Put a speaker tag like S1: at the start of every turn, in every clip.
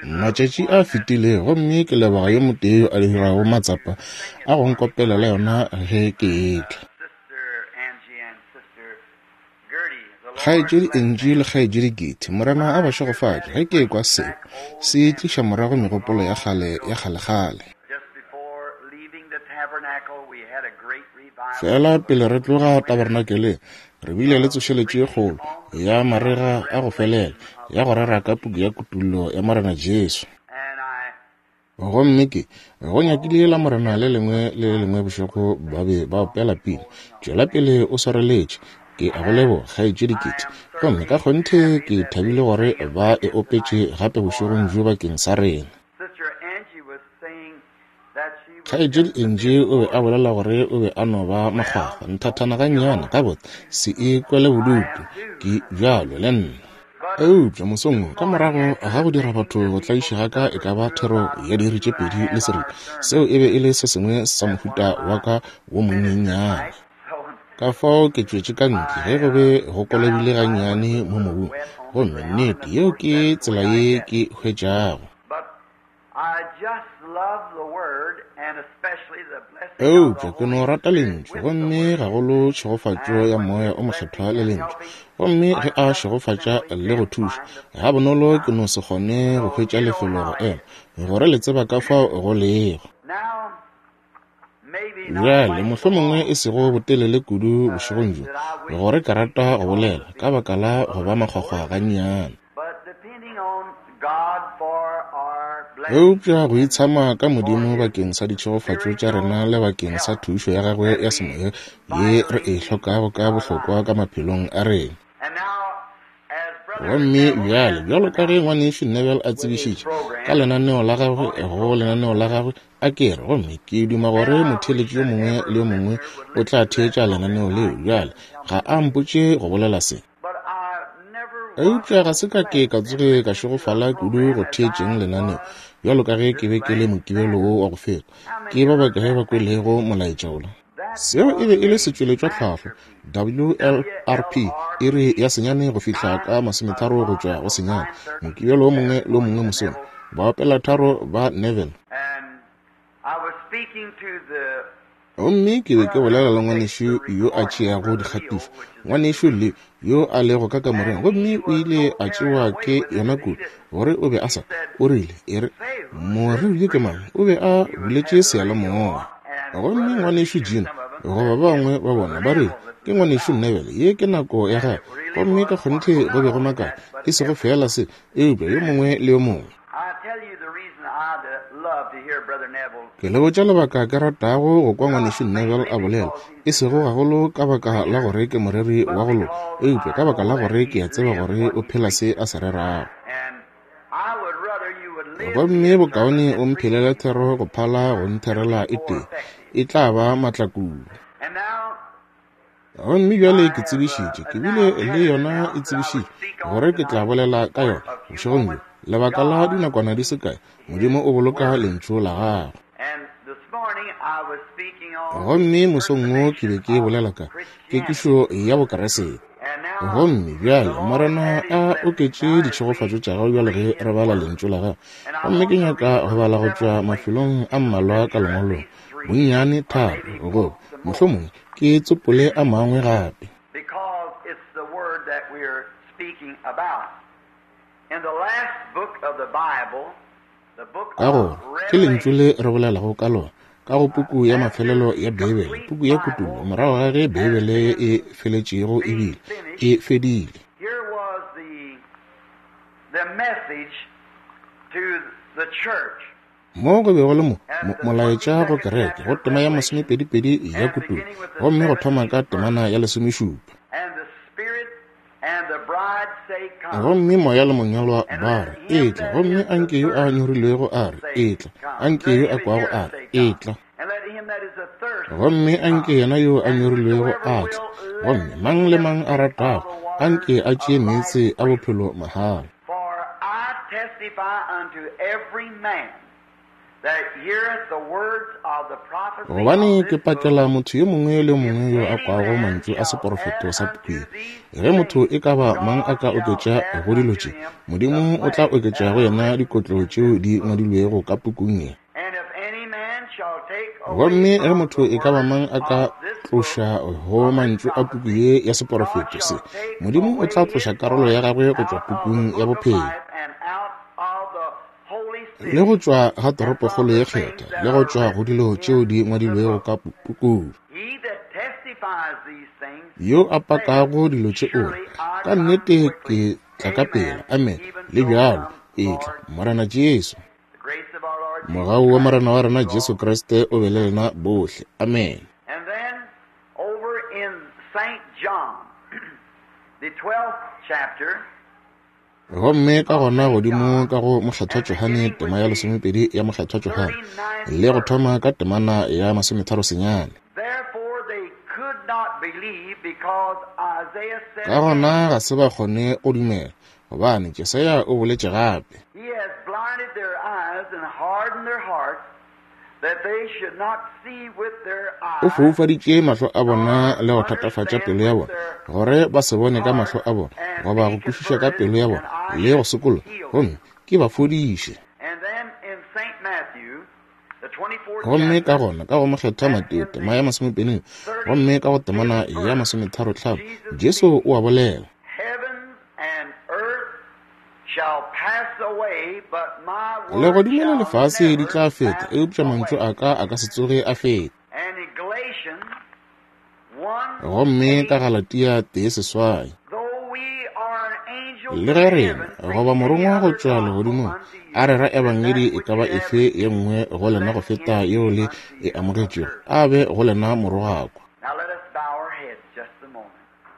S1: Matšatši a fetile gomme ke leboga yo motee yo a dirago matsapa a go nkopelela yona ge ke etla. Kgaetšedi Angie le Kgaetšedi Gertie, Morena a ba šegofatše. Ge ke ekwa seo, se tliša morago megopolo ya kgale ya kgalekgale. Feela pele re tloga tabernakeleng, re bile le tsošeletšo ye kgolo ya marega a go felela ya go rera ka puku ya Kutullo ya Morena Jesu. Gomme ke, go nyakile Lamorena le lengwe le le lengwe bošego ba be ba opela pina, Tšwela pele o swareletše. Ke a go leboga, Kgaetšedi Kitty. Gomme ka kgonthe ke thabile gore ba e opetše gape bošegong bjo bakeng sa rena. Kgaetšedi Angie o be a bolela gore o be a no ba makgwakgwa nthathana gannyane, gabotse, se ikwele bodutu, ke bjalo le nna. Eupša mosong wo, ka morago ga go dira batho go tlaišega ka e ka ba thero ya diiri tše pedi le seripa, seo e be e le se sengwe sa mohuta wa ka wo monyenyane. Ka fao ke tšwetše ka ntle ge go be go kolobile gannyane mo mobung, gomme nnete yeo ke tsela ye ke hwetšago. Eupša ke no rata Lentšu, gomme gagolo tšhegofatšo ya Moya o Mokgethwa le Lentšu. Gomme ge A šegofatša le go thuša, gabonolo ke no se kgone go hwetša lefelo go ema, gore le tseba ka fao go lego. Bjale, mohlomongwe e sego botelele kudu bošegong bjo, gore ke rata go bolela, ka baka la go ba makgwakgwa gannyane. Eupša go itshama ka Modimo bakeng sa ditšhegofatšo tša rena le bakeng sa thušo ya Gagwe ya semoya ye re e hlokago ka bohlokwa ka maphelong a rena. Gomme bjale, bjalo ka ge Ngwanešu Neville a tsebišitše ka lenaneo la gagwe, go lenaneo la gagwe, a ke re, gomme ke duma gore motheeletši yo mongwe le yo mongwe o tla theetša lenaneo leo. Bjale, ga a mpotše go bolela se. Eupša ga se ka ke ka tsoge ka šegofala kudu go theetšeng lenaneo bjalo ka ge ke be ke le Mokibelo wo wa go feta. Ke ba bakae ba kwelego molaetša wola? Seo e be e le setšweletšwatlhahlo, WLRP, iri ya senyane go fihla ka masometharo go tšwa go senyane, Mokibelo wo mongwe le wo mongwe mosong. Baopelatharo ba Neville. Gomme ke be ke bolela le ngwanešu yo a tšeago dikgatišo, ngwanešu Lee, yo a lego ka kamoreng, gomme o ile a tšewa ke yona kudu, gore o be a sa, o rile, e re, moreri yo ke mang? O be a buletše seyalemoya. Gomme ngwanešu Gene, goba ba bangwe ba bona, ba rile, Ke ngwanešu Neville, ye ke nako ya gagwe. Gomme ka kgonthe go be go makala, e sego feela se, eupša yo mongwe le yo mongwe. Ke le botša lebaka ke ratago go kwa Ngwanešu Neville a bolela, e sego gagolo ka baka la gore ke moreri wa go loka, eupša ka baka la gore ke a tseba gore o phela se a se rerago. Gomme bokaone o mphelele thero go phala go ntherela e tee, e tla ba maatla kudu. Gomme bjale ke tsebišitše, ke bile le yona e tsebišitšwe, gore ke tla bolela ka yona bošegong bjo, lebaka la dinakwana di se kae, Modimo o boloka Lentšu la Gagwe. Gomme mosong wo ke be ke bolela ka kekišo ya Bokeresete. Gomme bjale Morena a oketše ditšhegofatšo tša gago bjale ge re bala Lentšu la Gagwe. Gomme ke nyaka go bala go tšwa mafelong a mmalwa ka Lengwalong, bonnyane tharo, goba mohlomongwe ke tsopole a mangwe gape. Ka gore ke lentšu le re bolelago ka lona ka go puku ya mafelelo ya Beibele, puku ya Kutullo, morago ga ge Beibele e feletšego ebile e fedile. Mo go be go le mo, mo, molaetša go kereke, go tema ya masomepedipedi ya Kutullo, gomme go thoma ka temana ya lesomešupa. Gomme Moya le Monyalwa ba re, Etla. Gomme anke yo a nyorilwego a re, Etla. Anke yo a kwago a re, Etla. Gomme anke yena yo a nyorilwego a tle. Gomme mang le mang a ratago, anke a tšee meetse a bophelo mahala.
S2: For I testify unto every man
S1: Gobane ke pakela motho yo mongwe le yo mongwe yo a kwago mantšu a seporofeto sa puku ye. Ge motho e ka ba mang a ka oketša go dilo tše, Modimo o tla oketša go yena dikotlo tšeo di ngwadilwego ka pukung ye. Gomme ge motho e ka ba mang a ka tloša go mantšu a puku ye ya seporofeto se, Modimo o tla tloša karolo ya gagwe go tšwa pukung ya bophelo, le go tšwa ga toropokgolo ye kgethwa, le go tšwa go dilo tšeo di ngwadilwego ka pukung. Yo a pakago dilo tše o re, Ka nnete ke tla ka pela. Amen. Le bjalo, etla, Morena Jesu. Mogau wa Morena wa rena Jesu Kriste o be le lena bohle. Amen.
S2: And then over in St. John, the 12th chapter,
S1: Gomme ka gona godimo ka go Mokgethwa Johane, tema ya lesomepedi ya Mokgethwa Johane, le go thoma ka temana ya masometharo senyane.
S2: Therefore they could not believe because Isaiah said
S1: Ka gona ga se ba kgone go dumela, gobane Jesaya o boletše gape.
S2: He has blinded their eyes and hardened their hearts that they should not see with their
S1: O
S2: eyes
S1: foufaditše mahlo a bona le go thatafatša pelo ya bona, gore ba se bone ka mahlo a bona, goba go kwešiša ka pelo ya bona, le go sokologa, gomme ke ba fodiše.
S2: And then in St. Matthew, the 24th
S1: Gomme ka
S2: chapter,
S1: gona ka go Mokgethwa Mateo tema ya masomepedi, gomme ka go temana ya masometharo-hlano, Jesu o a bolela.
S2: heavens and earth shall pass away, but my word
S1: Legodimo le
S2: shall
S1: lefase di
S2: never
S1: tla feta,
S2: pass
S1: eupša mantšu
S2: away.
S1: a ka a ka se tsoge a feta.
S2: And in Galatians 1
S1: Gomme ka
S2: 8,
S1: Galatia 1:8,
S2: though we are an angel
S1: le
S2: from
S1: ge rena
S2: heaven,
S1: goba
S2: preach any
S1: morongwa go
S2: other
S1: tšwa
S2: gospel
S1: legodimong
S2: unto
S1: a
S2: you
S1: rera
S2: than that
S1: ebangedi e
S2: which
S1: ka ba
S2: you have
S1: efe ye nngwe go lena go
S2: let
S1: feta
S2: him
S1: yeo
S2: be
S1: le
S2: unto
S1: e
S2: you a
S1: amogetšego,
S2: curse.
S1: a be go lena morogakwa.
S2: Now let us bow our heads just a moment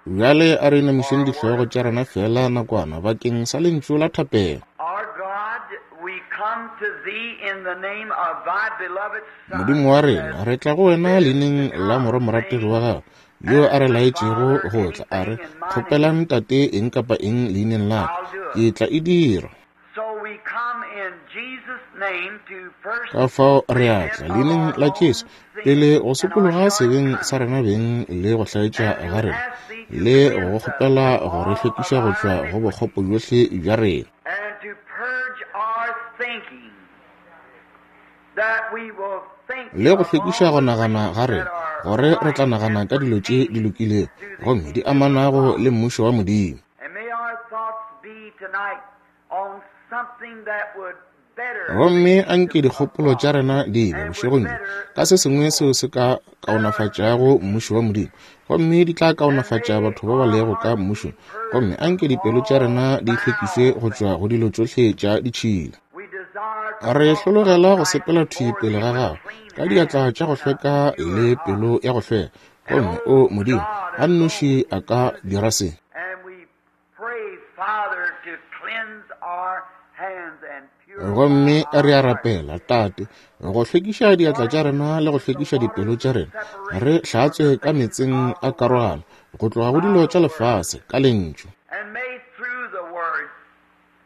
S1: Bjale a re
S2: for
S1: inamišeng
S2: a word
S1: dihlogo
S2: of
S1: tša rena
S2: prayer.
S1: feela nakwana bakeng sa lentšu la thapelo.
S2: Our God, we come to thee in the name of thy beloved Son,
S1: Modimo wa
S2: who
S1: rena,
S2: has
S1: re tla go wena
S2: bid us to
S1: leineng la
S2: come,
S1: morwa-morategi wa
S2: saying,
S1: gago, yo a
S2: Ask
S1: re
S2: the
S1: laetšego
S2: Father
S1: go tla, a re,
S2: anything in my name,
S1: Kgopelang Tate eng kapa eng leineng la ka,
S2: I'll do
S1: ke
S2: it.
S1: tla e dira.
S2: So we come in Jesus' name to first
S1: Ka fao re a
S2: repent
S1: tla
S2: of
S1: leineng
S2: our
S1: la Jesu,
S2: own sin
S1: pele go
S2: and our
S1: sokologa sebeng sa
S2: shortcomings,
S1: rena beng le go hlaetša
S2: and
S1: ga
S2: to
S1: rena,
S2: ask thee to
S1: le go
S2: cleanse us
S1: kgopela
S2: from
S1: go re
S2: all of
S1: hlwekiša go
S2: our
S1: tšwa go bokgopo
S2: iniquity,
S1: bjohle bja rena,
S2: and to purge our thinking, that we will think
S1: le go
S2: of
S1: hlwekiša
S2: all
S1: go
S2: the
S1: nagana
S2: things
S1: ga
S2: that
S1: rena,
S2: are
S1: gore re tla
S2: right
S1: nagana
S2: and
S1: ka dilo tše di
S2: pertaining
S1: lokilego
S2: to the
S1: gomme di
S2: kingdom of
S1: amanago
S2: God.
S1: le mmušo wa Modimo.
S2: And may our thoughts be tonight on something that would better the
S1: Gomme
S2: kingdom
S1: anke
S2: of
S1: dikgopolo tša
S2: God
S1: rena di be
S2: and would
S1: bošegong bjo
S2: better
S1: ka
S2: the
S1: se sengwe seo
S2: people.
S1: se ka
S2: That our
S1: kaonafatšago mmušo wa Modimo, gomme di tla
S2: and
S1: kaonafatša
S2: may
S1: batho ba ba
S2: our
S1: lego ka
S2: hearts be
S1: mmušong, gomme
S2: purged from
S1: anke dipelo tša
S2: all
S1: rena di hlwekišwe
S2: foul
S1: go tšwa
S2: things.
S1: go dilo tšohle tša ditšhila.
S2: We desire to
S1: Re
S2: walk
S1: hlologela go
S2: upright
S1: sepela thwi
S2: before
S1: pele
S2: thee
S1: ga
S2: with
S1: gago
S2: clean
S1: ka diatla
S2: hands
S1: tša go
S2: and a
S1: hlweka
S2: pure
S1: le
S2: heart.
S1: pelo ya go hlweka,
S2: And
S1: gomme o
S2: oh
S1: Modimo
S2: God
S1: a nnoši
S2: alone
S1: a
S2: can
S1: ka
S2: do this.
S1: dira se.
S2: And we pray, Father, to cleanse our hands and purify
S1: Gomme re
S2: our
S1: a
S2: hearts.
S1: rapela, Tate, go hlwekiša diatla
S2: Wash
S1: tša rena le go
S2: with the
S1: hlwekiša dipelo
S2: waters
S1: tša
S2: of
S1: rena, re
S2: separation from
S1: hlatswe
S2: the
S1: ka
S2: things
S1: meetseng
S2: of
S1: a
S2: the world
S1: karogano go tloga go
S2: by
S1: dilo
S2: the
S1: tša
S2: word.
S1: lefase ka lentšu.
S2: And may through the word,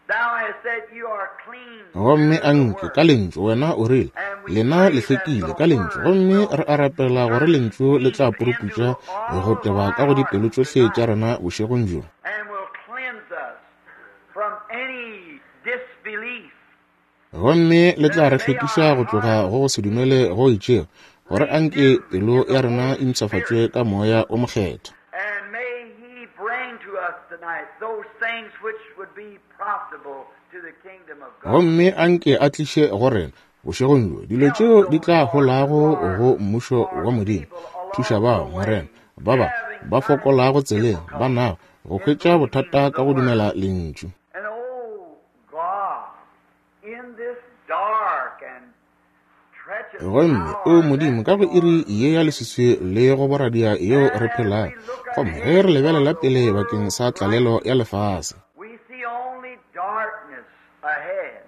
S2: thou hast said you are clean
S1: Gomme
S2: through the
S1: anke ka
S2: word.
S1: lentšu wena o rile,
S2: And we
S1: lena le
S2: pray that
S1: hlwekile
S2: the
S1: ka lentšu.
S2: word
S1: Gomme
S2: will
S1: re a rapela gore
S2: search
S1: lentšu le tla
S2: deep into
S1: puruputša go
S2: all of
S1: teba
S2: our
S1: ka go dipelo
S2: hearts
S1: tšohle tša
S2: tonight
S1: rena bošegong bjo.
S2: and will cleanse us from any disbelief.
S1: Gomme le tla re
S2: That may
S1: hlwekiša
S2: our
S1: go tloga
S2: hearts
S1: go go se dumele go itšego, gore anke
S2: renewed
S1: pelo
S2: in
S1: ya
S2: the
S1: rena
S2: Holy
S1: e mpshafatšwe
S2: Spirit.
S1: ka moya o mokgethwa.
S2: And may He bring to us tonight those things which would be profitable to the kingdom of God.
S1: Gomme anke a tliše go rena bošegong bjo dilo
S2: Help
S1: tšeo di
S2: those,
S1: tla
S2: Lord, who
S1: holago
S2: are
S1: go mmušo
S2: are
S1: wa Modimo.
S2: feeble
S1: Thuša
S2: along
S1: bao,
S2: the
S1: Morena,
S2: way,
S1: ba ba
S2: having
S1: ba
S2: finding
S1: fokolago tseleng, ba
S2: difficulty
S1: nago go
S2: in
S1: hwetša
S2: believing
S1: bothata
S2: the
S1: ka go
S2: word.
S1: dumela lentšu.
S2: And oh God, in this dark and treacherous
S1: Gomme o
S2: hour
S1: Modimo,
S2: that
S1: ka go
S2: we
S1: iri
S2: are
S1: ye ya
S2: in,
S1: leswiswi le go boradia yeo
S2: and
S1: re
S2: as
S1: phelago,
S2: we look
S1: gomme ge
S2: ahead
S1: re
S2: for
S1: lebelela
S2: the
S1: pele bakeng
S2: world's
S1: sa tlalelo
S2: crisis,
S1: ya lefase,
S2: we see only darkness ahead.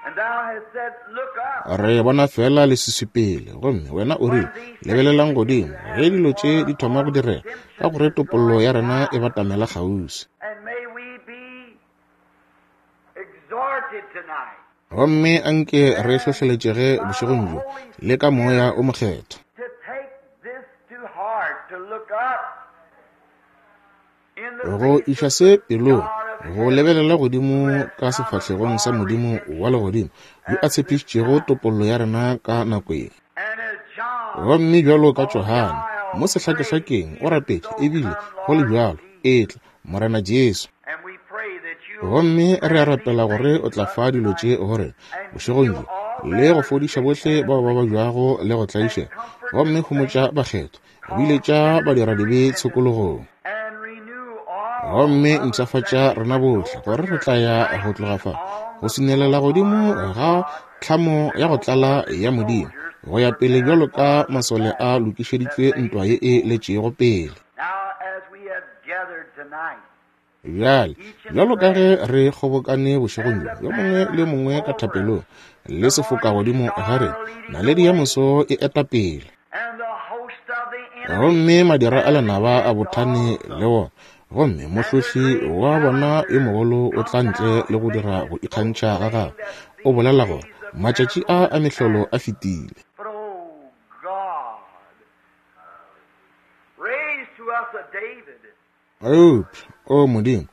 S2: And thou hast said, Look up
S1: re bona fela leswiswi pele. Gomme wena o
S2: when
S1: rile,
S2: these things
S1: lebelelang
S2: begin to
S1: godimo ge
S2: happen,
S1: dilo tše
S2: for
S1: di thoma
S2: our
S1: go direga, ka
S2: redemption
S1: gore
S2: is
S1: topollo
S2: drawing
S1: ya rena e
S2: nigh.
S1: batamela kgauswi.
S2: And may we be exhorted tonight.
S1: Gomme anke re hlohleletšege bošegong bjo le ka Moya o Mokgethwa. Go iša se pelong, go lebelela godimo ka sefahlegong sa Modimo wa Legodimo, yo a tshepišitšego topollo ya rena ka nako ye. Gomme bjalo ka Johane, mo sehlakehlakeng, o rapetše, ebile go le bjalo, Etla, Morena Jesu. Gomme re a rapela gore o tla fa dilo tše go rena bošegong bjo, le go fodiša bohle bao ba babjago le go tlaišega, gomme homotša bakgethwa, biletša badiradibe tshokologong. Gomme mpshafatša rena bohle, gore re tla ya go tloga fa, go swinelela godimo ga tlhamo ya go tlala ya Modimo, go ya pele bjalo ka masole a lokišeditšwe ntwa ye e letšego pele. Bjale, bjalo ka ge re kgobokane bošegong bjo, yo mongwe le yo mongwe ka thapelong, le sefoka godimo ga rena, naledi ya moso e eta pele. Gomme madira a lenaba a bothane le wona, gomme mohlohli wa bona yo mogolo o tla ntle le go dira go ikgantšha ga gagwe, o bolela gore matšatši a a mehlolo a fetile. Eupša, O Modimo,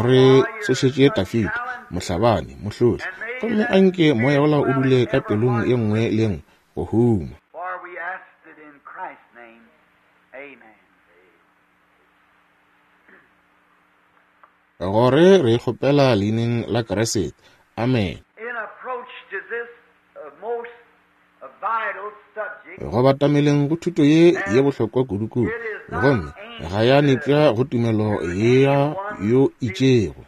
S1: re tsošetše Dafida, mohlabani, mohlohli, gomme a nke moya wola o dule ka pelong ye nngwe le ye nngwe go huma. Gore re e kgopela Leineng la Kriste. Amene. Go batameleng go thuto ye ye bohlokwa kudu-kudu, gomme ga ya nepša go tumelo ya yo itšego.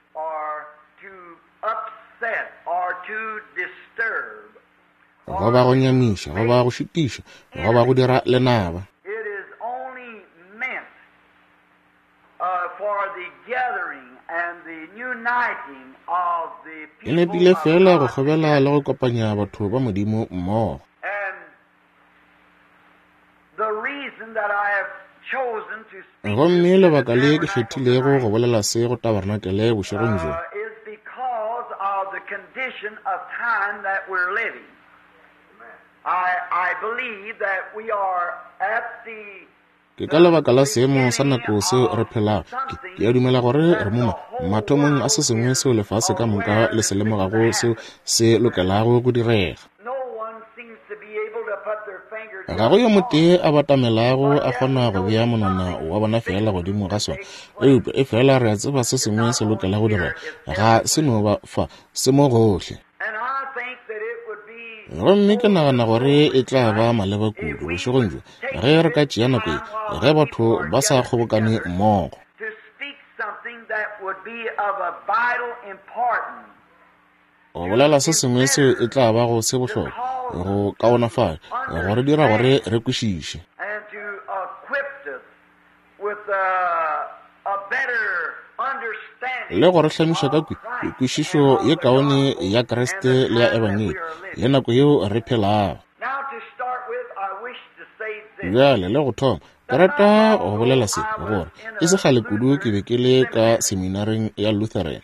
S1: Goba go nyamiša, goba go šitiša, goba go dira lenaba. E nepile feela go kgobela le go kopanya batho ba Modimo mmogo. Gomme lebaka le ke kgethilego go bolela se go tabarnakele bošegong bjo, Ke ka lebaka la seemo sa nako seo re phelago. Ke, ke a dumela gore re mo ma, mathomong a se sengwe seo lefase ka moka le se lemogago seo se lokelago go direga. Ga go yo motee a batamelago a kgona go bea monwana wa bona feela godimo ga sona, eupša efela re a tseba se sengwe se lokela go direga. Ga se no ba fa, se mo gohle. Gomme ke nagana gore e tla ba maleba kudu bošegong bjo ge re ka tšea nako ye ge batho ba sa kgobokane mmogo. Go bolela se sengwe seo e tla bago se bohlokwa go kaonafatša, go re dira gore re kwešiše. Le go re hlamiša ka kwešišo ye kaone ya Kriste le ya Ebangedi le nako yeo re phelago. Bjale le go thoma, ke rata go bolela se, gore e se kgale kudu ke be ke le ka seminareng ya Lutheran.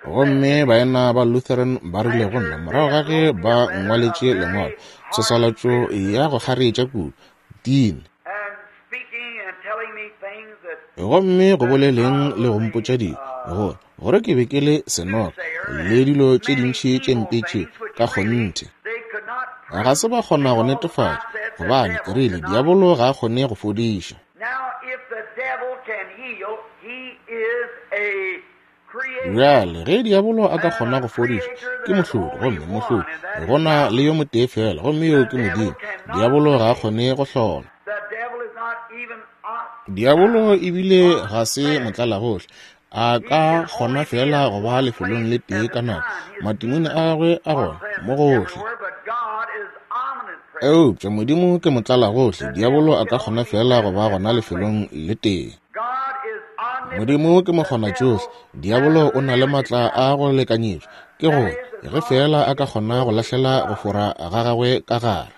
S1: Gomme baena ba Lutheran ba rile go nna morago ga ge ba ngwaletše lengwalo, tshwaswalatšo ya go kgareetša kudu, Dean. Gomme go boleleng le go mpotša dilo, gore, gore ke be ke le senoga, le dilo tše dintši tše mpe tše, ka kgonthe. Ga se ba kgona go netefatša, gobane ke rile, Diabolo ga a kgone go fodiša. Bjale, ge diabolo a ka kgona go fodiša, ke mohlodi, gomme mohlodi go na le yo motee feela, gomme yoo ke Modimo. Diabolo ga a kgone go hlola. Diabolo ebile ga se motlalagohle. A ka kgona feela go ba lefelong le tee ka nako. Matimone a gagwe a gona mo gohle. Eupša Modimo ke motlalagohle, diabolo a ka kgona feela go ba gona lefelong le tee. Modimo ke mokgonatšohle, diabolo o na le matla a go lekanyetšwa, ke gore ge feela a ka kgona go lahlela go fora ga gagwe ka gare.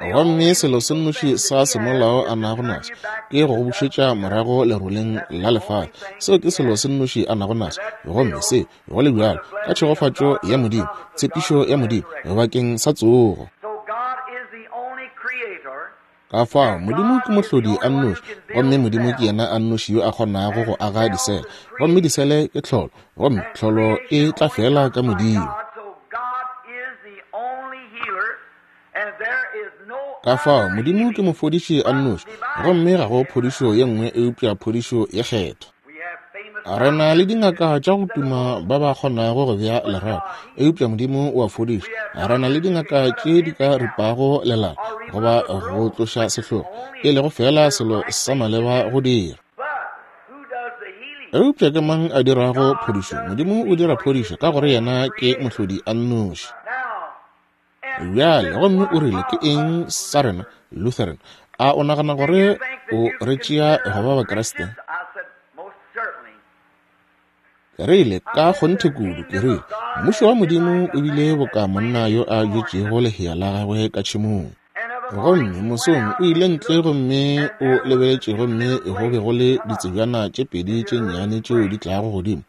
S1: Gomme selo se nnoši sa semolao a nago naso ke go go bušetša morago leroleng la lefase. Seo ke selo se nnoši a nago naso. Gomme se, go le bjalo, ka tšhegofatšo ya Modimo, tshepišo ya Modimo bakeng sa tsogo. Ka fao, Modimo ke mohlodi a nnoši, gomme Modimo ke yena a nnoši yo a kgonago go aga disele. Gomme disele ke tlholo, gomme tlholo e tla fela ka Modimo. Ka fao, Modimo ke mofodiši a nnoši, gomme ga go phodišo ye nngwe eupša phodišo ye Kgethwa. Re na le dingaka tša go tuma ba ba kgonago go bea lerato, eupša Modimo o a fodiša. Re na le dingaka tše di ka ripago lelala goba go tloša sehlogo, e lego feela selo sa maleba go dira. Eupša ke mang a dirago phodišo? Modimo o dira phodišo ka gore yena ke mohlodi a nnoši. Bjale, gomme o rile, Ke eng sa rena, Lutheran? A o nagana gore o re tšea go ba Bakriste? Ke rile, Ka kgonthe kudu. Ke rile, Mmušo wa Modimo o bile boka monna yo a bjetšego lehea la gagwe ka tšhemong. Gomme mosong o ile ntle gomme o lebeletše, gomme go be go le ditsebjana tše pedi tše nnyane tšeo di tlago godimo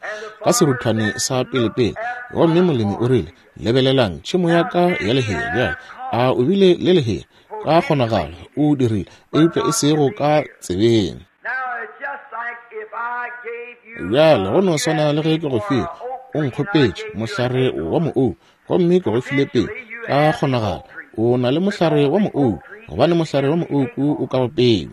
S1: ka seruthwane sa pelepele. Gomme molemi o rile, Lebelelang tšhemo ya ka ya lehea bjale. A o bile le lehea? Ka kgonagalo o dirile, eupša e sego ka tsebeng. Bjale go no swana le ge ke go file, o nkgopetše mohlare wa moou, gomme ke go file pele. Ka kgonagalo o na le mohlare wa moou, gobane mohlare wa moouku o ka go peu.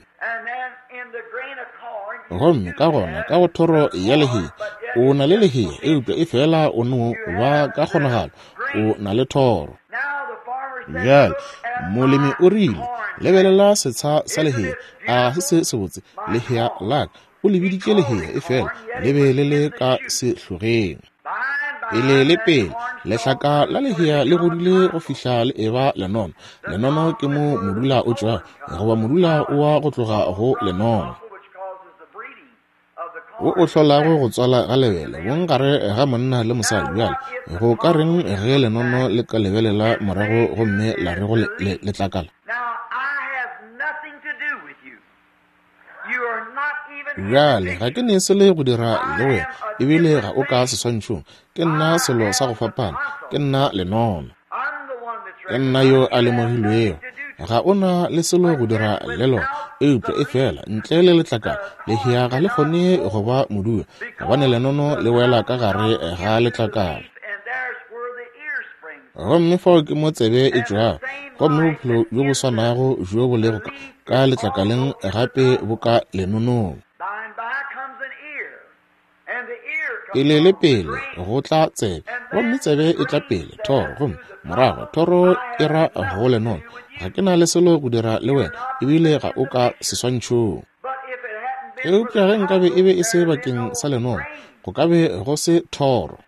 S1: Gomme ka gona ka go thoro ya lehea, o na le lehea, eupša e fela o no ba ka kgonagalo o na le thoro. Bjale molemi o rile, Lebelela setsha sa lehea, a se se sebotse lehea la ka. O le biditše lehea, efela le be le le ka sehlogeng. Pele le pele, lehlaka la lehea le godile go fihla le eba lenono. Lenono ke mo modula o tšwago, goba modula o wa go tloga go lenono, wo o hlolago go tswala ga lebele bong gare ga monna le mosadi. Bjale, go ka reng ge lenono le ka lebelela morago gomme la re go letlakala? Bjale, ga ke ne selo go dira le wena, ebile ga o ka seswantšhong. Ke nna selo sa go fapana. Ke nna lenono. Ke nna yo a lemogilwego. Ga o na le selo go dira le lona, eupša efela ntle le letlakala, lehea ga le kgone go ba modula, gobane lenono le wela ka gare ga letlakala. Gomme fao ke mo tsebe e tšwago, gomme bophelo bjo bo swanago bjo bo lego ka, ka letlakaleng gape bo ka lenonong. Pele le pele go tla tsebe, gomme tsebe e tla pele, thoro, gomme morago thoro e ra go lenono. Ga ke na le selo go dira le wena, ebile ga o ka seswantšhong. Eupša ge nkabe e be e se bakeng sa lenono, go ka be go se thoro.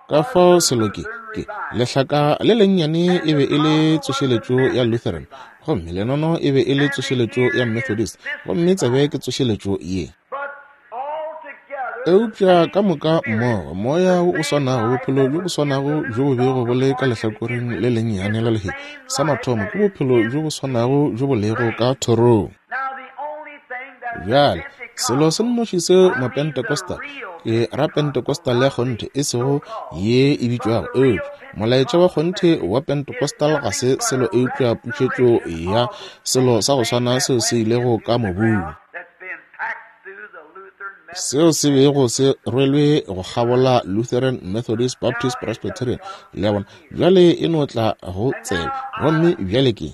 S1: Ka fao selo ke, ke, lehlaka le lennyane e be e le tsošeletšo ya Lutheran, gomme lenono e be e le tsošeletšo ya Methodist, gomme tsebe ke tsošeletšo ye. Eupša ka moka mmogo, moya wo o swanago, bophelo bjo bo swanago bjo bo bego bo le ka lehlakoreng le lennyane la lehea, sa mathomo ke bophelo bjo bo swanago bjo bo lego ka thorong. Bjale, selo se nnoši seo Mapentecostal, ke ra Pentecostal ya kgonthe, e sego ye e bitšwago, eupša molaetša wa kgonthe wa Pentecostal ga se selo eupša pušetšo ya selo sa go swana seo se ilego ka mobung, seo se bego se rwelwe go kgabola Lutheran, Methodist, Baptist, Presbyterian, le a bona. Bjale e no tla go tsebe, gomme bjale ke.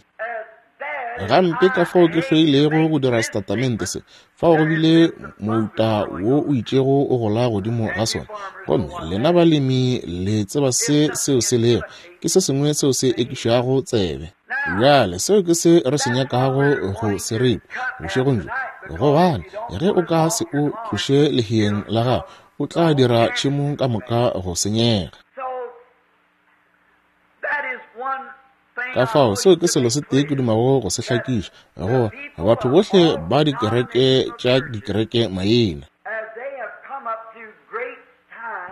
S1: Gampe ka fao ke hloilego go dira setatamente se, fao go bile mouta wo o itšego o gola godimo ga sona. Gomme lena balemi le tseba se seo se lego, ke se sengwe seo se ekišago tsebe. Bjale, seo ke se re se nyakago go se ripa bošegong bjo, gobane ge o ka se o tloše leheeng la gago, o tla dira tšhemo ka moka go senyega. Ka fao seo ke selo se tee ke dumago go se hlakiša, go batho bohle ba dikereke tša dikereke maina.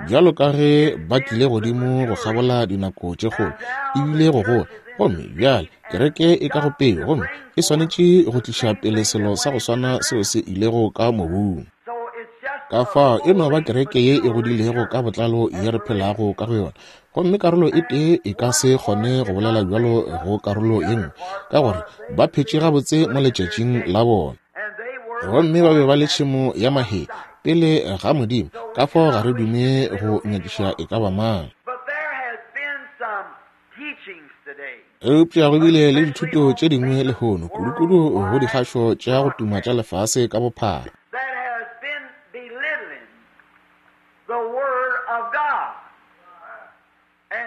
S1: Bjalo ka ge ba tlile godimo go kgabola dinako tše kgolo, ebile go gola, gomme bjale kereke e ka go peo, gomme e swanetše go tliša pele selo sa go swana seo se ilego ka mobung. Ka fao e no ba kereke ye e godilego ka botlalo ye re phelago ka go yona, gomme karolo e tee e ka se kgone go bolela bjalo go karolo ye nngwe, ka gore ba phetše gabotse mo letšatšing la bona. Gomme ba be ba le tšhemo ya mahee pele ga Modimo, ka fao ga re dume go nyakiša e ka ba mang. Eupša go bile le dithuto tše dingwe lehono, kudukudu go dikgašo tša go tuma tša lefase ka bophara,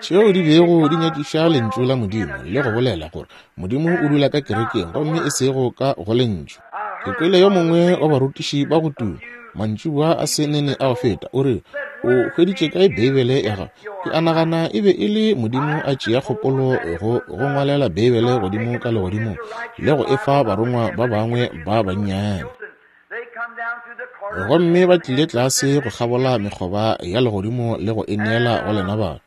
S1: tšeo di bego di nyakiša Lentšu la Modimo le go bolela gore Modimo o dula ka kerekeng gomme e sego ka go Lentšu. Ke kwele yo mongwe wa barutiši ba go tuma mantšiboa a se nene a go feta, o re, O hweditše kae Beibele ya gago? Ke a nagana e be e le Modimo a tšea kgopolo go go ngwalela Beibele godimo ka legodimong le go e fa barongwa ba bangwe ba bannyane. Gomme ba tlile tlase go kgabola mekgoba ya legodimo le go e neela go lena batho.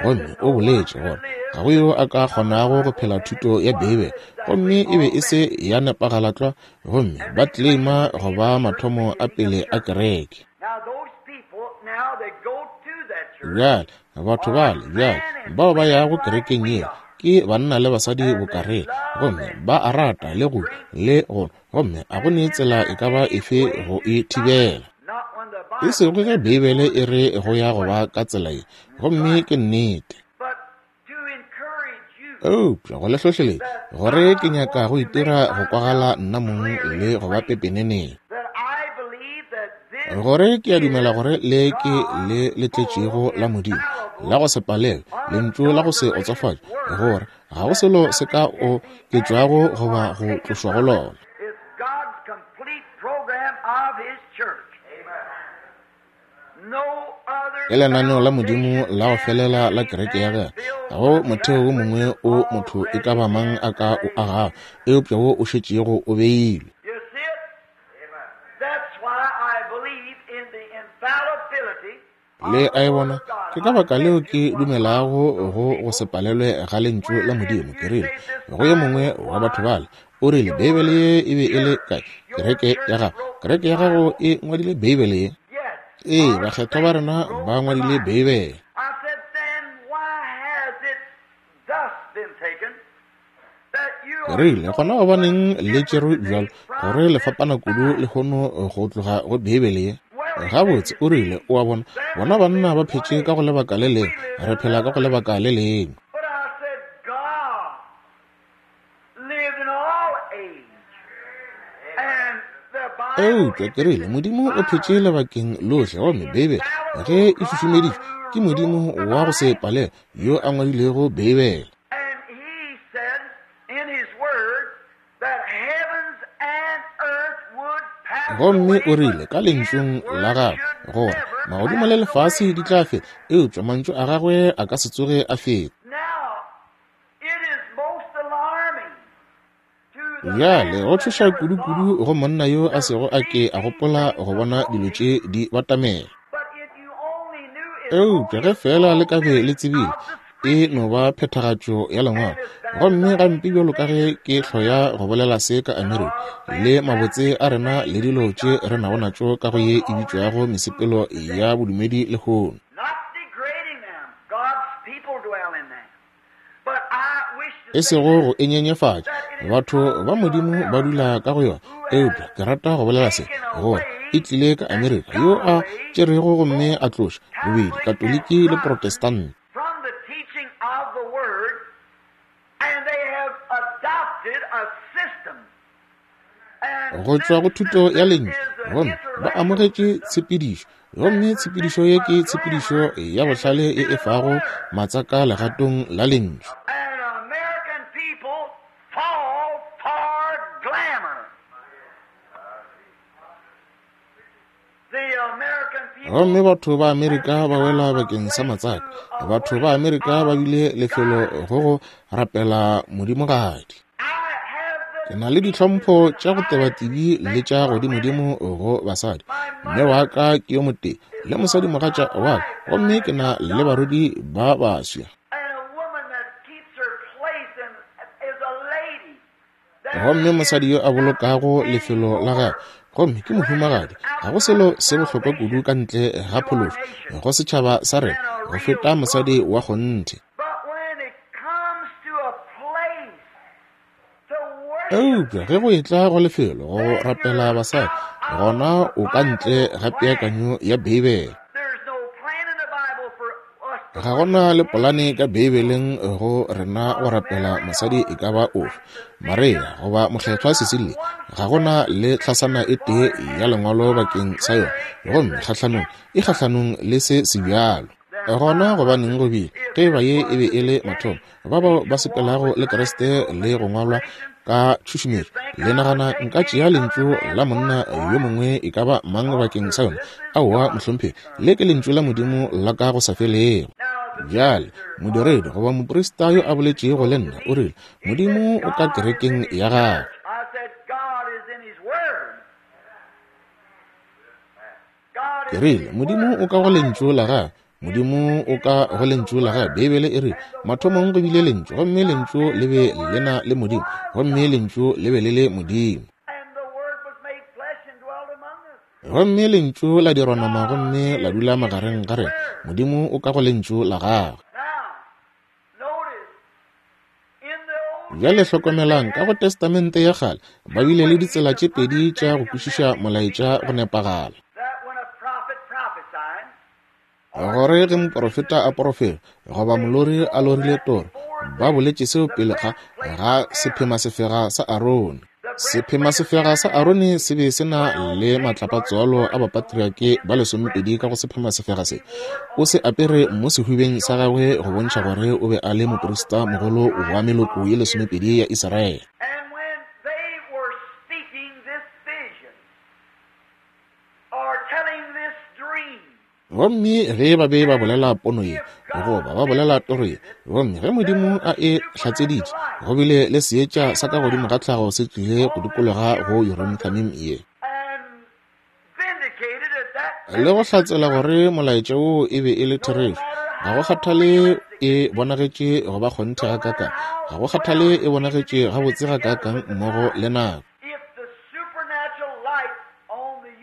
S1: Gomme o boletše gore ga go yo a ka kgonago go phela thuto ya Beibele, gomme e be e se ya nepagala tlwa, gomme ba tleleima go ba mathomo a pele a kereke. Bjale, batho bale bjale bao ba yago kerekeng yela ke banna le basadi bokareng, gomme ba a rata le go le go, gomme a go ne tsela e ka ba efe go e thibela. E sego ge Beibele e re go ya go ba ka tsela ye, gomme ke nnete. Eupša go le hlohleletša gore ke nyaka go itira go kwagala nna mong le go ba pepeneneng, gore ke a dumela gore le ke le le tletšego la Modimo la go se palelwe, lentšu la go se otsofatše, gore ga go selo se ka oketšwago goba go tlošwa go lona. Ke lenaneo la Modimo la go felela la kereke ya gagwe. Ga go motheo wo mongwe o motho e ka ba mang a ka o agago, eupša wo o šetšego o beilwe. Le a e bona? Ke ka baka leo ke dumelago go go se palelwe ga Lentšu la Modimo. Ke rile go yo mongwe wa batho bale, o rile, Beibele ye e be e le kae? Kereke ya gago. Kereke ya gago e ngwadile Beibele ye? Ee, bakgethwa ba rena ba ngwadile Beibele. Ke rile, gona gobaneng le tšerwe bjalo, gore le fapana kudu lehono go tloga go Beibele ye? Gabotse, o rile, o a bona, bona banna ba phetše ka go lebaka le lengwe, re phela ka go lebaka le lengwe. Eupša ke rile, Modimo o phetše lebakeng lohle, gomme Beibele ge e šušumeditšwe ke Modimo wa go se palelwe yo a ngwadilego Beibele. Gomme o rile ka lentšung la gagwe gore magodimo le lefase di tla feta, eupša mantšu a gagwe a ka se tsoge a feta. Bjale go tšhoša kudu-kudu go monna yo a sego a ke a gopola go bona dilo tše di batamela. Eupša ge feela le ka be le tsebile, e no ba phethagatšo ya Lengwalo. Gomme gampe bjalo ka ge ke hloya go bolela se ka Amerika, le mabotse a rena le dilo tše re nago natšo ka go ye e bitšwago mesepelo ya bodumedi lehono. E sego go e nyenyefatša, batho ba Modimo ba dula ka go yona, eupša ke rata go bolela se, gore e tlile ka Amerika, yo a tšerego gomme a tloša bobedi Katoliki le Protestant. Go tšwa go thuto ya Lentšu, gomme ba amogetše tshepedišo, gomme tshepedišo ye ke tshepedišo ya bohlale ye e fago matsaka legatong la Lentšu. Gomme batho ba Amerika ba wela bakeng sa matsaka. Batho ba Amerika ba bile lefelo go go rapela modimogadi. Ke na le ditlhompho tša go tebatibi le tša godimodimo go basadi. Mme wa ka ke yo motee, le mosadimogatša wa ka Gomme ke na le barwedi ba baswa. Gomme mosadi yo a bolokago lefelo la gagwe, gomme ke mohumagadi, ga go selo se bohlokwa kudu ka ntle ga phološo go setšhaba sa rena go feta mosadi wa kgonthe. Eupša ge go etla go lefelo go rapela basadi, gona o ka ntle ga peakanyo ya Beibele. Ga go na le polane ka Beibeleng go rena go rapela mosadi e ka ba ofe, Maria goba Mokgethwa Cecilia. Ga go na le tlhasana e tee ya Lengwalo bakeng sa yona, gomme kgahlanong e kgahlanong le se sebjalo. Gona gobaneng go bile, ge e ba ye e be e le mathomo, ba bao ba sepelago le Kriste le go ngwalwa ka tšhušumetšo, le nagana nka tšea lentšu la monna yo mongwe e ka ba mang bakeng sa yona? Aowa, mohlomphegi, le ke lentšu la Modimo la ka go sa felego. Bjale, modiredi goba moprista yo a boletšego le nna o rile, Modimo o ka kerekeng ya gagwe. Ke rile, Modimo o ka go Lentšu la Gagwe. Modimo o ka go Lentšu la Gagwe. Beibele e rile, Mathomong go bile Lentšu, gomme Lentšu le be le na le Modimo, gomme Lentšu le be le le Modimo. Gomme Lentšu la dirwa nama gomme la dula magareng ga rena. Modimo o ka go Lentšu la Gagwe. Bjale hlokomelang, ka go Testamente ya Kgale, ba bile le ditsela tše pedi tša go kwešiša molaetša go nepagala. Gore ge moporofeta a porofeta, goba molori a lorile toro, ba boletše seo pele ga ga sephemasefega sa Arone. Sephemasefega sa Arone se be se na le matlapatswalo a bapatriake ba lesomepedi ka go sephemasefega se. O se apere mo sehubeng sa gagwe go bontšha gore o be a le moprista mogolo wa meloko ye lesomepedi ya Israele. Gomme ge ba be ba bolela pono ye, goba ba bolela toro ye, gomme ge Modimo a e hlatseditše, go bile le seetša sa ka godimo ga tlhago se tlile go dikologa go Urim Thummim ye, le go hlatsela gore molaetša woo e be e le therešo. Ga go kgathale e bonagetše go ba kgonthe gakaakang, ga go kgathale e bonagetše gabotse gakaakang mmogo le nako.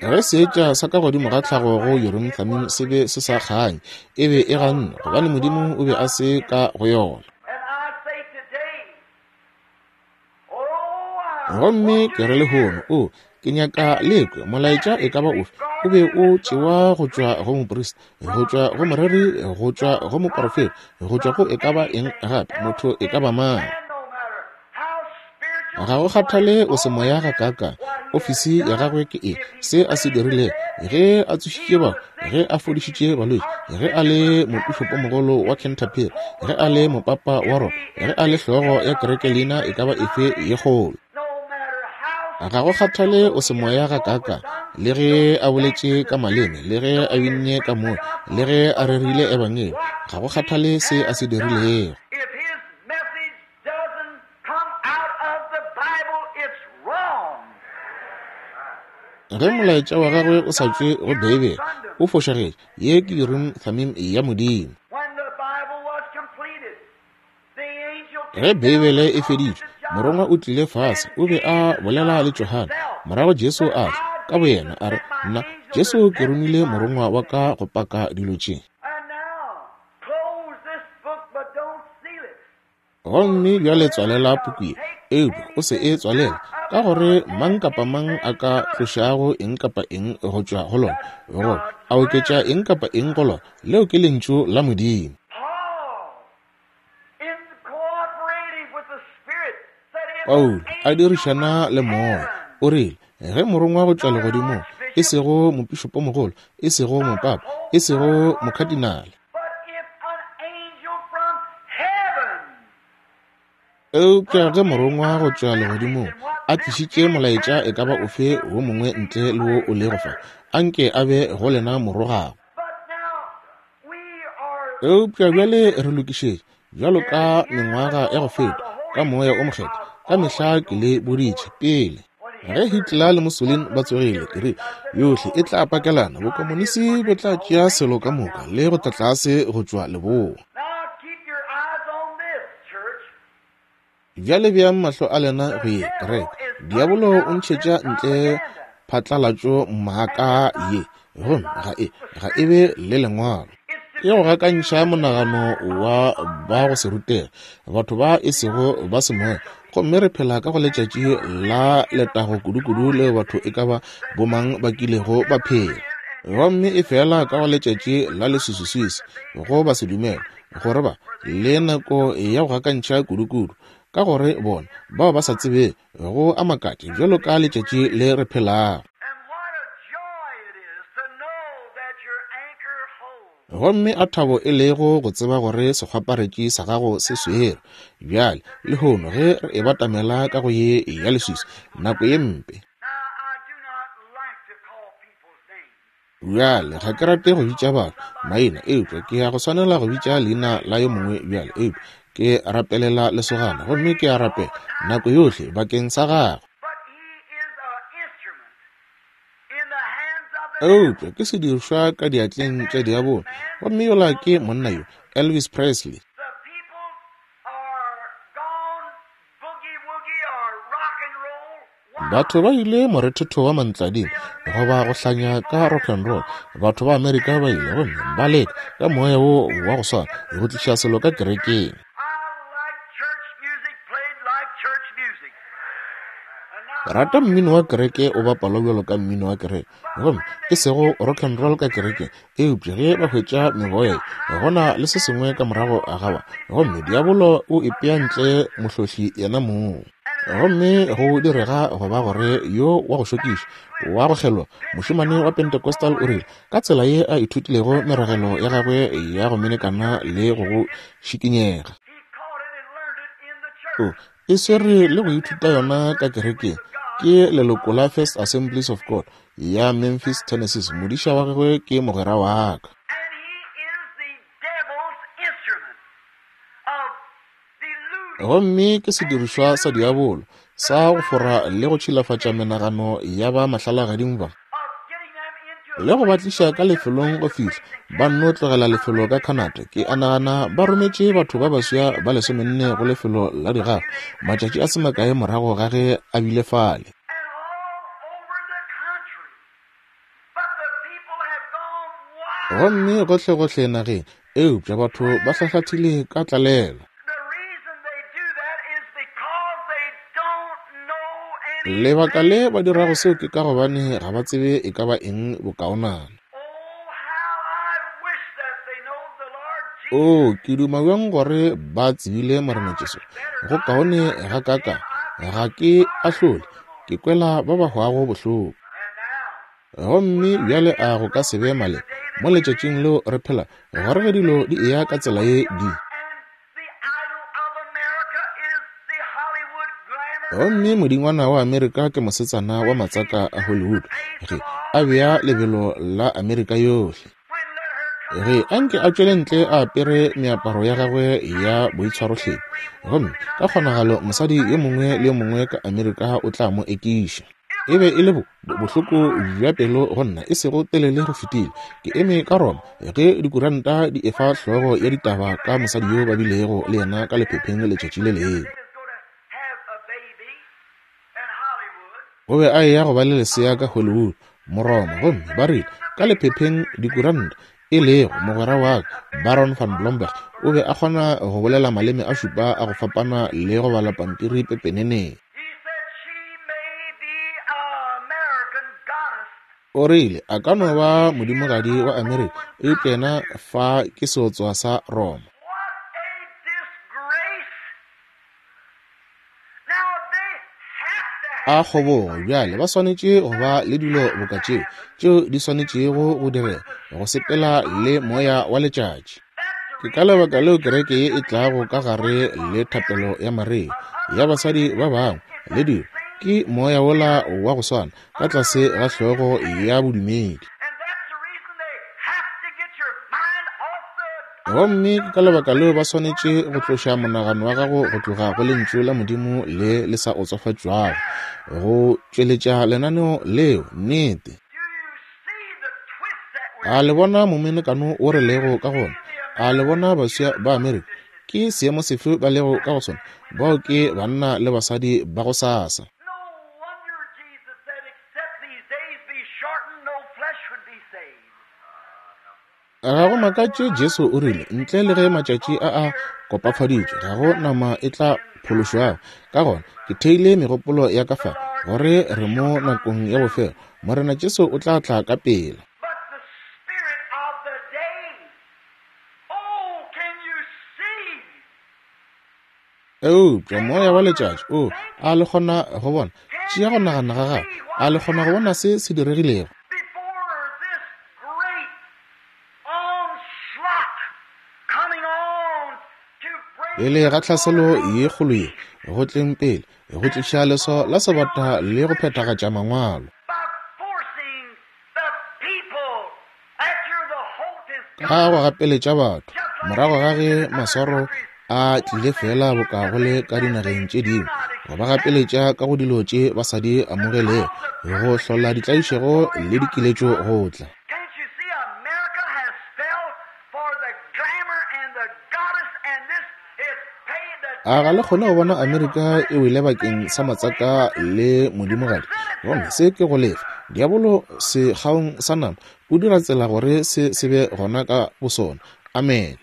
S1: Ge seetša sa ka godimo ga tlhago go Urim Thummim se be se sa kganye, e be e gannwe, gobane Modimo o be a se ka go yona. Gomme ke re lehono, o, ke nyaka le kwe molaetša e ka ba ofe, o be o tšewa go tšwa go moprista, go tšwa go moreri, go tšwa go moporofeta, go tšwa go e ka ba eng gape, motho e ka ba mang. Ga go kgathale o se moya gakaakang, ofisi ya gagwe ke eng, se a se dirilego, ge a tsošitše bahu, ge a fodišitše balwetši, ge a le mopišopomogolo wa Canterbury, ge a le mopapa wa Roma, ge a le hlogo ya kereke leina e ka ba efe ye kgolo. Ga go kgathale o se moya gakaakang, le ge a boletše ka maleme, le ge a binne ka moya, le ge a rerile ebangedi, ga go kgathale se a se dirilego.
S2: Doesn't come out of the Bible, it's wrong.
S1: Ge molaetša wa gagwe o sa tšwe go Beibele, o fošagetše. Ye ke Urim Thummim ya Modimo.
S2: When the Bible was completed, the angel
S1: Ge Beibele e feditšwe, morongwa o tlile fase, o be a bolela le Johane. Morago Jesu a tla, ka boyena, a re, Nna, Jesu, ke romile morongwa wa ka go paka dilo tše.
S2: And now, close this book, but don't seal it.
S1: Gomme bjale tswalela puku ye, eupša o se e tswalele, ka gore mang kapa mang a ka tlošago eng kapa eng go tšwa go lona, goba a oketša eng kapa eng go lona, leo ke Lentšu la Modimo. Paulo, a dirišana le Moya, o rile, Ge morongwa go tšwa legodimong, e sego mopišopomogolo, e sego mopapa, e sego mokadinale, Eupša ge morongwa go tšwa legodimong a tlišitše molaetša e ka ba ofe wo mongwe ntle le wo o lego fa, anke a be go lena morogago. Eupša bjale re lokišetše, bjalo ka mengwaga ya go feta, ka Moya o Mokgethwa, ka mehla ke le boditše pele. Ge Hitler le Mussolini ba tsogile, ke rile, yohle e tla pakelana, bokomonisi bo tla tšea selo ka moka le go tla tlase go tšwa leboa. Bjale beang mahlo a lena go ye, kereke. Diabolo o ntšhetša ntle phatlalatšo maaka ye, gomme ga e, ga e be le Lengwalo. Ke go gakantšha monagano wa ba go se rutege, batho ba e sego ba semoya. Gomme re phela ka go letšatši la letago kudukudu leo batho e ka ba bomang ba kilego ba phela. Gomme e fela ka go letšatši la leswiswiswi go ba se dumele, gore ba le nako ya go gakantšha kudukudu, ka gore bona bao ba sa tsebego go a makatša bjalo ka letšatši le re phelago. Gomme a thabo e lego go tseba gore sekgwaparetši sa gago se swere. Bjale, lehono ge re e batamela ka go ye ya leswiswi, nako ye mpe. Bjale, ga ke rate go bitša batho maina, eupša ke ya go swanela go bitša leina la yo mongwe bjale. Eupša ke rapelela lesogana, gomme ke a rapela nako yohle bakeng sa gagwe. Eupša ke sedirišwa ka diatleng tša diabolo, gomme yola ke monna yo, Elvis Presley. Batho ba ile morethetho wa mantlading goba go hlanya ka rock and roll. Batho ba Amerika ba ile gomme ba leka ka moya wo wa go swana go tliša selo ka kerekeng. Rata mmino wa kereke o bapalwa bjalo ka mmino wa kereke, gomme e sego rock and roll ka kerekeng. Eupša ge ba hwetša meboya ye, go na le se sengwe ka morago ga ba, gomme diabolo o ipea ntle mohlohli yena mong. Gomme go direga go ba gore yo wa go šokiša, wa go kgelwa, mošemane wa Pentecostal o rile, ka tsela ye a ithutilego meragelo ya gagwe ya go menekana le go go šikinyega. O e swere le go ithuta yona ka kerekeng. Ke leloko la First Assemblies of God ya Memphis, Tennessee. Modiša wa gagwe ke mogwera wa ka. Gomme ke sedirišwa sa diabolo sa go fora le go tšhilafatša menagano ya ba mahlalagading ba, le go ba tliša ka lefelong go fihla ba nno tlogela lefelo ka Canada. Ke a nagana ba rometše batho ba baswa ba lesomenne go lefelo la digafa matšatši a se makae morago ga ge a bile fale. Gomme gohlegohle nageng, eupša batho ba hlahlathile ka tlalelo. Lebaka le ba dirago seo ke ka gobane ga ba tsebe e ka ba eng bokaonana. Oo, ke duma bjang gore ba tsebile Morena Jesu. Go kaone ga kaka. Ga ke ahlole, ke kwela ba ba hwago bohloko. Gomme bjale a go ka se be maleba mo letšatšing leo re phela gore ge dilo di eya ka tsela ye di. Gomme modingwana wa Amerika ke mosetsana wa matsaka a Hollywood ge a bea lebelo la Amerika yohle. Ge a nke a tšwele ntle a apere meaparo ya gagwe ya boitshwarohlephi, gomme ka kgonagalo mosadi yo mongwe le yo mongwe ka Amerika o tla mo ekiša. E be e le bo, bohloko bja pelo go nna, e sego telele go fetile. Ke eme ka Roma ge dikuranta di efa hlogo ya ditaba ka mosadi yo ba bilego le yena ka lephepheng letšatši le lengwe. O be a eya go ba le lesea ka Hollywood, Moroma, gomme ba rile ka lephepheng dikuranta, e lego mogwera wa ka, Baron van Blomberg, o be a kgona go bolela maleme a šupa a go fapana le go bala pampiri pepeneneng. O rile, A ka no ba modimogadi wa Amerika, eupša yena fa ke seotswa sa Roma. A kgobogo! Bjale ba swanetše go ba le dilo boka tšeo, tšeo di swanetšego go direga, go sepela le moya wa letšatši. Ke ka lebaka leo kereke ye e tlago ka gare le thapelo ya Maria, ya basadi ba bangwe, le dilo, ke moya wola wa go swana, ka tlase ga hlogo ya bodumedi. Gomme ke ka lebaka leo ba swanetše go tloša monagano wa gago go tloga go Lentšu la Modimo le le sa otsofatšwago, go tšweletša lenaneo leo. Nnete. A le bona momenekano wo re lego ka gona? A le bona baswa ba Amerika? Ke seemo sefe ba lego ka go sona? Bao ke banna le basadi ba go sasa. Ga go makatše Jesu o rile, ntle le ge matšatši a a kopafaditšwe, ga go nama e tla phološwago. Ka gona, ke theile megopolo ya ka fa, gore re mo nakong ya bofelo. Morena Jesu o tla tla ka pela. Eupša moya wa letšatši, o a le kgona go bona? Tšea go nagana ga gago. A le kgona go bona se se diregilego? Pele ga tlhaselo ye kgolo ye, go tleng pele, go tliša leswao la sebata le go phethagatša Mangwalo. Ka go gapeletša batho, morago ga ge maswaro a tlile fela boka go le ka dinageng tše dingwe, go ba gapeletša ka go dilo tše ba sa di amogelego, go hlola ditlaišego le dikiletšo go tla. A ga le kgone go bona Amerika e wele bakeng sa matsaka le modimogadi? Gomme se ke go lefa. Diabolo sekgaong sa nama o dira tsela gore se se be gona ka bosona. Amene.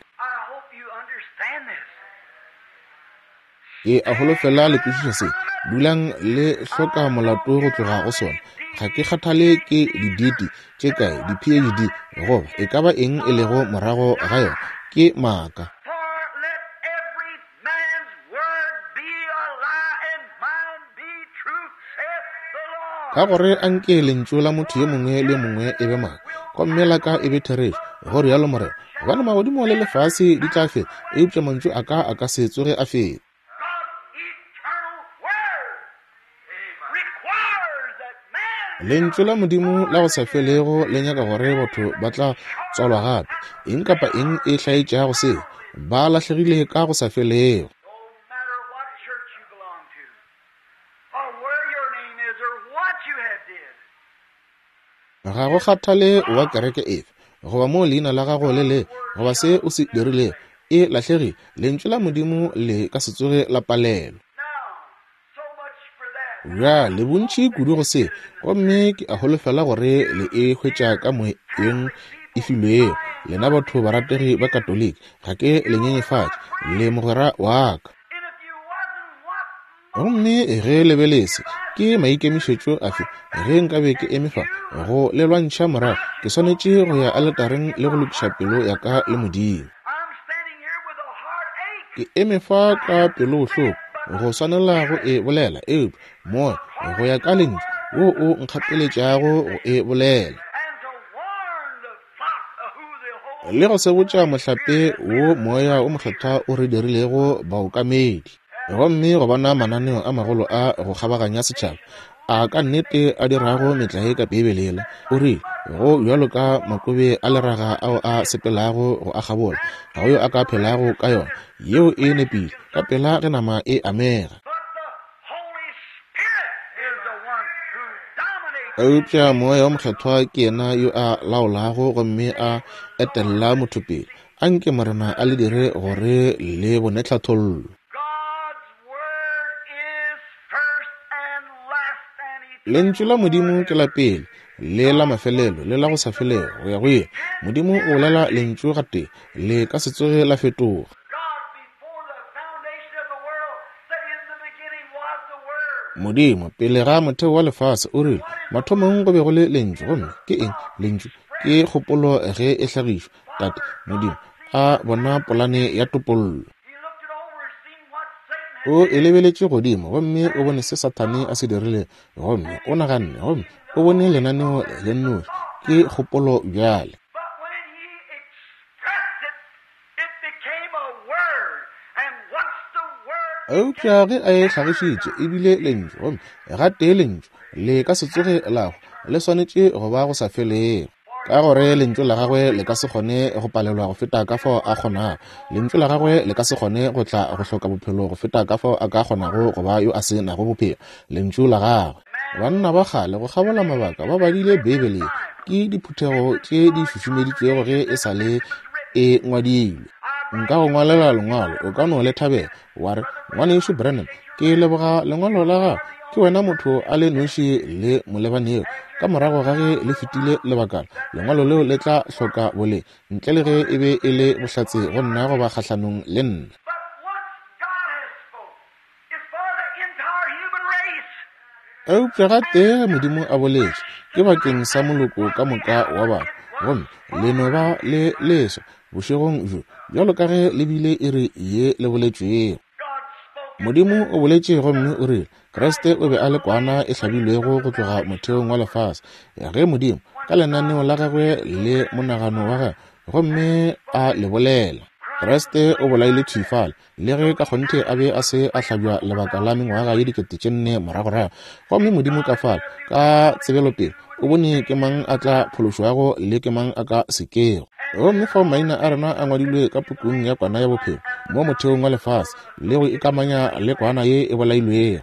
S1: Ke a holofela le kwešiša se. Dulang le hloka molato go tloga go sona. Ga ke kgathale ke diditi tše kae, di-PhD, goba e ka ba eng e lego morago ga yona. Ke maaka. Ka gore anke lentšu la motho yo mongwe le yo mongwe e be maaka, gomme la ka e be therešo, go rialo Morena. Gobane magodimo le lefase di tla feta, eupša mantšu a ka a ka se tsoge a feta. Lentšu la Modimo la go sa felego le nyaka gore batho ba tla tswalwa gape. Eng kapa eng e hlaetšago seo, ba lahlegile ka go sa felego. Ga go kgathale wa kereke efe, goba moo leina la gago le le, goba se o se dirilego, e lahlegile. Lentšu la Modimo le ka se tsoge la palelwa. Bjale bontši kudu go se, gomme ke a holofela gore le e hwetša ka moyeng e filwego. Lena batho barategi ba Katoliki, ga ke le nyenyefatše, le mogwera wa ka. Gomme ge le be le se, ke maikemišetšo afe ge nkabe ke eme fa go le lwantšha morago? Ke swanetše go ya aletareng le go lokiša pelo ya ka le Modimo. Ke eme fa ka pelobohloko go swanela go e bolela, eupša Moya, go ya ka Lentšu, wo o nkgapeletšago go e bolela. Le go sebotša mohlape wo Moya wo Mokgethwa o re dirilego baokamedi. Gomme go bona mananeo a magolo a go kgabaganya setšhaba, a ka nnete a dirago metlae ka Beibele yela, o rile, Go bjalo ka makobe a leraga ao a sepelago go a kgabola, ga go yo a ka phelago ka yona. Yeo e nepile, ka pela ge nama e amega. Eupša Moya wo Mokgethwa ke yena yo a laolago gomme a etella motho pele. Anke Morena a le dire gore le bone tlhathollo. Lentšu la Modimo ke la pele le la mafelelo le la go sa felego go ya go ile. Modimo o bolela lentšu gatee, le ka se tsoge la fetoga. Modimo, pele ga motheo wa lefase, o rile, Mathomong go be go le Lentšu. Gomme ke eng Lentšu? Ke kgopolo ge e hlagišwa. Tate, Modimo, a bona polane ya topollo. O e lebeletše godimo gomme o bone se Sathane a se dirilego, gomme o naganne, gomme o bone lenaneo le nnoši. Ke kgopolo bjale. Eupša ge a e hlagišitše e bile lentšu, gomme gatee lentšu le ka se tsoge la hwa, le swanetše go ba go sa felego. Ka gore Lentšu la Gagwe le ka se kgone go palelwa go feta ka fao A kgonago. Lentšu la Gagwe le ka se kgone go tla go hloka bophelo go feta ka fao A ka kgonago go ba yo a se nago bophelo. Lentšu la Gagwe. Banna ba kgale go kgabola mabaka ba badile Beibele ye. Ke diphuthego tše di šušumeditšwego ge e sa le e ngwadilwe. Nka go ngwalela lengwalo, o ka no le thabela. Wa re, Ngwanešu Branham, ke leboga lengwalo la gago. Ke wena motho a le noši le molebanego. Ka morago ga ge le fetile lebakana, lengwalo leo le tla hloka boleng, ntle le ge e be e le bohlatse go nna goba kgahlanong le nna. Eupša gatee ge Modimo a boletše, ke bakeng sa moloko ka moka wa batho, gomme le no ba le leswa bošegong bjo bjalo ka ge le bile iri ye le boletšwego. Modimo o boletše gomme o rile Kriste o be a le kwana e hlabilwego go tloga motheong wa lefase. Ge Modimo, ka lenaneo la gagwe le monagano wa gagwe, gomme a le bolela, Kriste o bolaile thwi fale, le ge ka kgonthe a be a se a hlabja lebaka la mengwaga ye 4000 moragorago. Gomme Modimo ka fale, ka tsebelopele, o bone ke mang a tla phološwago le ke mang a ka se kego. Gomme fao maina a rena a ngwadilwe ka pukung ya Kwana ya Bophelo, mo motheong wa lefase, le go ikamanya le Kwana ye e bolailwego.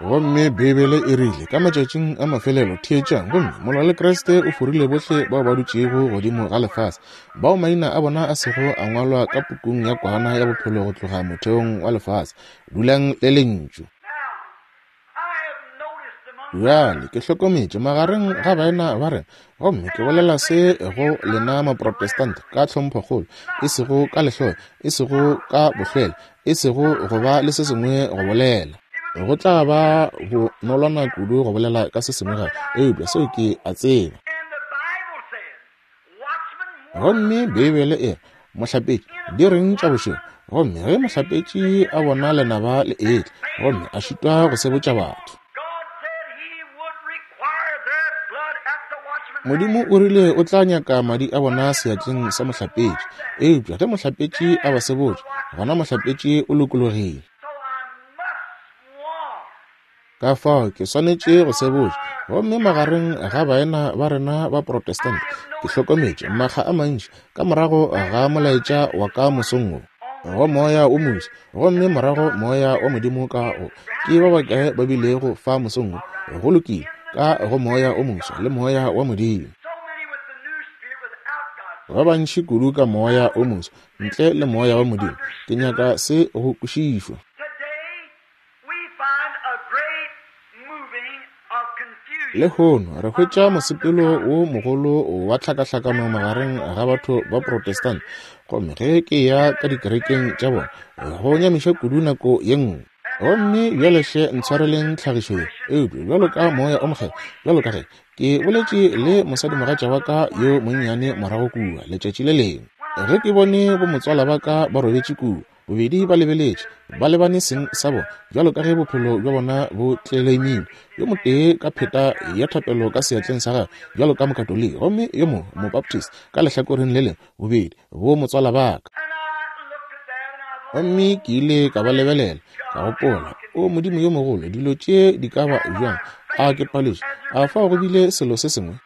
S1: Gomme Beibele e rile, ka matšatšing a mafelelo, theetšang, gomme molwa le Kriste o forile bohle bao ba dutšego godimo ga lefase, bao maina a bona a sego a ngwalwa ka pukung ya Kwana ya Bophelo go tloga motheong wa lefase. Dulang le Lentšu. Bjale ke hlokometše magareng ga baena ba rena, gomme ke bolela se go lena Maprotestant ka tlhomphokgolo, e sego ka lehloyo, e sego ka bohlwele, e sego go ba le se sengwe go bolela. Go tla ba bonolwana kudu go bolela ka se sengwe gape, eupša seo ke a tseba. Gomme Beibele e re, Mohlapetši, di reng tša bošego? Gomme ge mohlapetši a bona lenaba le etla, gomme a šitwa go sebotša batho. Modimo o rile o tla nyaka madi a bona seatleng sa mohlapetši. Eupša ge mohlapetši a ba sebotša, gona mohlapetši o lokologile. Ka fao ke swanetše go sebotša. Gomme magareng ga baena ba rena ba Protestant, ke hlokometše makga a mantši ka morago ga molaetša wa ka mosong wo, go Moya wo moswa, gomme morago Moya wa Modimo ka go, ke ba bakae ba bilego fa mosong wo, go lokile, ka go Moya wo moswa le Moya wa Modimo. Ba bantši kudu ka Moya wo moswa ntle le Moya wa Modimo. Ke nyaka se go kwešišwa. Lehono re hwetša mosepelo wo mogolo wa tlhakahlakano magareng ga batho ba Protestant, gomme ge ke ya ka dikerekeng tša bona go nyamiša kudu nako ye nngwe. Gomme bjale hle ntshwareleng tlhagišo ye, eupša bjalo ka Moya o Mokgethwa, bjalo ka ge ke boletše le mosadimogatša wa ka yo monnyane morago kua letšatši le lengwe, ge ke bone bomotswala ba ka ba robetše kua, Bobedi ba lebeletše, ba lebane seng sa bona, bjalo ka ge bophelo bja bona bo tleleimilwe, yo motee ka pheta ya thapelo ka seatleng sa gagwe, bjalo ka Mokatoliki, gomme yo mongwe Mobaptist ka lehlakoreng le lengwe, bobedi bo motswala ba ka. Gomme ke ile ka ba lebelela, ka gopola, O Modimo yo mogolo, dilo tše di ka ba bjang? A ke paletšwe? A fao go bile selo se sengwe?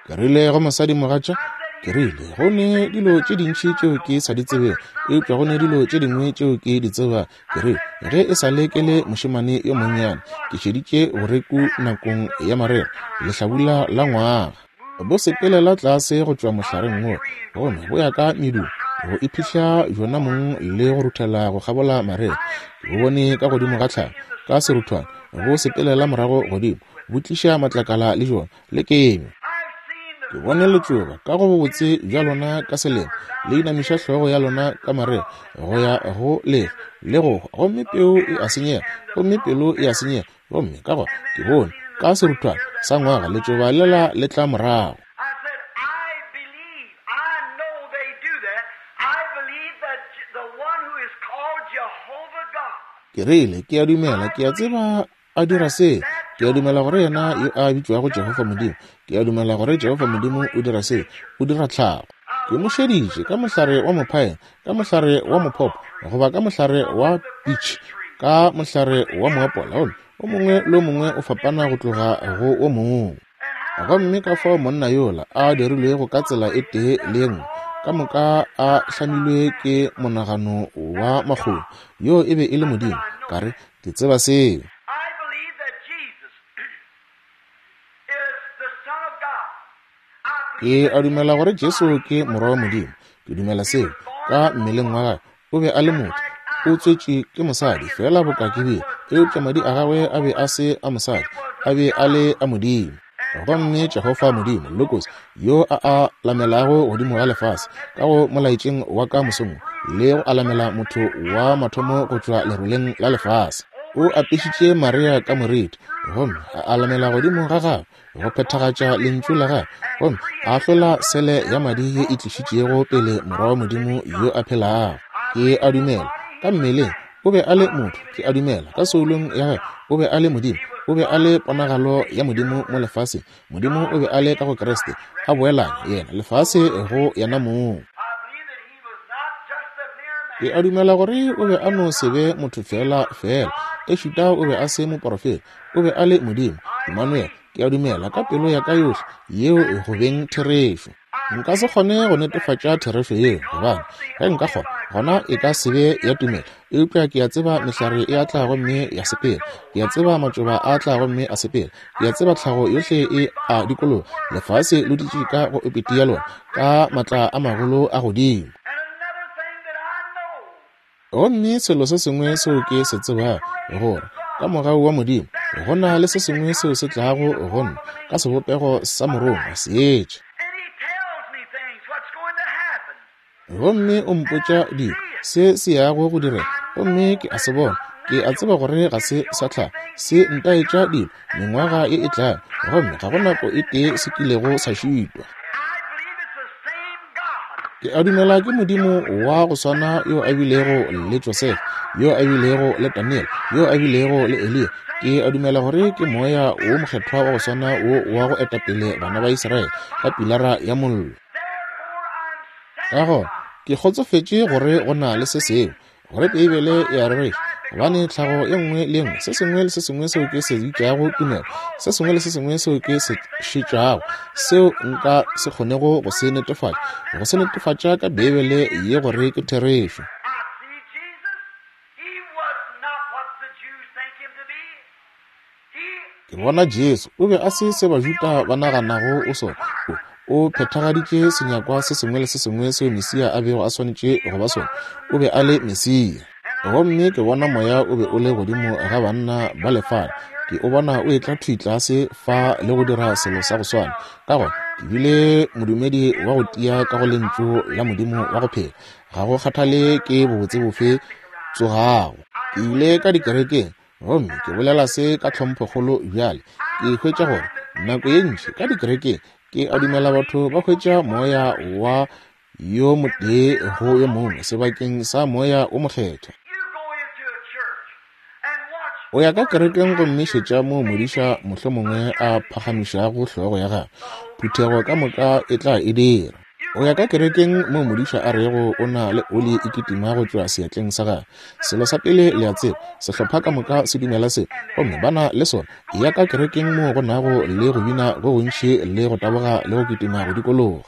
S1: Ke rile go mosadimogatša, ke rile, go ne dilo tše dintši tšeo ke sa di tsebego, eupša go ne dilo tše dingwe tšeo ke di tsebago. Ke rile, ge e sa le ke le mošemane yo monnyane, ke šeditše boreku nakong ya marega, lehlabula la ngwaga. Bo sepelela tlase go tšwa mohlareng wo, gomme bo ya ka medung, go iphihla bjona mong le go ruthela go kgabola marega. Ke bo bone ka godimo ga tlhare, ka seruthwane, bo sepelela morago godimo, bo tliša matlakala le jona le kenywa. Ke bone letšoba ka go bobotse bja lona ka selemo, le inamiša hlogo ya lona ka marega go ya go lefa le go hwa, gomme peu e a senyega, gomme pelo e a senyega, gomme ka gona ke bone ka seruthwane sa ngwaga letšoba lela le tla morago. Ke rile, Ke a dumela, ke a tseba a dira se. Ke a dumela gore yena yo a bitšwago Jehofa Modimo, ke a dumela gore Jehofa Modimo o dira se, o dira tlhago. Ke mo šeditše ka mohlare wa mophaene, ka mohlare wa mophopo, goba ka mohlare wa pitšhe, ka mohlare wa moapola, gomme O mongwe le o mongwe o fapana go tloga go o mongwe. Gomme ka fao monna yola a dirilwego ka tsela e tee le ye nngwe, ka moka a hlamilwe ke monagano wa makgolo, yoo e be e le Modimo. Ka re, Ke tseba seo. Ke a dumela gore Jesu ke Morwa wa Modimo. Ke dumela seo. Ka mmeleng wa gagwe, o be a le motho. O tswetšwe ke mosadi, feela boka ke bile, eupša madi a gagwe a be a se a mosadi, a be a le a Modimo. Gomme Jehofa Modimo, Logos, yo a a lamelago godimo ga lefase, ka go molaetšeng wa ka mosong le go alamela motho wa mathomo go tšwa leroleng la lefase. O apešitše Maria ka moriti, gomme a alamela godimo ga gagwe go phethagatša lentšu la gagwe, gomme a ahlola sele ya madi ye e tlišitšego pele Morwa wa Modimo yo a phelago. Ke a dumela, ka mmeleng o be a le motho, ke a dumela, ka soulong ya gagwe o be a le Modimo, o be a le ponagalo ya Modimo mo lefaseng. Modimo o be a le ka go Kriste, a boelanya yena lefase go yena mong. Ke a dumela gore o be a no se be motho feela feela, ešita o be a se moporofeta, o be a le Modimo, Emmanuel. Ke a dumela ka pelo ya ka yohle yeo go beng therešo. Nka se kgone go netefatša therešo yeo, gobane ge nka kgona, gona e ka se be ya tumelo. Eupša ke a tseba mehlare e a tla gomme ya sepela. Ke a tseba matšoba a tla gomme a sepela. Ke a tseba tlhago yohle e a dikologa. Lefase le dutše ka go epete ya lona, ka matla a magolo a godimo. Gomme selo se sengwe seo ke se tsebago, gore ka mogau wa Modimo go na le se sengwe seo se tlago go nna ka sebopego sa morongwa seetša. Gomme o mpotša dilo se se yago go direga, gomme ke a se bona. Ke a tseba gore ga se sa tlhago, se ntaetša dilo mengwaga ye e tlago, gomme ga go nako e tee se kilego sa šitwa. Ke a dumela ke Modimo wa go swana yo a bilego le Josefa, yo a bilego le Daniel, yo a bilego le Eliya. Ke a dumela gore ke Moya wo Mokgethwa wa go swana wo wa go etapele bana ba Israele ka pilara ya mollo. Ka gona ke kgotsofetše gore go na le se sengwe, gore Beibele e a rereša, gobane tlhago ye nngwe le ye nngwe, se sengwe le se sengwe seo ke se bitšago tumelo, se sengwe le se sengwe seo ke se šetšago, seo nka se kgonego go se netefatša, go se netefatša ka Beibele ye gore ke therešo. Ke bona Jesu, o be a se se Bajuda ba naganago o sona. O, o phethagaditše senyakwa se sengwe le se sengwe seo Mesia a bego a swanetše go ba sona. O be a le Mesia. Gomme ke bona Moya o be o le godimo ga banna ba lefala. Ke o bona o etla thwi tlase fa le go dira selo sa go swana. Ka gona, ke bile modumedi wa go tia ka go Lentšu la Modimo wa go phela. Ga go kgathale ke bobotse bofe tsogago. Ke ile ka dikerekeng, Gomme ke bolela se ka tlhomphokgolo bjale. Ke hwetša gore nako ye ntši ka dikerekeng ke a dumela batho ba hwetša moya wa yo motee go yo mongwe sebakeng sa Moya wo Mokgethwa. O ya ka kerekeng gomme šetša moo modiša mohlomongwe a phagamišago hlogo ya gagwe, phuthego ka moka e tla e dira. O ya ka kerekeng moo modiša a rego o na le oli e kitima go tšwa seatleng sa gagwe. Selo sa pele le a tseba, sehlopha ka moka se dumela se, gomme ba na le sona. Eya ka kerekeng moo go nago le go bina go gontši le go taboga le go kitima go dikologa.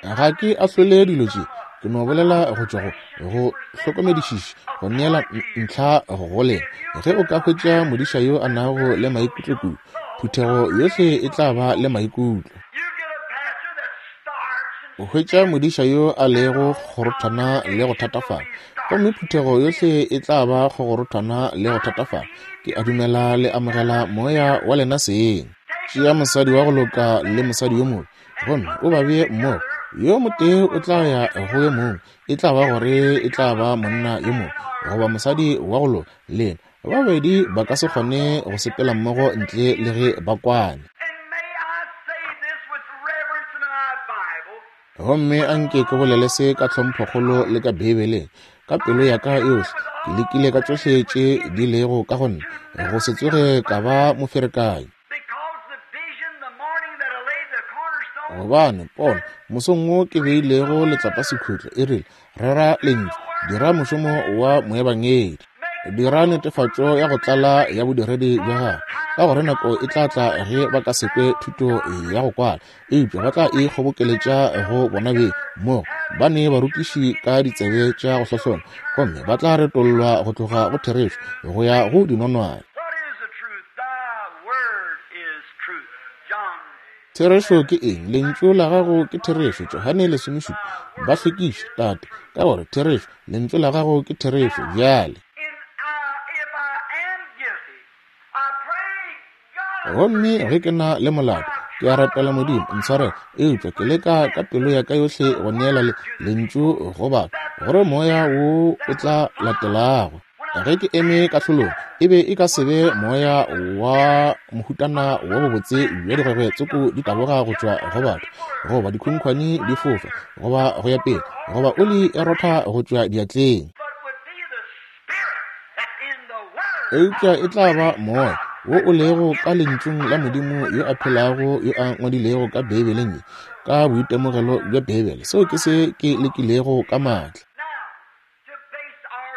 S1: Ga ke ahlole dilo tše, ke no bolela go tšwa go go hlokomedišiša, go neela ntlha go lena. Ge o ka hwetša modiša yo a nago le maikutlo kudu, phuthego yohle e tla ba le maikutlo. O hwetša modiša yo a lego kgorothwana le go thatafala, gomme phuthego yohle e tla ba kgorothwana le go thatafala. Ke a dumela le amogela moya wa lena seng. Tšea mosadi wa go loka le mosadi yo mobe, gomme o ba bee mmogo. Yo motee o tla ya go yo mongwe, e tla ba gore e tla ba monna yo mobe goba mosadi wa go loka. Lena Ba babedi ba ka se kgone go sepela mmogo ntle le ge ba kwane. Gomme a nke ke bolele se ka tlhomphokgolo le ka Beibeleng, ka pelo ya ka yohle. Ke lekile ka tšohle tše di lego ka go nna, go se tsoge ka ba moferekanyi. Gobane pono, mosong wo ke beilego letlapasekhutlo, e rile, Rera Lentšu, dira mošomo wa moebangedi. Dira netefatšo ya go tlala ya bodiredi bja gago, ka gore nako e tla tla ge ba ka se kwe thuto ya go kwala, eupša ba tla e kgobokeletša go bona beng mo ba ne barutiši ka ditsebe tša go hlohlona, gomme ba tla retollwa go tloga go therešo go ya go dinonwane. Therešo ke eng? Lentšu la gago ke therešo. Johane 17. Ba hlwekiše, Tate, ka gore therešo, Lentšu la gago ke therešo. Bjale. Gomme ge ke na le molato, ke a rapela Modimo, ntshwarele, eupša ke leka ka pelo ya ka yohle go neela le, Lentšu go batho, gore Moya wo o tla latelago. Ge ke eme kahlolong, e be e ka se be moya wa mohutana wa bobotse bja digwegwe tsoko di taboga go tšwa go batho, goba dikhunkhwane di fofa, goba go ya pele, goba oli e rotha go tšwa diatleng. Eupša e tla ba moya wo o lego ka Lentšung la Modimo yo a phelago yo a ngwadilego ka Beibeleng ye, ka boitemogelo bja Beibele. Seo ke se ke lekilego ka maatla.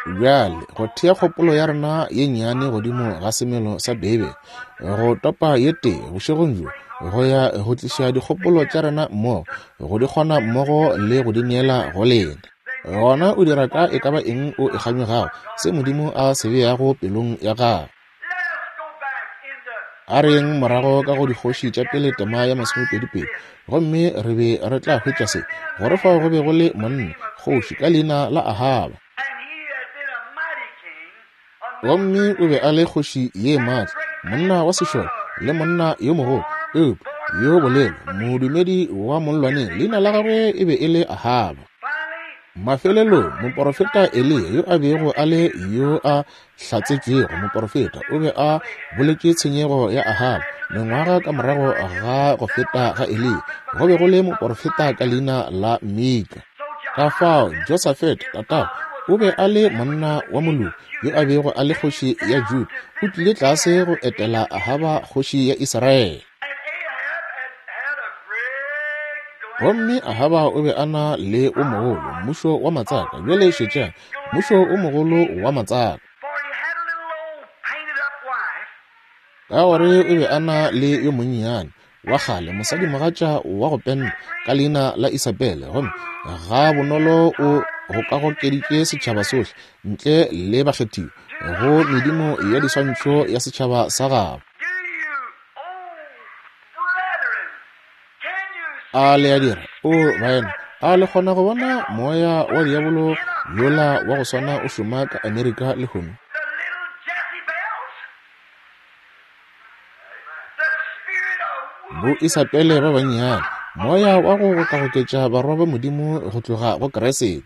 S1: Bjale, go thea kgopolo ya rena ye nnyane godimo ga semelo sa Beibele, go topa ye tee bošegong bjo, go ya go tliša dikgopolo tša rena mmogo, go di kgona mmogo le go di neela go lena. Gona o dira ka e ka ba eng o e kganyogago, se Modimo a se beago pelong ya gago. A re yeng morago ka go Dikgoši tša Pele tema ya masomepedipedi, gomme re be re tla hwetša se, gore fao go be go le monna, kgoši, ka leina la Ahaba. Gomme o be a le kgoši ye maatla, monna wa sešole, le monna yo mogolo, eupša yo bolelo, modumedi wa mollwaneng, leina la gagwe e be e le Ahaba. Mafelelong, moporofeta Eliya yo a bego a le yo a hlatsetšwego moporofeta o be a boletše tshenyego ya Ahaba. Mengwaga ka morago ga go feta ga Eliya, go be go le moporofeta ka leina la Mika. Ka fao Josafete tatago o be a le monna wa moloki yo a bego a le kgoši ya Juda, o tlile tlase go etela Ahaba kgoši ya Israele. Gomme Ahaba o be a na le o mogolo, mmušo wa matsaka. Bjale šetšang, mmušo o mogolo wa matsaka. Ka gore o be a na le yo monnyane wa kgale mosadimogatša wa go penta ka leina la Isabele, gomme ga bonolo o gokagokeditše setšhaba sohle ntle le bakgethiwa go medimo ya diswantšho ya setšhaba sa gabo. A le a dira? O, baena, a le kgona go bona moya wa diabolo yola wa go swana o šoma ka Amerika lehono? Bo Isabele ba bannyane, moya wa go gokagoketša barwa ba Modimo go tloga go Kriste.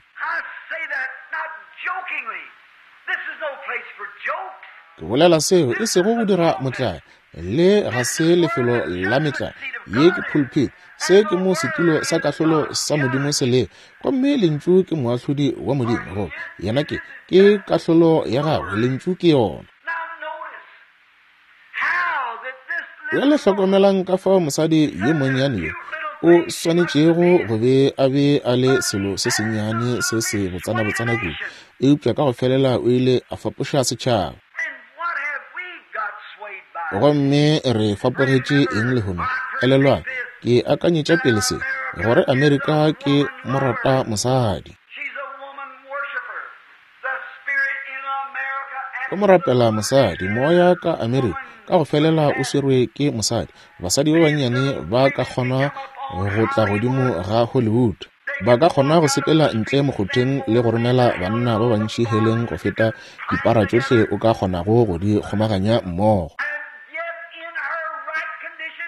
S1: Ke bolela seo e sego go dira motlae, le ga se lefelo la metlae. Ye ke pulpit, se ke mo setulo sa kahlolo sa Modimo se lego, gomme Lentšu ke moahlodi wa Modimo, go yena ke, ke kahlolo ya gagwe, Lentšu ke yona. Bjale hlokomelang ka fao mosadi yo monnyane yo o swanetšego go be a be a le selo se sennyane se se botsana-botsana kudu, eupša ka go felela o ile a fapoša setšhaba. Gomme re fapogetše eng lehono? Elelwang, ke akanyetša pele se, gore Amerika ke morata mosadi. Go mo rapela mosadi, moya ka Amerika ka go felela o swerwe ke mosadi. Basadi ba bannyane ba ka kgona go tla godimo ga Hollywood. Ba ka kgona go sepela ntle mokgotheng le go romela banna ba bantši heleng go feta dipara tšohle o ka kgonago go di kgomaganya mmogo.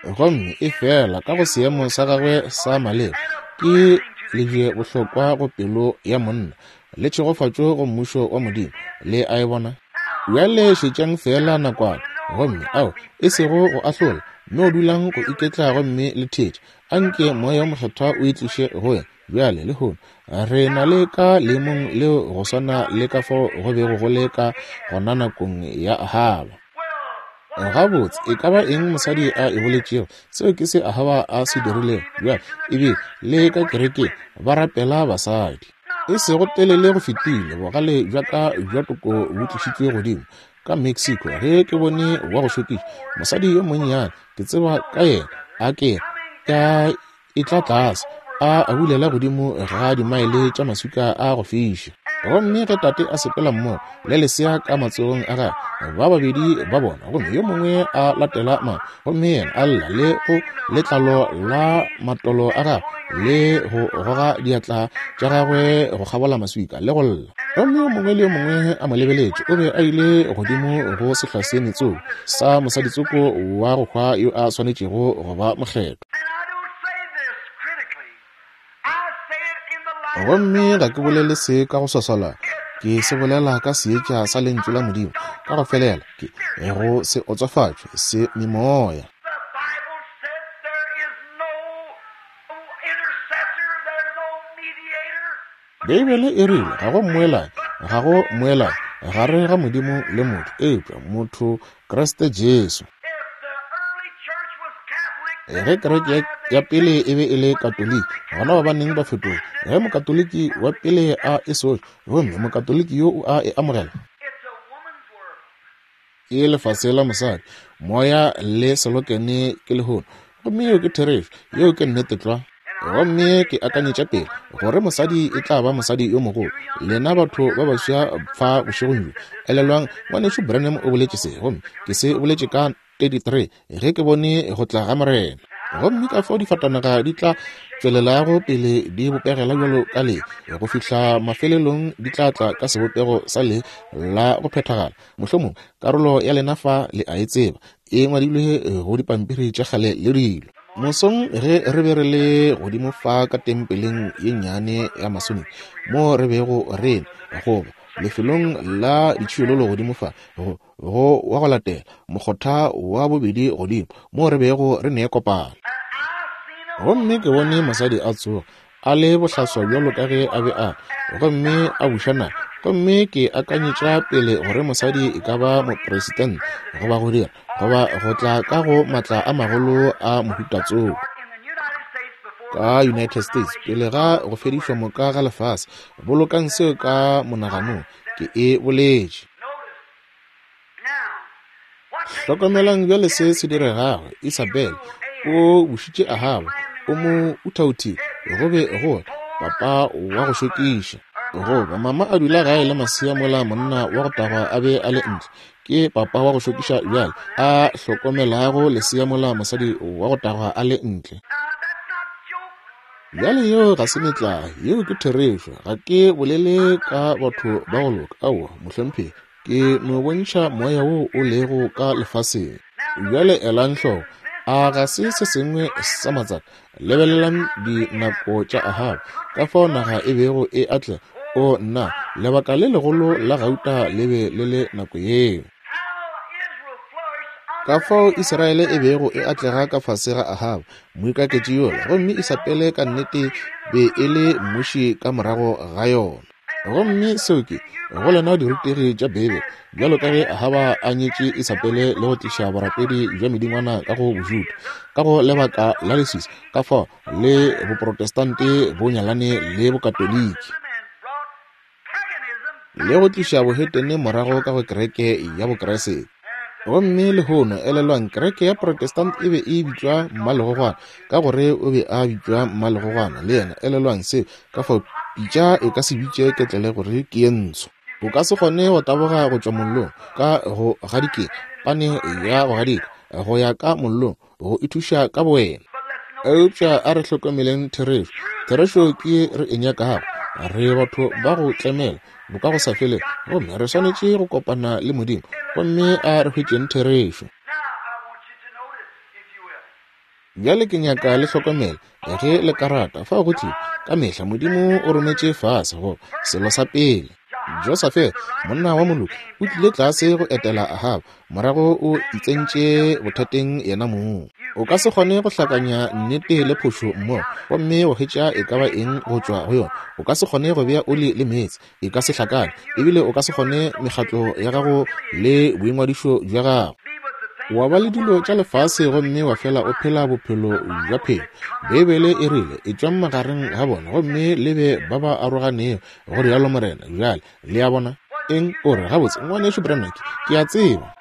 S1: Gomme efela ka go seemo sa gagwe sa maleba, ke lebjebohlokwa go pelo ya monna. le tšhegofatšo go Mmušo wa Modimo. Le a e bona? Bjale šetšang feela nakwana, gomme, ao, e sego go ahlola, no dulang go iketla gomme le theetše. Anke Moya wo Mokgethwa o e tliše go wena. Bjale, lehono, re na le ka leemong leo go swana le ka fao go bego go le ka gona nakong ya Ahaba. Gabotse, e ka ba eng mosadi a e boletšego, seo ke se Ahaba a se dirilego. Bjale, e be le ka kerekeng, ba rapela basadi. E sego telele go fetile, bogale bja ka bja toko bo tlišitšwe godimo ka Mexico ge ke bone wa go šokiša mosadi yo monnyane, ke tseba ka yena, a ke ya e tla tlase a abulela godimo ga dimaele tša maswika a go fiša. Gomme ge tate a sepela mmogo le lesea ka matsogong a gagwe, ba babedi ba bona, gomme yo mongwe a latela mama, gomme yena a lla le go letlalo la matolo a gagwe le go goga diatla tša gagwe go kgabola maswika le go lla. Gomme yo mongwe le yo mongwe a mo lebeletše, o be a ile godimo go sehlwaseeme tsoko sa mosaditsoko wa go hwa yo a swanetšego go ba mokgethwa. Gomme ga ke bolele se ka go swaswala, ke se bolela ka seetša sa Lentšu la Modimo ka go felela, ke go se otswafatšwe se memoya. Beibele e rile ga go mmoelanyi, ga go mmoelanyi gare ga Modimo le motho, eupša motho Kriste Jesu. Ge kereke ya pele e be e le Katoliki, gona ba baneng ba fetoga. Ge Mokatoliki wa pele a e soša, gomme Mokatoliki yo o a e amogela, ke lefase la mosadi, moya le selokene ke lehono. Gomme yeo ke therešo, yeo ke nnete tlwa. Gomme ke akanyetša pele gore mosadi e tla ba mosadi yo mogolo. Lena batho ba baswa fa bošegong bjo, elelwang, Ngwanešu Branham o boletše se, gomme ke se boletše ka 33 ge ke bone go tla ga Morena. Gomme ka fao difatanaga di tla tšwelelago pele di bopegela bjalo ka le, go fihla mafelelong di tla tla ka sebopego sa le la go phethagala. Mohlomong karolo ya lena fa le a e tseba, e ngwadilwe go dipampiri tša kgale le dilo. Mosong ge re be re le godimo fa ka tempeleng ye nnyane ya Masonic, mo re bego re goba lefelong la ditšhiololo godimo fa, go wa go latela mokgotha wa bobedi godimo, mo re bego re ne kopano. Gomme ke bone mosadi a tsoga a le bohlaswa bjalo ka ge a be a, gomme a buša naga. Gomme ke akanyetša pele gore mosadi e ka ba mopresidente, goba go dira, goba go tla ka go matla a magolo a mohuta tsoko ka United States pele ga go fedišwa moka ga lefase. Bolokang seo ka monaganong, ke e boletše. Hlokomelang bjale se se diregago. Isabel o bušitše Ahaba, o mo uthauthile, go be go papa wa go šokiša. Goba mama a dula gae le masea mola monna wa go tagwa a be a le ntle. Ke papa wa go šokiša bjale a hlokomelago lesea mola mosadi wa go tagwa a le ntle. Bjale yeo ga se metlae, yeo ke therešo. Ga ke bolele ka batho ba go loka, aowa, mohlomphegi. Ke no bontšha moya wo o lego ka lefaseng. Bjale elang hloko, a ga se se sengwe sa matsaka? Lebelelang dinako tša Ahaba, ka fao naga e bego e atlega. O nna, lebaka le legolo la gauta le be le le nako yeo. Ka fao Israele e bego e atlega ka fase ga Ahaba, moikaketši yola, gomme Isabele ka nnete be e le mmuši ka morago ga yona. Gomme seo ke go lena dirutegi tša Beibele, bjalo ka ge Ahaba a nyetše Isabele le go tliša borapedi bja medingwana ka go Bojuda, ka go lebaka la leswiswi, ka fao le Boprotestante bo nyalane le Bokatoliki, le go tliša bohetene morago ka go kereke ya Bokreste. Gomme lehono, elelwang, kereke ya Protestant e be e bitšwa mmalegogwana, ka gore o be a bitšwa mmalegogwana le yena. Elelwang seo, ka fao pitša e ka se bitše ketlele gore ke ye ntsho. O ka se kgone go taboga go tšwa mollong ka go gadikeng, pane ya go gadika, go ya ka mollong, go ithuša ka bowena. Eupša a re hlokomeleng therešo. Therešo ke re e nyakago. Re batho ba go tlemela boka go sa felego, gomme re swanetše go kopana le Modimo, gomme a re hwetšeng therešo. Bjale ke nyaka le hlokomele ge le ka rata, fao go tlile ka mehla Modimo o rometše fase go selo sa pele. Josafete, monna wa moloki, o tlile tlase go etela Ahaba, morago o itsentše bothateng yena mong. O ka se kgone go hlakanya nnete le phošo mmogo gomme go hwetša e ka ba eng go tšwa go yona. O ka se kgone go bea oli le meetse, e ka se hlakane. Ebile o ka se kgone mekgatlo ya gago le boingwadišo bja gago. Wa ba le dilo tša lefase gomme wa fela o phela bophelo bja phelo. Beibele e rile, Etšwang magareng ga bona gomme le be ba ba aroganego, go rialo Morena. Bjale, le a bona? Eng? O re, Gabotse, Ngwanešu Branham, ke, ke a tseba.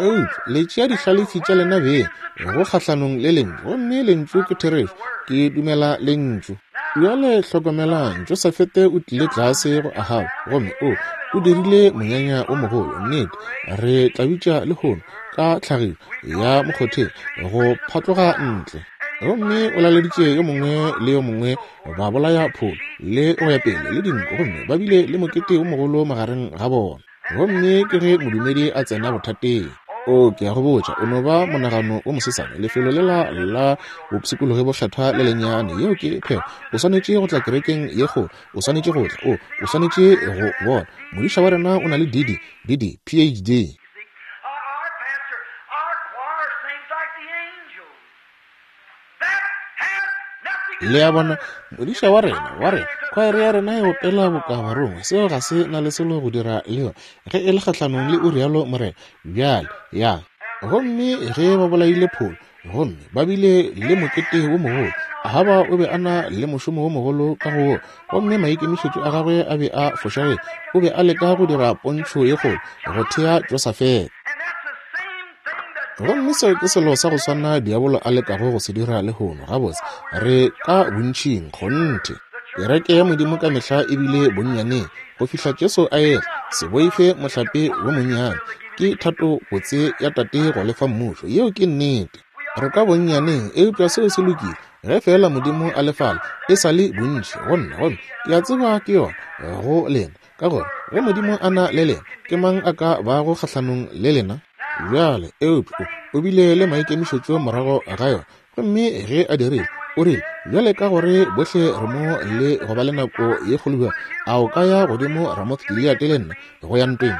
S1: Eupša le tšea dihlalefi tša lena beng go kgahlanong le Lentšu, gomme Lentšu ke therešo. Ke dumela Lentšu. Bjale hlokomelang, Josafete o tlile tlase go Ahaba, gomme o, o dirile monyanya o mogolo. Nnete, re tla bitša lehono, ka tlhagišo ya mokgotheng, go phatloga ntle. Gomme o laleditše yo mongwe le yo mongwe ba bolaya pholo le go ya pele le dinku, gomme ba bile le mokete o mogolo magareng ga bona. Gomme ke ge modumedi a tsena bothateng. O, ke a go botša, o no ba monagano wo mosesane, lefelo lela la bopshikologi bokgethwa le lennyane. Yeo ke phego. O swanetše go tla kerekeng ye kgolo. O swanetše go tla. O, o swanetše go bona. Modiša wa rena o na le DD, DD, PhD. Le a bona, modiša wa rena, wa rena, khwaere ya rena e opela boka barongwa. Seo ga se na le selo go dira le yona, ge e le kgahlanong le o rialo morena. Bjale, ya. Gomme ge ba bolaile pholo, gomme ba bile le mokete wo mogolo, Ahaba o be a na le mošomo wo mogolo ka go wo, gomme maikemišetšo a gagwe a be a fošagetše. O be a leka go dira pontšho ye kgolo, go thea Josafete. Gomme seo ke selo sa go swana diabolo a lekago go se dira lehono. Gabotse, re ka bontšing, kgonthe. Kereke ya Modimo ka mehla e bile bonnyaneng, go fihla Jesu a etla. Se boife mohlape wo monnyane. Ke thato botse ya Tate go le fa Mmušo. Yeo ke nnete. Re ka bonnyaneng, eupša seo se lokile. Ge feela Modimo a le fale, e sa le bontši go nna, gomme ke a tseba ke yona go lena. Ka gore ge Modimo a na le lena, ke mang a ka bago kgahlanong le lena? Bjale, eupša o, o bile le maikemišetšo morago ga yona. Gomme ge a dirile, o rile, Bjale ka gore bohle re mo le go ba le nako ye kgolo bjalo, a o ka ya godimo Ramoth-Gileate le nna, go ya ntweng?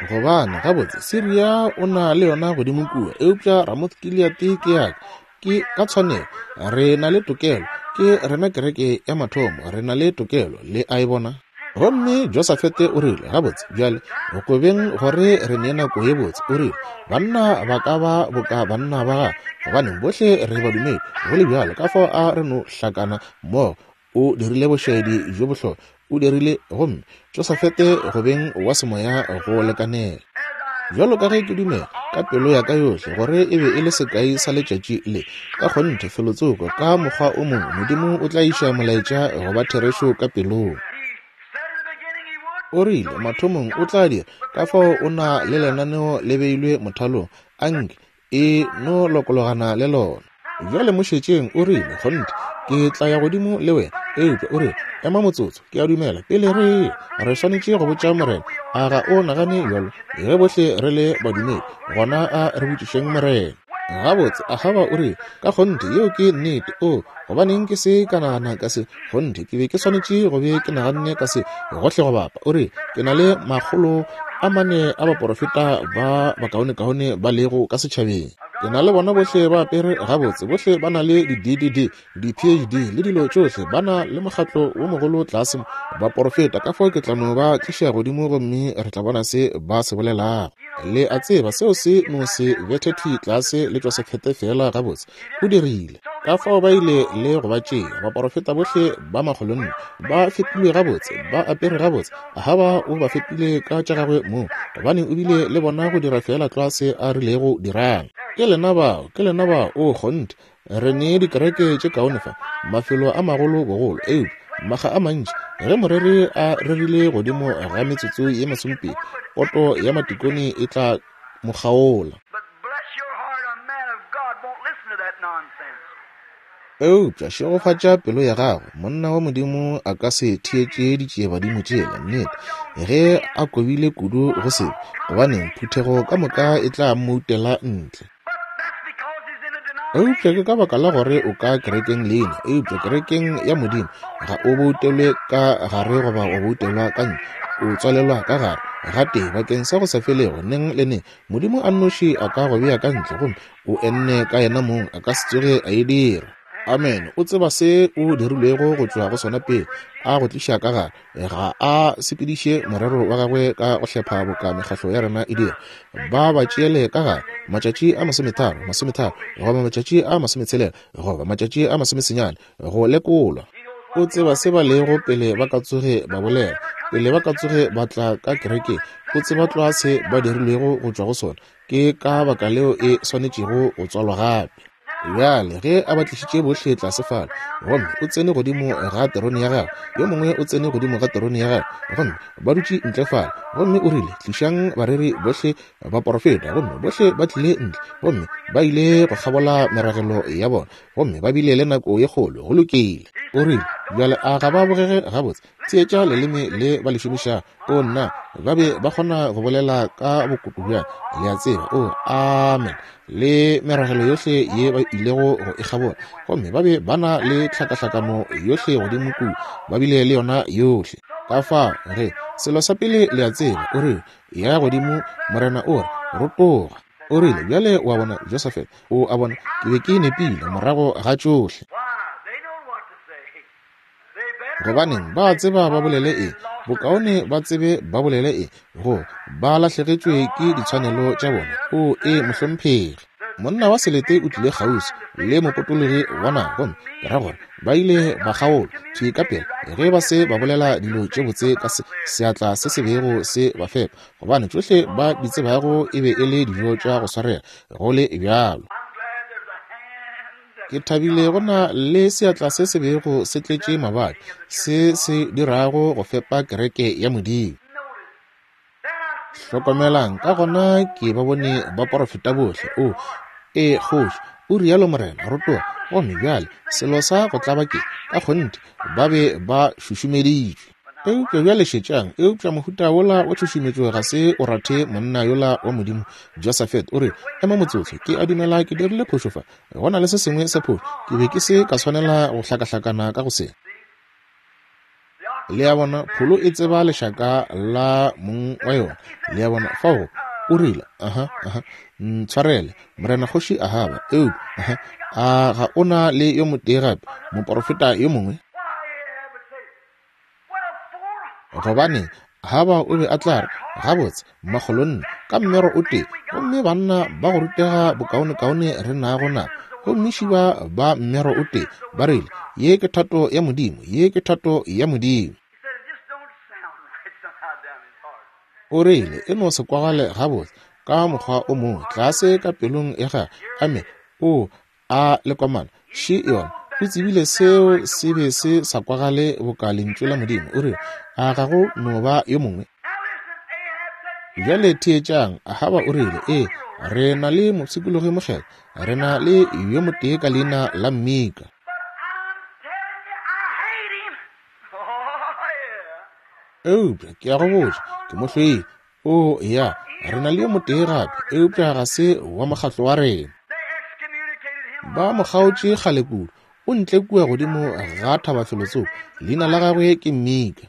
S1: Gobane, gabotse, Siria o na le yona godimo kua, eupša Ramoth-Gileate ke ya ka. Ke ka tshwanelo. Re na le tokelo. Ke rena kereke ya mathomo. Re na le tokelo. Le a e bona? Gomme Josafete o rile, Gabotse, bjale, go kobeng gore re ne nako ye botse, o rile, banna ba ka ba boka banna ba gago, gobaneng bohle re badumedi, go le bjalo, ka fao a re no hlakana mmogo. O dirile bošaedi bjo bohlokwa. O dirile, gomme Josafete go beng wa semoya go lekanela. Bjalo ka ge ke dumela ka pelo ya ka yohle gore e be e le sekai sa letšatši le, ka kgonthe felotsoko ka mokgwa o mongwe Modimo o tla iša molaetša go ba therešo ka pelong. O rile mathomong o tla dira, ka fao o na le lenaneo le beilwe mothalong, anke e no lokologana le lona. Bjale mo šetšeng, o rile, Kgonthe, ke tla ya godimo le wena. Eupša o rile, Ema motsotso, ke a dumela, pele re eya, re swanetše go botša Morena. A ga o nagane bjalo? Ge bohle re le badumedi, gona a re botšišeng Morena. Gabotse, Ahaba o rile, Ka kgonthe, yeo ke nnete. Oo, gobaneng ke se ka nagana ka se? Kgonthe, ke be ke swanetše go be ke naganne ka se gohle go bapa. O rile, Ke na le 400 a baporofeta ba bakaonekaone ba lego ka setšhabeng. Ke na le bona bohle ba apere gabotse, bohle ba na le di-DDD, di-PhD le dilo tšohle, ba na le mokgatlo wo mogolo tlase mo, baporofeta. Ka fao ke tla no ba tliša godimo gomme re tla bona se ba se bolelago. Le a tseba, seo se no se bethe thwi tlase le Josefete feela gabotse. O dirile. Ka fao ba ile le go ba tšea, baporofeta bohle ba makgolonne, ba fepilwe gabotse, ba apere gabotse. Ahaba o ba fepile ka tša gagwe mong, gobane o bile le bona go dira feela tlwa se a rilego dirang. Ke lena bao, ke lena bao, oo, kgonthe. Re ne dikereke tše kaone fa, mafelo a magolo bogolo, eupša makga a mantši ge moreri a rerile godimo ga metsotso ye masomepedi, poto ya matikone e tla mo kgaola. Eupša šegofatša pelo ya gago, monna wa Modimo a ka se theetše ditšiebadimo tšela, nnete, ge a kobile kudu go sebe, gobaneng, phuthego ka moka e tla mmoutela ntle. Eupša ke ka baka la gore o ka kerekeng leina, eupša kerekeng ya Modimo ga o boutelwe ka gare goba wa boutelwa ka ntle, o tswalelwa ka gare gatee bakeng sa go sa felego neng le neng. Modimo a nnoši a ka go bea ka ntle gomme o enne ka yena mong, a ka se tsoge a e dira. Amene. O tseba se o dirilwego go tšwa go sona pele a go tliša ka gare. Ga a sepediše morero wa gagwe ka go hlepha boka mekgahlo ya rena e dira. Ba ba tšeele ka gare matšatši a masometharo, masometharo, goba matšatši a masometshela, goba matšatši a masomesenyane, go lekolwa. O tseba se ba lego pele ba ka tsoge ba bolela, pele ba ka tsoge ba tla ka kerekeng. O tseba tlwa se ba dirilwego go tšwa go sona. Ke ka baka leo e swanetšego go tswalwa gape. Bjale ge a ba tlišitše bohle tlase fale, gomme o tsene godimo ga terone ya gagwe, yo mongwe o tsene godimo ga terone ya gagwe, gomme ba dutše ntle fale, gomme o rile, Tlišang bareri bohle, baporofeta, gomme bohle ba tlile ntle, gomme ba ile go kgabola meragelo ya bona, gomme ba bile le nako ye kgolo. Go lokile. O rile, Bjale a ga ba bogege gabotse? Theetša leleme le ba le šomišago. O nna, ba be ba kgona go bolela ka bokoto bjang, le a tseba. O, amen. Le meragelo yohle ye ba ilego go e kgabola, gomme ba be ba na le tlhakahlakano yohle godimo kua, ba bile le yona yohle. Ka fao ge, selo sa pele le a tseba, o rile, Ya godimo, Morena o re, rotoga. O rile, Bjale o a bona, Josafat, o a bona, ke be ke nepile morago ga tšohle. Gobaneng, ba tseba ba bolele eng, bokaone ba tsebe ba bolele eng, go ba lahlegetšwe ke ditshwanelo tša bona. O e mohlomphegi. Monna wa selete o tlile kgauswi le mopotologi wa naga, gomme ke ra gore ba ile ba kgaolwa thwi ka pela ge ba se ba bolela dilo tše botse ka se, seatla se se bego se ba fepa, gobane tšohle ba di tsebago e be e le dijo tša go swarega go le bjalo. Ke thabile go na le seatla se se bego se tletše mabadi, se se dirago go fepa kereke ya Modimo. Hlokomelang, ka gona ke ba bone baporofeta bohle. O, ee, kgoši, o rialo morena, rotoga. Gomme bjale, selo sa go tlaba ke, ka kgonthe, ba be ba šušumeditšwe. Eupša bjale šetšang, eupša mohuta wola wa tšhušumetšo ga se o rathe monna yola wa Modimo, Josafat. O re, Ema motsotso, ke a dumela ke dirile phošo fa. Go na le se sengwe sa phošo. Ke be ke se ka swanela go hlakahlakana ka go se. Le a bona, pholo e tseba lešaka la mong wa yona. Le a bona, fao o rile, aha, aha, ntshwarele, morena kgoši Ahaba, eupša, aha, a ga o na le yo motee gape, moporofeta yo mongwe? Gobane Ahaba o be a tla re, Gabotse, makgolonne, ka mmero o tee, gomme banna ba go rutega bokaonekaone re nago nabo, gomme šiba ba mmero o tee, ba rile, Ye ke thato ya Modimo, ye ke thato ya Modimo. O rile, E no se kwagale gabotse, ka mokgwa o mongwe, tlase ka pelong ya gagwe. Amene. O A lekomana, še yona. O tsebile seo se be se sa kwagale boka Lentšu la Modimo. O rile, A ga go no ba yo mongwe? Bjale theetšang, Ahaba o rile, Ee, re na le mopshikologi mokgethwa. Re na le yo motee ka leina la Mika. Eupša ke a go botša, ke mo hloile. O ya, re na le yo motee gape, eupša ga se wa mokgatlo wa rena. Ba mo kgaotše kgale kudu. O ntle kua godimo ga thaba felotsoko. Leina la gagwe ke Mika.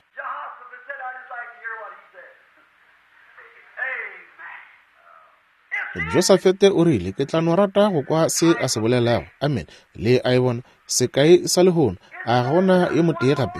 S1: Josafete o rile, Ke tla no rata go kwa se a se bolelago. Amen. Le a e bona? Sekai sa lehono. A ga go na yo motee gape?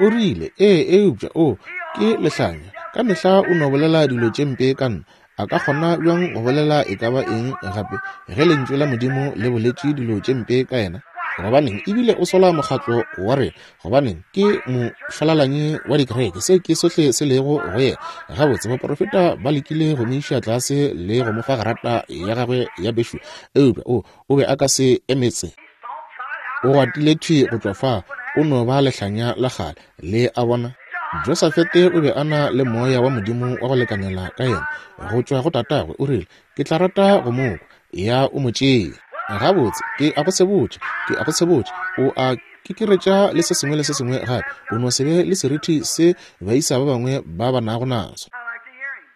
S1: O rile, Ee, eupša, o, ke lehlanya. Ka mehla o no bolela dilo tše mpe ka nna. A ka kgona bjang go bolela e ka ba eng gape ge Lentšu la Modimo le boletše dilo tše mpe ka yena? Gobaneng, ebile o sola mokgatlo wa rena. Gobaneng, ke mošwalalanyi wa dikereke. Seo ke sohle se lego go yena. Gabotse, baporofeta ba lekile go mo iša tlase le go mo fa grata ya gagwe ya bešo, eupša o, o be a ka se emetse. O gwatile thwi go tšwa fa, o no ba lehlanya la kgale. Le a bona? Josafete o be a na le moya wa Modimo wa go lekanela ka yena go tšwa go tatagwe. O rile, Ke tla rata go mo kwa. Ya o mo tšee. Gabotse, ke a go sebotša, ke a go sebotša, o a kekeretša le se sengwe le se sengwe gape. O no se be le serithi se baisa ba bangwe ba ba nago naso.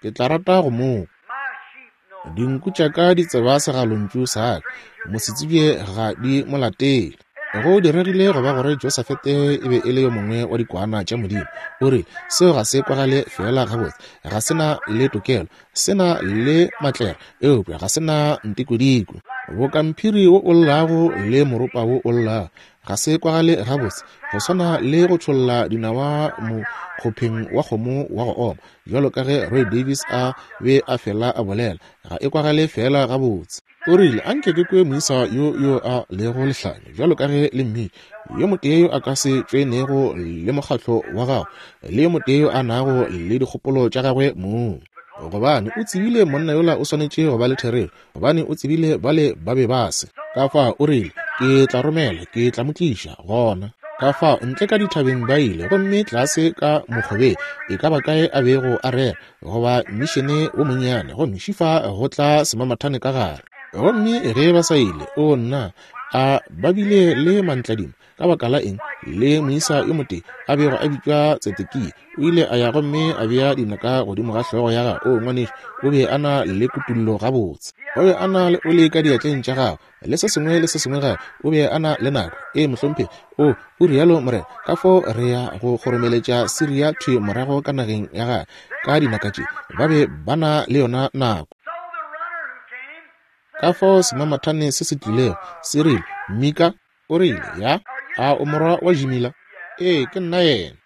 S1: Ke tla rata go mo kwa. Dinku tša ka di tseba segalontšu sa ka, mosetsebje ga di mo latele. Go diregile go ba gore Josafete e be e le yo mongwe wa dikwana tša Modimo. O rile, Seo ga se kwagale feela gabotse. Ga se na le tokelo. Se na le matlere, eupša ga se na ntikodiko. Boka mphiri wo o llago le moropa wo o llago. Ga se kwagale gabotse, go swana le go tšholla dinawa mokgopheng wa kgomo wa go oma, bjalo ka ge Roy Davis a be a fela a bolela. Ga e kwagale feela gabotse. O rile, A nke ke kwe moisa yo yo a lego lehlanya, bjalo ka ge le mmitša, yo motee yo a ka se tšoenego le mokgatlo wa gago, le yo motee yo a nago le dikgopolo tša gagwe mong. Gobane o tsebile monna yola o swanetše go ba le therešo, gobane o tsebile bale ba be ba se. Ka fao o rile, Ke tla romela, ke tla mo tliša gona. Ka fao ntle ka dithabeng ba ile, gomme tlase ka mokgobeng, e ka ba kae a bego a rera, goba mišene wo monnyane, gomme šifa go tla semamathane ka gare. Gomme ge ba sa ile, o nna, a ba bile le mantladima, ka baka la eng, le moisa yo motee a bego a bitšwa Tsedekia, o ile a ya gomme a bea dinaka godimo ga hlogo ya gagwe. O, ngwanešu, o be a na le kutullo gabotse. O be a na le oli ka diatleng tša gagwe, le se sengwe le se sengwe gape. O be a na le nako. Ee, mohlomphegi. O, o rialo Morena, ka fao re ya go kgoromeletša Siria thwi morago ka nageng ya gagwe ka dinaka tše. Ba be ba na le yona nako. Ka fao semamathane se se tlilego, se rile, Mika, o rile, ya, a o morwa wa Jimila? Ee, ke nna yena.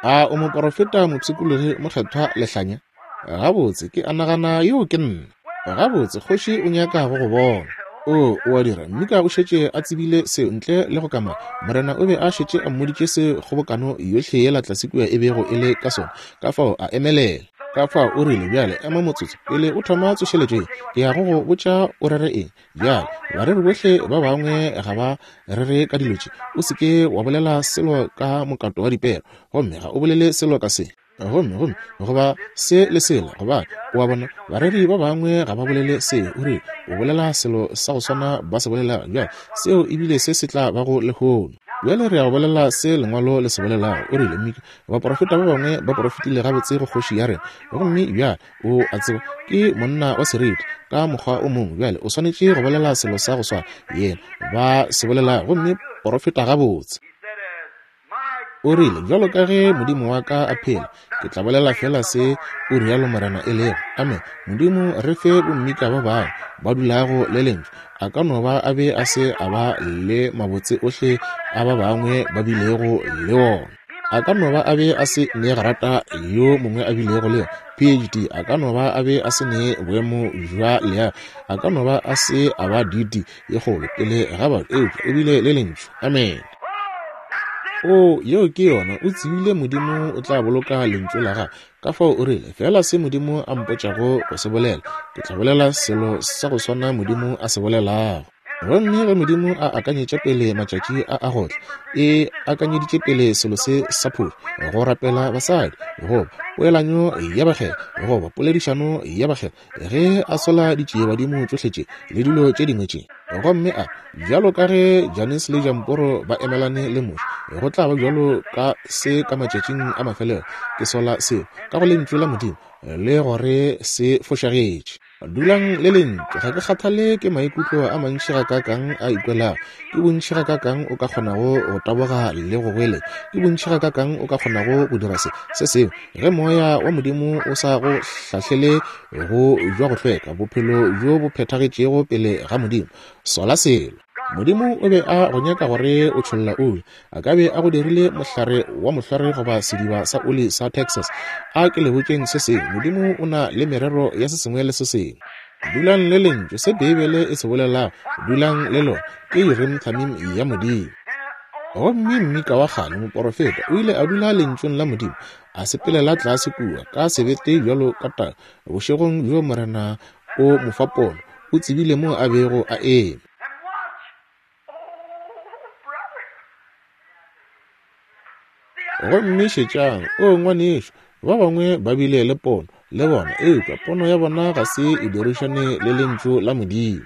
S1: A o moporofeta mopshikologi mokgethwa lehlanya? Gabotse, ke a nagana yoo ke nna. Gabotse, kgoši o nyaka go go bona. O, o a dira. Mika o šetše a tsebile seo ntle le go kamaka. Morena o be a šetše a mmoditše se kgobokano yohle yela tlase kua e bego e le ka sona. Ka fao a emelela. Ka fao o rile, Bjale ema motsotso, pele o thoma tsošeletšo ye, ke ya go go botša o rere eng. Bjale, bareri bohle ba bangwe ga ba rere ka dilo tše. O se ke wa bolela selo ka mokato wa dipere, gomme ga o bolele selo ka se. Gomme, gomme, goba se le sela, gobane, o a bona, bareri ba bangwe ga ba bolele seo. O rile, O bolela selo sa go swana ba se bolelago. Bjale, seo ebile se se tla bago lehono. Bjale re ya go bolela se Lengwalo le se bolelago. O rile, Mika, baporofeta ba bangwe ba porofetile gabotse go kgoši ya rena. Gomme bjale, o a tseba, ke monna wa seriti ka mokgwa o mongwe. Bjale o swanetše go bolela selo sa go swana yena ba se bolelago, gomme porofeta gabotse. O rile, Bjalo ka ge Modimo wa ka a phela, ke tla bolela feela se o rialo Morena e lego. Amen. Modimo re fe bommika ba bangwe ba dulago le Lentšu. A ka no ba a be a se a ba le mabotse ohle a ba bangwe ba bilego le wona. A ka no ba a be a se ne grata yo mongwe a bilego le yona, PhD. A ka no ba a be a se ne boemo bja leago. A ka no ba a se a ba DD ye kgolo pele ga batho, eupša o bile le Lentšu. Amen. O, yeo ke yona. O tsebile Modimo o tla boloka Lentšu la Gagwe. Ka fao o rile, Feela se Modimo a mpotšago go se bolela, ke tla bolela selo sa go swana Modimo a se bolelago. Gomme ge Modimo a akanyetša pele matšatši a a go tla, e akanyeditše pele selo se sa phošo, go rapela basadi, goba poelanyo ya bakgethwa, goba poledišano ya bakgethwa, ge a sola ditšiebadimo tšohle tše le dilo tše dingwe tše. Gomme a, bjalo ka ge Jannes le Jamporo ba emelane le Moshe, go tla ba bjalo ka se ka matšatšing a mafelelo. Ke sola seo ka go Lentšu la Modimo, le gore se fošagetše. Dulang le Lentšu. Ga ke kgathale ke maikutlo a mantši gakaakang a ikwelago, ke bontši gakaakang o ka kgonago go taboga le go goeletša, ke bontši gakaakang o ka kgonago go dira se, se sengwe. Ge Moya wa Modimo o sa go hlahlele go bja go hlweka, bophelo bjo bo phethagetšego pele ga Modimo, sola selo. Modimo o be a go nyaka gore o tšholla oli. A ka be a go dirile mohlare wa mohlware goba sediba sa oli sa Texas. A ke le botšeng se sengwe, Modimo o na le merero ya se sengwe le se sengwe. Dulang le Lentšu, se Beibele e se bolelago, dulang le lona. Ke Urim Thummim ya Modimo. Gomme Mika wa kgale, moporofeta, o ile a dula Lentšung la Modimo, a sepelela tlase kua, ka sebete bjalo ka tau. Bošegong bjo Morena o mo fa pono, o tsebile mo a bego a eme. Gomme šetšang, o ngwanešu, ba bangwe ba bile le pono, le bona, eupša pono ya bona ga se e dirišane le Lentšu la Modimo.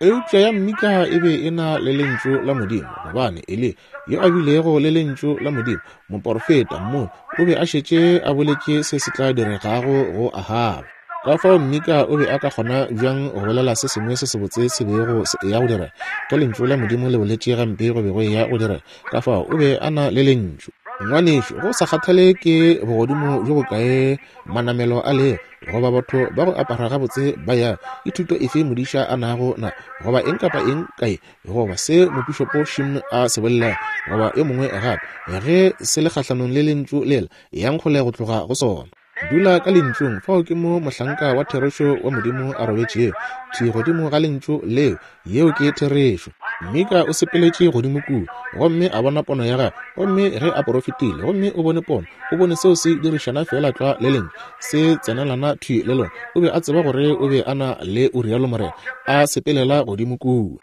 S1: Eupša ya Mika e be e na le Lentšu la Modimo, gobane Eliya, yo a bilego le Lentšu la Modimo, moporofeta, mmoni, o be a šetše a boletše se se tla diregago go Ahaba. Ka fao Mika o be a ka kgona bjang go bolela se sengwe se sebotse se bego se eya go direga, ge Lentšu la Modimo le boletše gampe go be go eya go direga? Ka fao o be a na le Lentšu. Ngwanešu, go sa kgathale ke bogodimo bjo bokae manamelo a lego, goba batho ba go apara gabotse ba ya, ke thuto efe modiša a nago na, goba eng kapa eng kae, goba se mopišopo Shim a se bolelago, goba yo mongwe gape, ge se le kgahlanong le Lentšu lela, yang kgole go tloga go sona. Dula ka Lentšung, fao ke mo mohlanka wa therešo wa Modimo a robetšego, thwi godimo ga Lentšu leo. Yeo ke therešo. Mika o sepeletše godimo kua gomme a bona pono ya gagwe, gomme ge a porofetile gomme o bone pono, o bone seo se dirišana feela tlwa le Lentšu, se tsenelana thwi le lona. O be a tseba gore o be a na le o rialo morena, a sepelela godimo kua.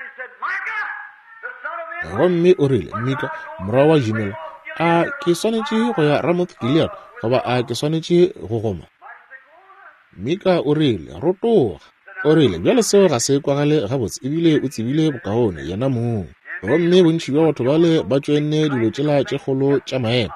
S1: Gomme o rile, Mika, morwa wa Jimela, a ke swanetše go ya Ramoth Gilead goba a ke swanetše go goma? Mika o rile, Rotoga. O rile, Bjale seo ga se kwagale gabotse, ebile o tsebile bokaone yena mong. Gomme bontši bja batho bale ba tšoenne dilo tšela tše kgolo tša maemo,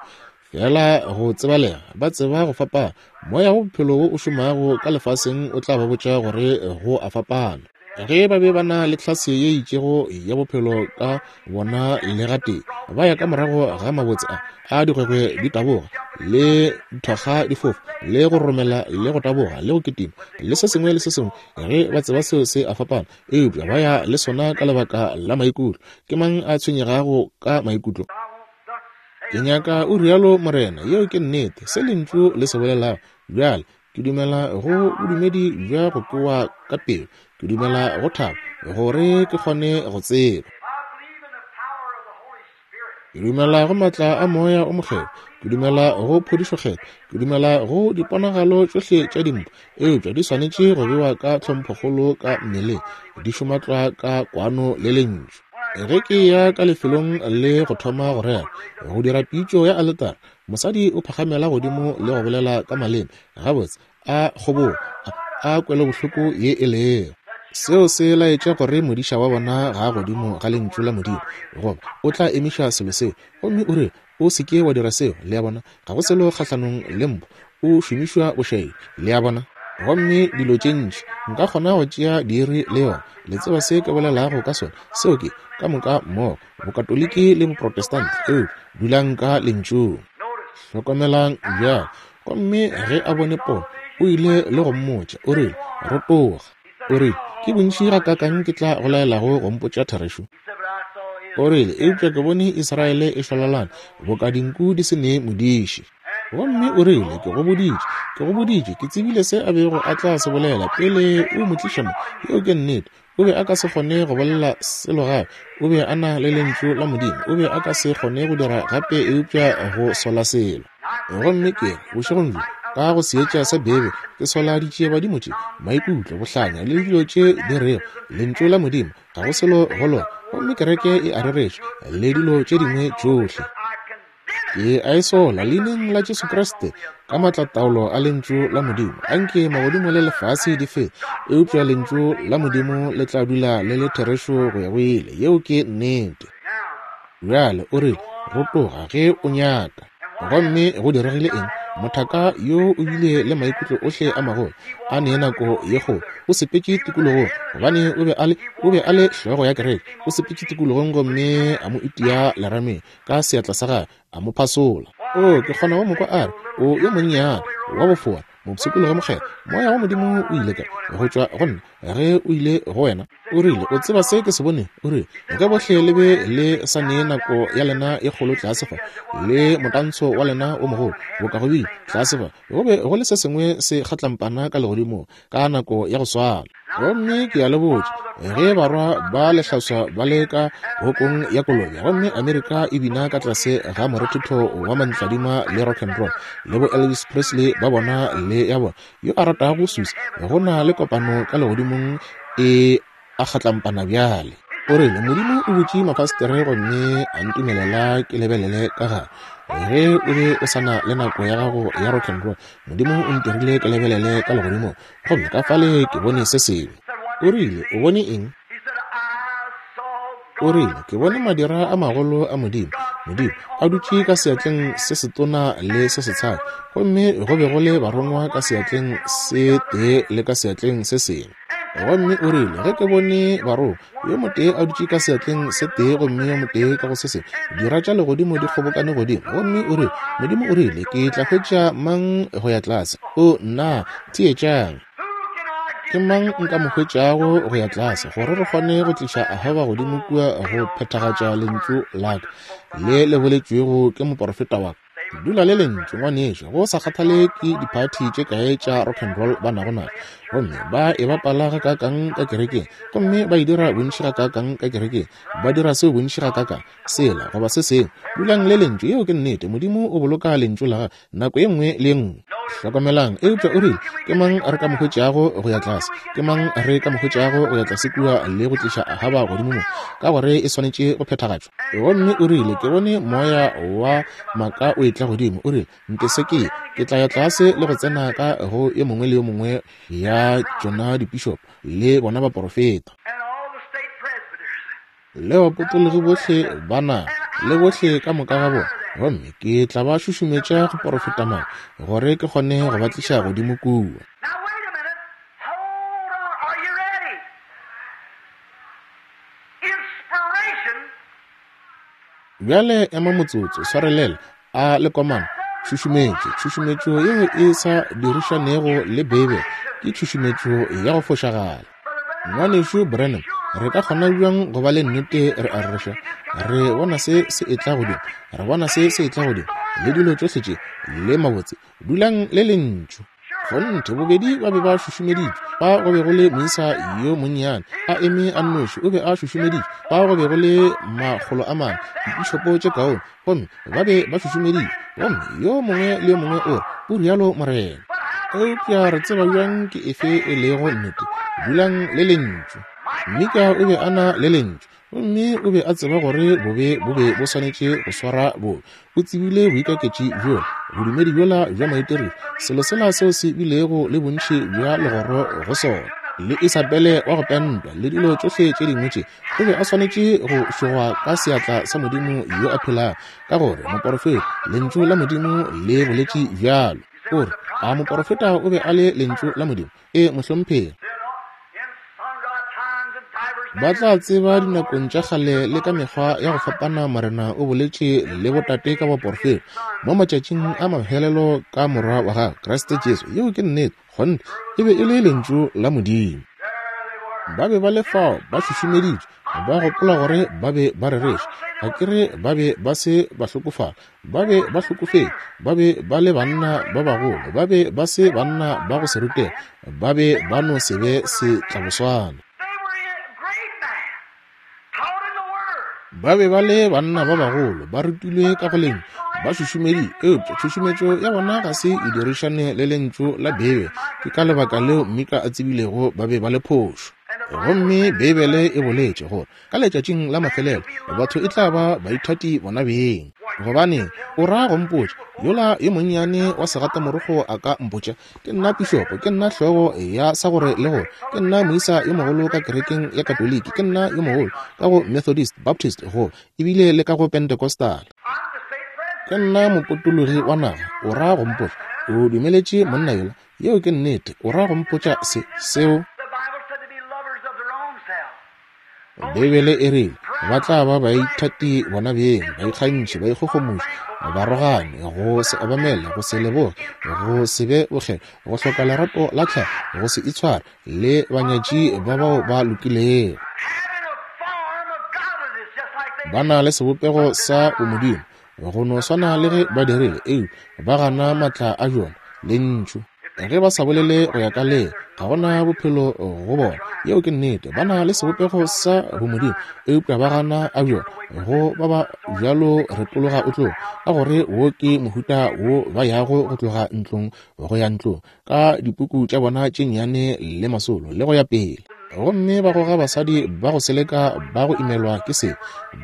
S1: feela go tsebalega, ba tseba go fapana. Moya wa bophelo wo o šomago ka lefaseng o tla ba botša gore go a fapana. Ge ba be ba na le tlhase ye itšego ya bophelo ka bona le gatee, ba ya ka morago ga mabotse a a digwegwe di taboga le dithokga di fofa le go romela le go taboga le go kitima le se sengwe le se sengwe, ge ba tseba seo se a fapana, eupša ba ya le sona ka lebaka la maikutlo. Ke mang a tshwenyegago ka maikutlo? Ke nyaka o rialo Morena. Yeo ke nnete, se Lentšu le se bolelago. Bjale, Ke dumela go bodumedi bja go kwewa ka pelo. Ke dumela go thabo, gore ke kgone go tseba. Ke dumela go matla a Moya o Mokgethwa. Ke dumela go phodišo kgethwa. Ke dumela go diponagalo tšohle tša dimpho, eupša di swanetše go bewa ka tlhomphokgolo ka mmeleng, di šoma tlwa ka kwano le Lentšu. Ge ke ya ka lefelong le go thoma go rera, go dira pitšo ya aletara, Mosadi o phagamela godimo le go bolela ka maleme, gabotse, a kgobogo, a, a kwelobohloko ye e lego. Seo se laetša gore modiša wa bona ga a godimo ga Lentšu la Modimo, goba o tla emiša selo seo gomme o re, O se ke wa dira seo. Le a bona? Ga go selo kgahlanong le mpho, o šomišwa bošaedi. Le a bona? Gomme dilo tše ntši, nka kgona go tšea diiri le yona. Le tseba se ke bolelago ka sona. Seo ke, ka moka mmogo, Bokatoliki le Boprotestant, eupša dulang ka Lentšung. Hlokomelang bjale. Gomme ge a bone pono, o ile le go mmotša, o rile, Rotoga. O rile, Ke bontši gakaakang ke tla go laelago go mpotša therešo? O rile, Eupša ke bone Israele e šwalalana boka dinku di se ne modiši. Gomme o rile, Ke go boditše, ke go boditše, ke tsebile se a bego a tla se bolela pele o mo tliša mo. Yeo ke nnete. O be a ka se kgone go bolela selo gape. O be a na le Lentšu la Modimo. O be a ka se kgone go dira gape eupša go sola selo. Gomme ke re, bošegong bjo, ka go seetša sa Bebe, ke sola ditšiebadimo tše, maikutlo, bohlanya, le dilo tše di rego, Lentšu la Modimo, ga go selo go lona. Gomme kereke e a rereša, le dilo tše dingwe tšohle. Ke a e sola, Leineng la Jesu Kriste, ka maatlataolo a Lentšu la Modimo. Anke magodimo le lefase di fete, eupša Lentšu la Modimo le tla dula le le therešo go ya go ile. Yeo ke nnete. Bjale o rile, Rotoga ge o nyaka. Gomme go diregile eng? Mothaka yo o bile le maikutlo ohle a magolo, a ne nako ye kgolo. O sepetše tikologong, gobane o be a le, o be a le hlogo ya kereke. O sepetše tikologong gomme a mo itia lerameng. ka seatla sa gagwe a mo phasola. O, ke kgona go mo kwa a re, O yo monnyane wa bofoa, mopshikologi mokgethwa, Moya wa Modimo o ile kae go tšwa go nna ge o ile go wena? O rile, O tseba se ke se bonego? O rile, Ge bohle le be le sa nee nako ya lena e kgolo tlase fa, le motantsho wa lena o mogolo, boka go bile tlase fa, go be go le se sengwe se kgatlampana ka legodimong ka nako ya go swana. Gomme ke a le botša, ge barwa ba lehlaswa ba le ka hokong ya kolobe, gomme Amerika e bina ka tlase ga morethetho wa mantladima le rock and roll, le bo Elvis Presley ba bona le ya bona, yo a ratago Susie, go na le kopano ka legodimong e a kgatlampana bjale. O rile, Modimo o butše mafastere gomme a ntumelela ke lebelele ka gare. Ge o be o sa na le nako ya gago ya rock and roll, Modimo o ntirile ke lebelele ka legodimong. Gomme ka fale ke bone se sengwe. O rile, O bone eng? O rile, Ke bone madira a magolo a Modimo Modimo, a dutše ka seatleng se setona le se setshadi, gomme go be go le barongwa ka seatleng se tee le ka seatleng se sengwe. Gomme o rile, Ge ke bone barongwa, yo motee a dutše ka seatleng se tee gomme yo motee ka go se sengwe, dira tša legodimo di kgobokane godimo. Gomme o rile, Modimo o rile, Ke tla hwetša mang go ya tlase? O, nna! Theetšang! Ke mang nka mo hwetšago go ya tlase, gore re kgone go tliša Ahaba godimo kua go phethagatša lentšu la ka le le boletšwego ke moporofeta wa ka? Dula le lentšu, ngwanešu, go sa kgathale ke diphathi tše kae tša rock and roll ba nago natšo, gomme ba e bapala gakaakang ka kerekeng, gomme ba e dira bontši gakaakang ka kerekeng, ba dira seo bontši gakaakang, sela goba se sengwe. Dulang le lentšu, yeo ke nnete. Modimo o boloka lentšu la gagwe nako ye nngwe le ye nngwe. Hlokomelang, eupša o rile, Ke mang re ka mo hwetšago go ya tlase? Ke mang re ka mo hwetšago go ya tlase kua le go tliša Ahaba godimo mo? Ka gore e swanetše go phethagatšwa. Gomme o rile, Ke bone moya wa maaka o etla godimo. O rile, Ntese ke ye. Ke tla ya tlase le go tsena ka go yo mongwe le yo mongwe ya tšona dipišopo le bona baporofeta. Le bapotologi bohle ba naga, le bohle ka moka ga bona, gomme ke tla ba šušumetša go porofeta maaka, gore ke kgone go ba tliša godimo kua. Bjale ema motsotso, swarelela, a le komana. Tšhušumetšo, tšhušumetšo yeo e sa dirišanego le Beibele ke tšhušumetšo ya go fošagala. Ngwanešu Branham, re ka kgona bjang go ba le nnete re a rereša? Re bona se se etla godimo, re bona se se etla godimo, le dilo tšohle tše, le mabotse. Dulang le Lentšu. Kgonthe, bobedi ba be ba šušumeditšwe. Fa go be go le moisa yo monnyane a eme a nnoši, o be a šušumeditšwe. Fa go be go le 400, dipišopo tše kaone, gomme ba be ba šušumeditšwe. Gomme yo mongwe le yo mongwe o re, O rialo morena. Eupša re tseba bjang ke efe e lego nnete? Dulang le Lentšu. Mika o be a na le Lentšu. Gomme o be a tseba gore bobe bo be bo swanetše go swara bobe. O tsebile boikaketši bjola, bodumedi bjola bja maitirelo, selo sela seo se bilego le bontši bja legoro go sona, le Isabele wa go pentwa, le dilo tšohle tše dingwe tše. O be a swanetše go šogwa ka seatla sa Modimo yo a phelago, ka gore moporofeta, Lentšu la Modimo le boletše bjalo. O re, A moporofeta o be a le Lentšu la Modimo? Ee, mohlomphegi. Ba tla tseba dinakong tša kgale le ka mekgwa ya go fapana Morena o boletše le botate ka baporofeta mo matšatšing a mafelelo ka Morwa wa gagwe Kriste Jesu. Yeo ke nnete, kgonthe e be e le Lentšu la Modimo. Ba be ba le fao ba šušumeditšwe, ba gopola gore ba be ba rereša. Ga ke re ba be ba se ba hlokofala, Ba be ba hlokofetše, ba be ba le banna ba bagolo, ba be ba se banna ba go se rutega, ba be ba no se be setlaboswana. Ba be ba le banna ba bagolo, ba rutilwe ka go lentšu, ba šušumeditšwe, eupša tšhušumetšo ya bona ga se e dirišane le Lentšu la Beibele. Ke ka lebaka leo Mika a tsebilego ba be ba le phošo. Gomme Beibele e boletše gore Ka letšatšing la mafelelo, batho e tla ba baithati bona beng. Gobaneng, o ra go mpotša, yola yo monnyane wa segatamorogo a ka mpotša, ke nna pišopo, ke nna hlogo ya sa gore le gore, ke nna moisa yo mogolo ka kerekeng ya Katoliki, ke nna yo mogolo ka go Methodist, Baptist, go ebile le ka go Pentecostal. Ke nna mopotologi wa naga, o ra go mpotša, o dumeletše monna yola, yeo ke nnete, o ra go mpotša se, seo? Beibele e rile, Ba tla ba baithati bona beng, baikgantšhi, baikgogomoši, barogani, go se obamele, go se leboge, go se be bokgethwa, go hloka lerato la tlhago, go se itshware, le banyatši ba bao ba lokilego. Ba na le sebopego sa bomodimo, go no swana le ge ba dirile, eupša ba gana matla a bjona, Lentšu. Ge ba sa bolele go ya ka le, ga go na bophelo go bona. Yeo ke nnete. Ba na le sebopego sa bomodimo, eupša ba gana a bjona. Go ba ba bjalo retologa o tloga, ka gore wo ke mohuta wo ba yago go tloga ntlong go ya ntlong, ka dipuku tša bona tše nnyane le masolo, le go ya pele. Gomme ba goga basadi ba go seleka ba go imelwa ke se,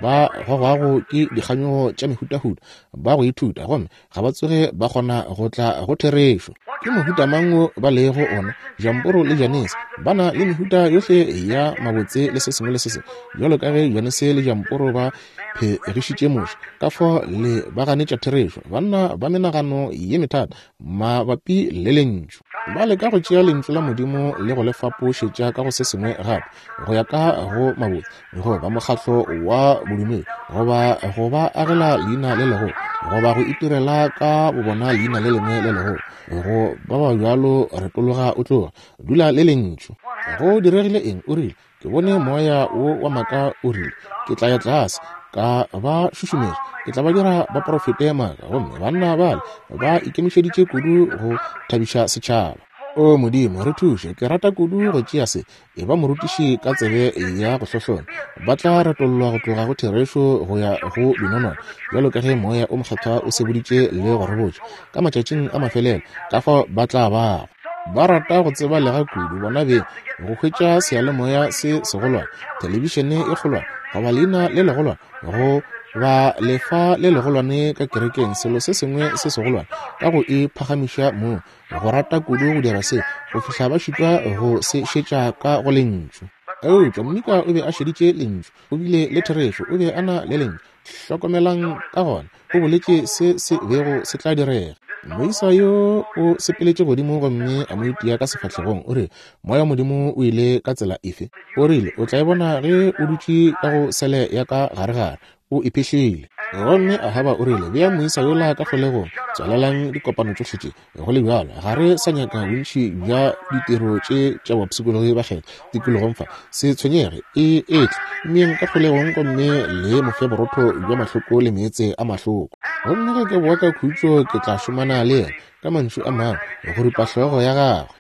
S1: ba gogwago ke dikganyogo tša mehutahuta, ba go ithuta, gomme ga ba tsoge ba kgona go tla go therešo. Ke mohuta mang wo ba lego ona? Jamporo le Janese ba na le mehuta yohle ya mabotse le se sengwe le se sengwe, bjalo ka ge Janese le Jamporo ba phegišitše Moshe, ka fao le ba ganetša therešo, banna ba menagano ye methata mabapi le Lentšu. Ba leka go tšea Lentšu la Modimo le go le fapošetša ka go se sengwe gape, go ya ka go mabotse, goba mokgatlo wa bodumedi, goba go ba agela leina le legolo, goba go itirela ka bobona leina le lengwe le legolo. Go ba ba bjalo retologa o tloga. Dula le Lentšu. Go diregile eng? O rile, Ke bone moya wo wa maaka, o rile, Ke tla ya tlase, ka ba šušumetša, ke tla ba dira ba porofete maaka. Gomme banna bale ba ikemišeditše kudu go thabiša setšhaba. O Modimo, re thuše. Ke rata kudu go tšea se. E ba morutiši ka tsebe ya go hlohlona. Ba tla retollwa go tloga go therešo go ya go dinonwane, bjalo ka ge Moya o Mokgethwa o seboditše le go re botša ka matšatšing a mafelelo ka fao ba tla bago. Ba rata go tseba lega kudu bona beng, go hwetša seyalemoya se segolwane, thelebišene e kgolwane, goba leina le legolwane, go ba lefa le legolwane ka kerekeng, selo se sengwe se segolwane, ka go e phagamiša mong. Go rata kudu go dira se go fihla ba šitwa go se šetša ka go Lentšu. Eupša Mika o be a šeditše Lentšu. O bile le therešo. O be a na le Lentšu. Hlokomelang ka gona, o boletše se se bego se tla direga. Moisa yo o sepeletše godimo gomme a mo itia ka sefahlegong, o rile, Moya wa Modimo o ile ka tsela efe? O rile, O tla e bona ge o dutše ka go sele ya ka garegare. O iphihlile. Gomme Ahaba o rile, Bea moisa yola ka kgolegong, tswalelang dikopano tšohle tše. Go le bjalo, ga re sa nyaka bontši bja ditiro tše tša bapshikologi ba kgetho tikologong fa. Se tshwenyege, e etle, mmeyeng ka kgolegong gomme le mo fe borotho bja mahloko le meetse a mahloko. Gomme ge ke boa ka khutšo, ke tla šomana le yena, ka mantšu a mangwe, go ripa hlogo ya gagwe.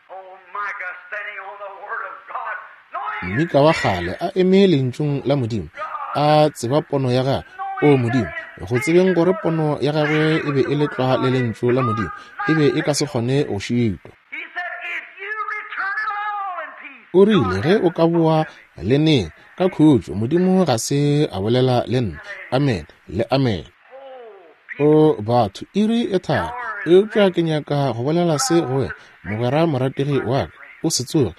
S1: Mika wa kgale a eme Lentšung la Modimo, a tseba pono ya gagwe. O Modimo, go tsebeng gore pono ya gagwe e be e le tlwa le Lentšu la Modimo, e be e ka se kgone go šitwa. O rile, Ge o ka boa le neng ka khutšo, Modimo ga se a bolela le nna. Amene le amene. O batho, iri e thari. Eupša ke nyaka go bolela se go wena, mogwera morategi wa ka. O se tsoge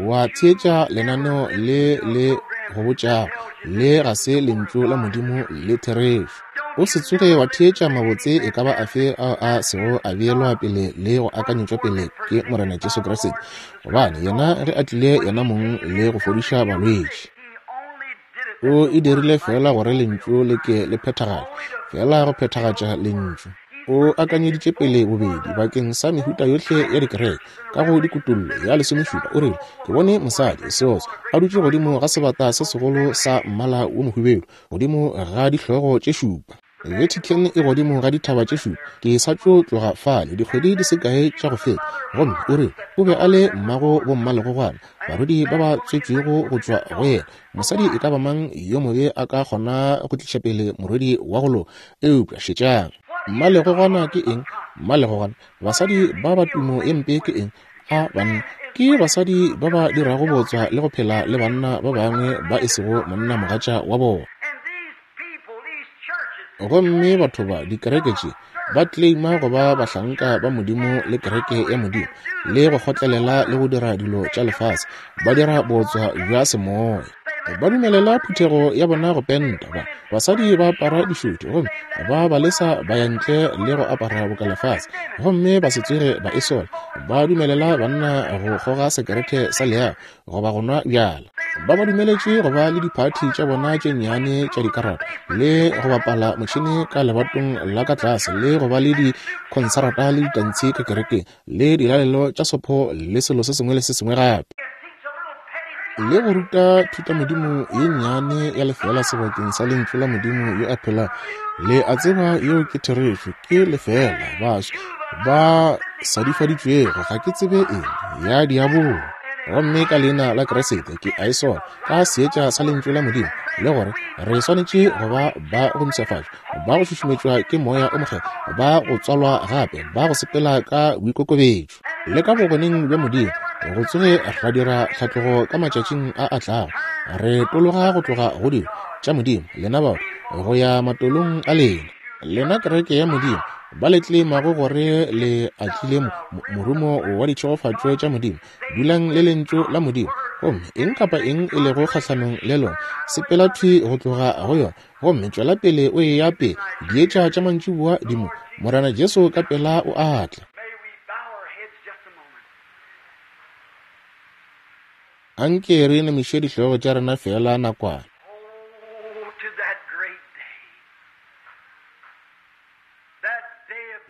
S1: wa theetša lenaneo le le go botšago le ga se lentšu la Modimo le therešo. O se tsoge wa theetša mabotse e ka ba afe ao a sego a beelwa pele le go akanyetšwa pele ke Morena Jesu Kriste, gobane yena ge a tlile yena mong le go fodiša balwetši. O e dirile feela gore Lentšu le ke le phethagale, feela go phethagatša Lentšu. O akanyeditše pele bobedi bakeng sa mehuta yohle ya dikereke ka go dikutollo ya lesomešupa. O rile, Ke bone mosadi, seotswa, a dutše godimo ga sebata se segolo sa mmala wo mohubedu, godimo ga dihlogo tše šupa. Vatican e godimo ga dithaba tše šupa. Ke sa tšo tloga fale dikgwedi di se kae tša go feta. Gomme o rile o be a le mmago bommalegogwana, barwedi ba ba tswetšwego go tšwa go yena. Mosadi e ka ba mang yo mobe a ka kgona go tliša pele morwedi wa go loka. Eupša šetšang. Mmalegogwana ke eng? Mmalegogwana. Basadi ba ba tumo e mpe ke eng? A banna. Ke basadi ba ba dirago bootswa le go phela le banna ba bangwe ba e sego monnamogatša wa bona. Gomme batho ba dikereke tše ba claima go ba bahlanka ba Modimo le kereke ya Modimo, le go kgotlelela le go dira dilo tša lefase, ba dira bootswa bja semoya. Ba dumelela phuthego ya bona go penta, ba basadi ba apara dišothi, gomme ba ba lesa ba ya ntle le go apara boka lefase, gomme ba se tsoge ba e sola. Ba dumelela banna go kgoga sekerete sa leago goba go nwa bjala. Ba ba dumeletše go ba le diphathi tša bona tše nnyane tša dikarata le go bapala motšhene ka lebatong la ka tlase le go ba le dikhonsarata le ditantshi ka kerekeng le dilalelo tša sopho le selo se sengwe le se sengwe gape. Le go ruta thutamodimo ye nnyane ya lefeela sebakeng sa Lentšu la Modimo yo a phelago. Le a tseba yeo ke therešo, ke lefeela, baswa ba sadifaditšwego, ga ke tsebe eng, ya diabolo. Gomme ka Leina la Kriste ke a e sola, ka seetša sa Lentšu la Modimo, le gore re swanetše go ba ba go mpshafatšwa, ba go šušumetšwa ke Moya o Mokgethwa, ba go tswalwa gape, ba go sepela ka boikokobetšo le ka bogoneng bja Modimo. Go tsoge ra dira tlhatlogo ka matšatšing a a tlago, re tologa go tloga go dilo tša Modimo, lena batho, go ya matolong a lena. Lena kereke ya Modimo, ba le tleimago gore le atlile morumo wa ditšhegofatšo tša Modimo, dulang le Lentšu la Modimo, gomme eng kapa eng e lego kgahlanong le lona, sepela thwi go tloga go yona, gomme tšwela pele o eya pele. Dietša tša mantšiboa di mo. Morena Jesu ka pela o a tla. Anke re inamiše dihlogo tša rena feela nakwana.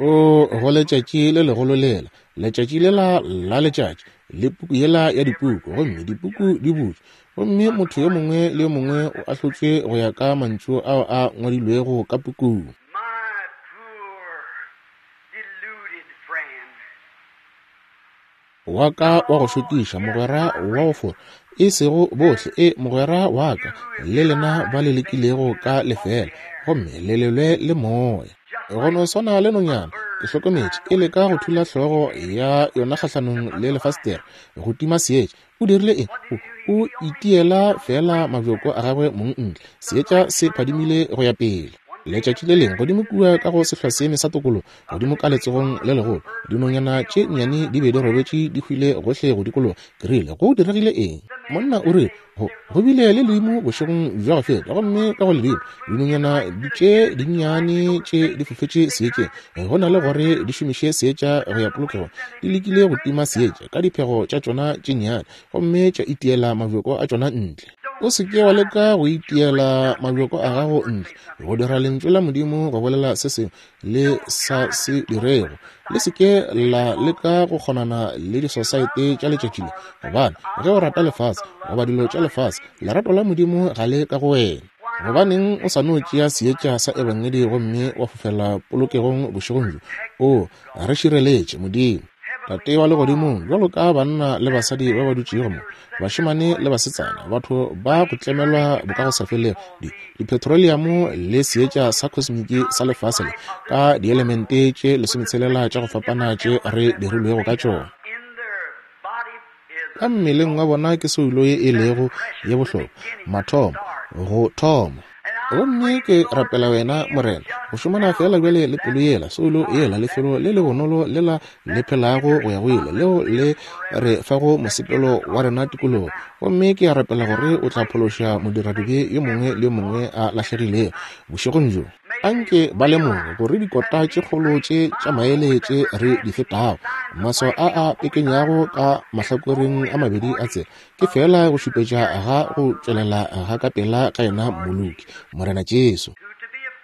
S1: O go letšatši le legolo lela, letšatši lela la letšatši, le puku yela ya dipuku, gomme dipuku di butšwe, gomme motho yo mongwe le yo mongwe o ahlotšwe go ya ka mantšu ao a ngwadilwego ka pukung. Wa ka wa go šokiša, mogwera wa go fora, e sego bohle, e mogwera wa ka, le lena ba le lekilego ka lefeela, gomme le lelwe le moya. Go no swana le nonyana, ke hlokometše, e leka go thula hlogo ya yona kgahlanong le lefastere, go tima seetša. O dirile eng? O, o itiela feela mabjoko a gagwe mong ntle. Seetša se phadimile go ya pele. Letšatši le lengwe, godimo kua ka go sehlwaseeme sa tokologo, godimo ka letsogong le legolo, dinonyana tše nnyane di be di robetše di hwile gohle go dikologa. Ke rile, Go diregile eng? Monna o rile, Go, go bile le ledimo bošegong bja go feta, gomme ka go ledimo, dinonyana tše dinnyane tše di fofetše seetšeng. Go na le gore di šomiše seetša go ya polokegong, di lekile go tima seetša ka diphego tša tšona tše nnyane gomme tša itiela mabjoko a tšona ntle. O se ke wa leka go itiela mabjoko a gago ntle, go dira Lentšu la Modimo go bolela se sengwe le sa se dirego. Le se ke la leka go kgonana le disosaete tša letšatši le, gobane ge o rata lefase goba dilo tša lefase, lerato la Modimo ga le ka go wena. Gobaneng o sa no tšea seetša sa Ebangedi gomme wa fofela polokegong bošegong bjo? O re šireletše, Modimo. Tate wa Legodimong, bjalo ka banna le basadi ba ba dutšego mo, bašemane le basetsana, batho ba go tlemelwa bokagosafelego, di, dipetroleamo le seetša sa kosmiki sa lefase le, ka dielemente tše lesometshela tša go fapana tše re dirilwego ka tšona. Ka mmeleng wa bona ke soulo ye e lego ye bohlokwa, mathomo, go thoma. Gomme ke rapela Wena, Morena, go šomana feela bjale le pelo yela, soulo yela, lefelo le le bonolo lela le phelago go ya go ile, leo le re fago mosepelo wa rena tikologo. Gomme ke a rapela gore O tla phološa modiradibe yo mongwe le yo mongwe a lahlegilego bošegong bjo. Anke ba lemoge gore dikota tše kgolo tše tša maele tše re di fetago, maswao a a pekenyago ka mahlakoreng a mabedi a tsela, ke feela go šupetša ga go tšwelela ga ka pela ga yena Mmoloki, Morena Jesu,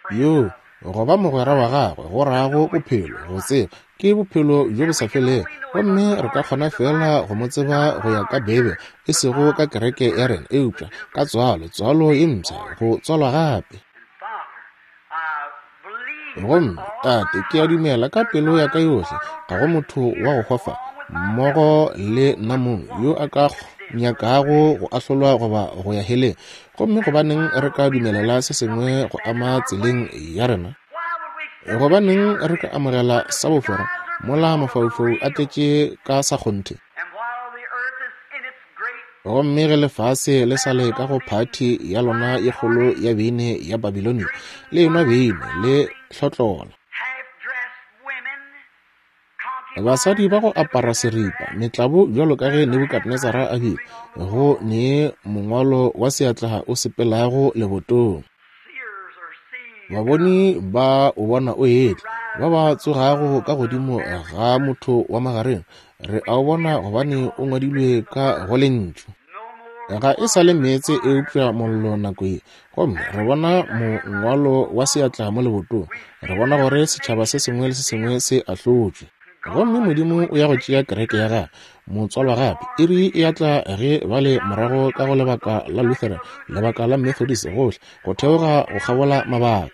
S1: yo go ba mogwera wa gagwe go rago bophelo, go tseba, ke bophelo bjo bo sa felego. Gomme re ka kgona feela go mo tseba go ya ka Beibele, e sego ka kereke ya rena, eupša ka tswalo, tswalo ye mpsha, go tswalwa gape. Gomme, Tate, ke a dumela ka pelo ya ka yohle, ga go motho wa go hwa fa, mmogo le nna mong, yo a ka nyakago go ahlolwa goba go ya heleng. Gomme gobaneng re ka dumelela se sengwe go ama tseleng ya rena? Gobaneng re ka amogela sa bofora mola mafaufau a tletše ka sa kgonthe? Gomme ge lefase le sa le ka go phathi ya lona ye kgolo ya beine ya Babilonia, le enwa beine, le hlotlola. Basadi ba go apara seripa, metlabo bjalo ka ge Nebukadnezara a bile, go ne mongwalo wa seatla o sepelago lebotong. Baboni ba o bona o etla, ba ba tsogago ka godimo ga motho wa magareng, re a o bona gobane o ngwadilwe ka go Lentšu. Ga e sa le meetse eupša mollo nako ye, gomme re bona mongwalo wa seatla mo lebotong, re bona gore setšhaba se sengwe le se sengwe se ahlotšwe. Gomme Modimo o ya go tšea kereke ya gagwe, motswalwa gape. Iri e a tla ge ba le morago ka go lebaka la Lutheran, lebaka la Methodist, gohle go theoga go kgabola mabaka.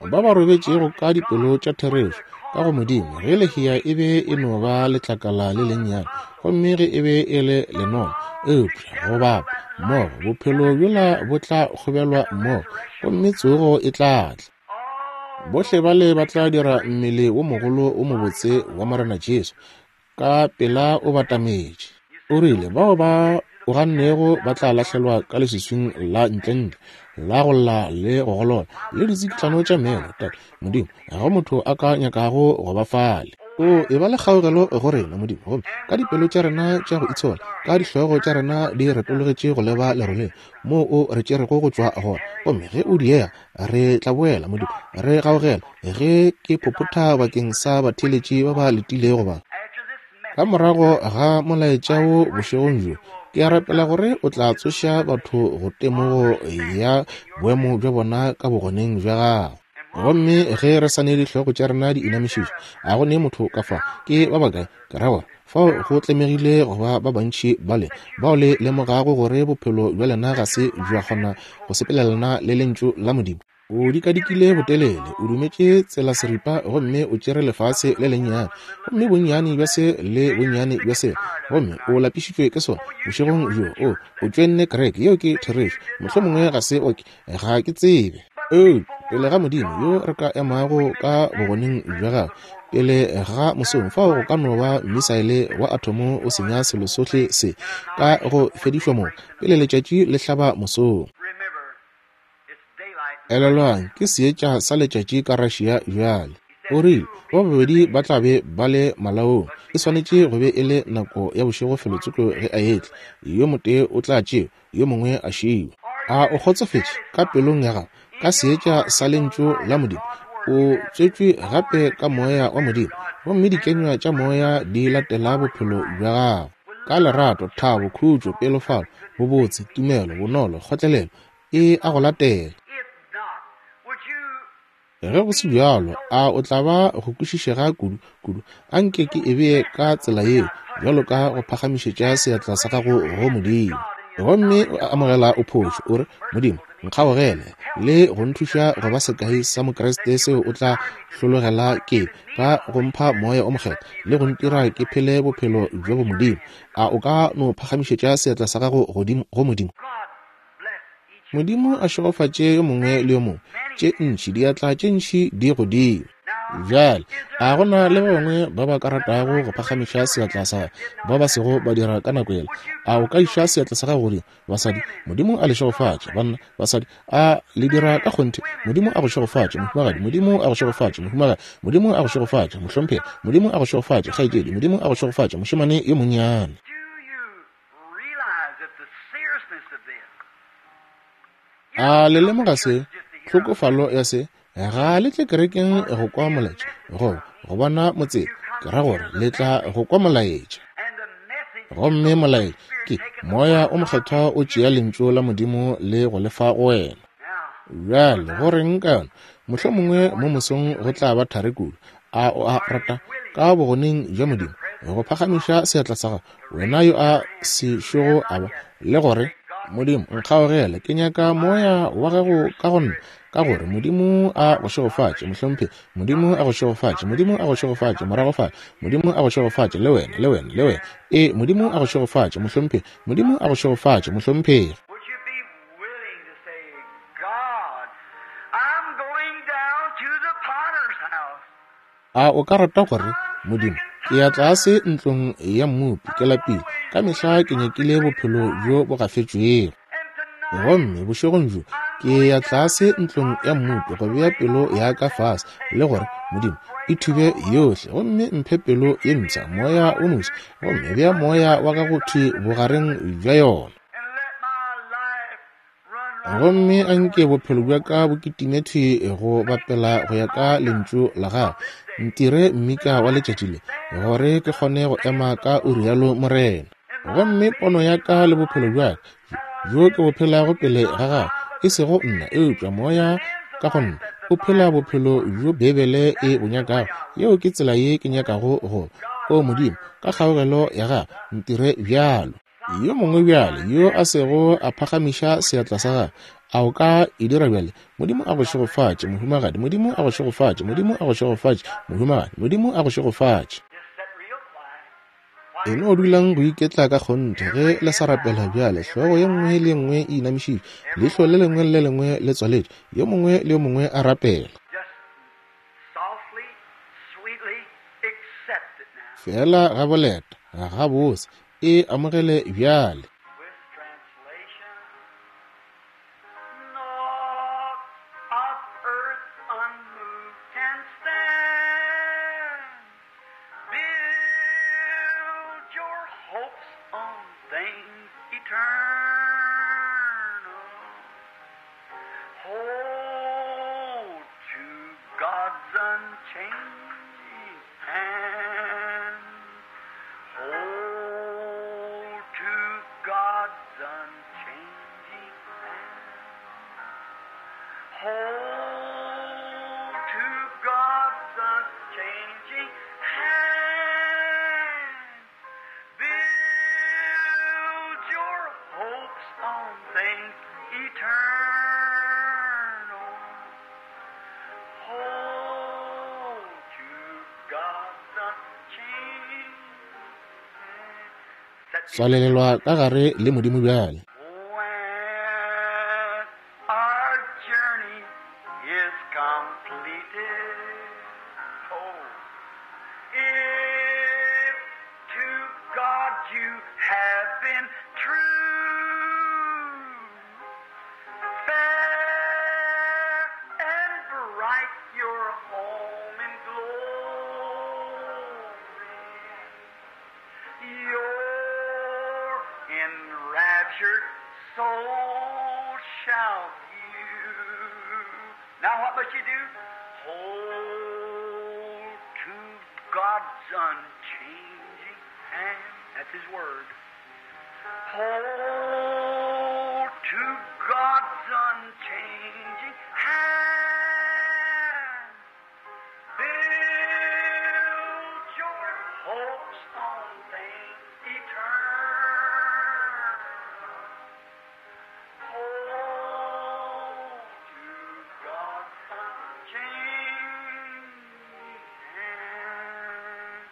S1: Ba ba robetšego ka dipelo tša therešo ka go Modimo, ge lehea e be e no ba letlakala le lennyane, gomme ge e be e le lenono, eupša go bapa mmogo, bophelo bjola bo tla kgobelwa mmogo, gomme tsogo e tla tla. Bohle bale ba tla dira mmele wo mogolo wo mobotse wa Morena Jesu. Ka pela o batametše. O rile, Bao ba o gannego ba tla lahlelwa ka leswiswing la ntlentle, la go lla le go golola, le ditsikitlano tša meno. Tate, Modimo, ga go motho a ka nyakago go ba fale. O e ba le kgaogelo go rena, Modimo, gomme ka dipelo tša rena tša go itshola, ka dihlogo tša rena di retologetše go leba leroleng moo o re tšerego go tšwa gona. Gomme ge o diega, re tla boela, Modimo, re gaogela ge ke phophotha bakeng sa batheeletši ba ba letilego ba. Ka morago ga molaetša wo bošegong bjo, ke a rapela gore o tla tsoša batho go temogo ya boemo bja bona ka bogoneng bja gago. Gomme ge re sa ne dihlogo tša rena di inamišitšwe, a go ne motho ka fa, ke ba bakae, ke ra gore, fao go tlemegile go ba ba bantši bale bao le lemogago gore bophelo bja lena ga se bja kgona go sepelelana le Lentšu la Modimo. O dikadikile botelele, o dumetše tsela seripa, gomme o tšere lefase le lennyane, gomme bonnyane bja se le bonnyane bja sela, gomme o lapišitšwe ke sona. Bošegong bjo, o, o tšoenne kereke, yeo ke therešo. Mohlomongwe ga se oke, ga ke tsebe. Eupša pele ga Modimo yo re ka emago ka bogoneng bja gagwe, pele ga mosong, fao go ka no ba misaele wa athomo o senya selo sohle se ka go fedišwa moo, pele letšatši le hlaba mosong. Elelwang, ke seetša sa letšatši ka Russia bjale. O rile, Ba babedi ba tla be ba le malaong. E swanetše go be e le nako ya bošego felotsoko ge a etla. Yo motee o tla tšewa, yo mongwe a šiwa. A o kgotsofetše ka pelong ya gago ka seetša sa Lentšu la Modimo? O tswetšwe gape ka Moya wa Modimo, gomme dikenywa tša Moya di latela bophelo bja gago. Ka lerato, thabo, khutšo, pelofalo, bobotse, tumelo, bonolo, kgotlelelo, e a go latela. Ge go se bjalo, a o tla ba go kwešišega kudu, kudu? A nke ke e bee ka tsela yeo, bjalo ka go phagamišetša seatla sa gago go Modimo. Gomme o amogela o phošo, o re, Modimo, nkgaogele, le go nthuša go ba sekai sa Mokriste seo o tla hlologela ke ka go mpha Moya o Mokgethwa le go ntira ke phele bophelo bja bomodimo. A o ka no phagamišetša seatla sa gago godimo go Modimo? Modimo a šegofatše yo mongwe le yo mongwe. Tše ntši, diatla tše ntši di godimo. Bjale, a go na le ba bangwe ba ba ka ratago go phagamiša seatla sa ba ba sego ba dira ka nako yela? A o ka iša seatla sa gago godimo? Basadi, Modimo a le šegofatše. Banna, basadi, a le dira ka kgonthe? Modimo a go šegofatše, mohumagadi. Modimo a go šegofatše, mohumagadi. Modimo a go šegofatše, mohlomphegi. Modimo a go šegofatše, kgaetšedi. Modimo a go šegofatše, mošemane yo monnyane. A le lemoga se, tlhokofalo ya se? Ga le tle kerekeng go kwa molaetša, goba go bona motseta, ke ra gore le tla go kwa molaetša. Gomme molaetša ke Moya o Mokgethwa o tšea Lentšu la Modimo le go le fa go wena. Bjale, go reng ka yona? Mohlomongwe mo mosong go tla ba thari kudu. A o a rata, ka bogoneng bja Modimo, go phagamiša seatla sa gago, wena yo a sešogo a ba, le gore, Modimo, nkgaogele, ke nyaka Moya wa Gago ka go nna, ka gore Modimo a go šegofatše, mohlomphegi. Modimo a go šegofatše. Modimo a go šegofatše, morago fale. Modimo a go šegofatše, le wena, le wena, le wena. Ee, Modimo a go šegofatše, mohlomphegi. Modimo a go šegofatše, mohlomphegi. A o ka rata gore, Modimo, ke ya tlase ntlong ya mmopi, ke lapile, ka mehla ke nyakile bophelo bjo bo gafetšwego. Gomme bošegong bjo ke ya tlase ntlong ya mmopi go bea pelo ya ka fase, le gore, Modimo, e thube yohle, gomme mphe pelo ye mpsha, moya o moswa, gomme bea moya wa gago thwi bogareng bja yona. Gomme a nke bophelo bja ka bo kitime thwi go bapela go ya ka Lentšu la Gago. Ntire mmika wa letšatši le, gore ke kgone go ema ka o rialo Morena. Gomme pono ya ka le bophelo bja ka, bjo ke bo phelago pele ga Gago, e sego nna, eupša Moya ka go nna, o phela bophelo bjo Beibele e bo nyakago. Yeo ke tsela ye ke nyakago go ba. O Modimo, ka kgaogelo ya Gago, ntire bjalo. Yo mongwe bjale yo a sego a phagamiša seatla sa gagwe, a o ka e dira bjale? Modimo a go šegofatše, mohumagadi. Modimo a go šegofatše. Modimo a go šegofatše, mohumagadi. Modimo a go šegofatše. E no dulang go iketla ka kgonthe ge le sa rapela bjale, hlogo ye nngwe le ye nngwe e inamišitšwe, leihlo le lengwe le le lengwe le tswaletšwe, yo mongwe le yo mongwe a rapela. Feela ga boleta, ga bose, e amogele bjale.
S2: With translation, Naught of earth unmoved can stand. Build your hopes on things eternal. Hold to God's unchanging hand. Hold to God's unchanging hand. Hold to God's unchanging hand. Build your hopes on things eternal. Hold to God's unchanging hand. Set me
S1: Tswalelelwa ka gare le Modimo bjale.
S2: When our journey is completed, oh, if to God you have been true, fair and bright your home in glory. Your enraptured soul shall view. Now what must you do? Hold to God's unchanging hand. That's His word. Hold to God's unchanging hand. Build your hopes on things eternal. Hold to God's unchanging hand.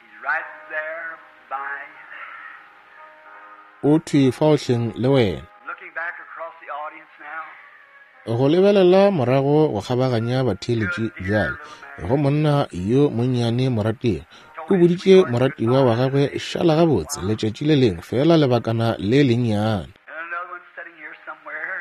S2: He's right there by
S1: O thwi fao hleng le wena.
S2: looking back across the audience now.
S1: Go lebelela morago go kgabaganya batheeletši bjale, go monna yo monnyane morategi, o boditše moratiwa wa gagwe šala gabotse letšatši le lengwe fela lebakana le lennyane.
S2: And another one sitting here somewhere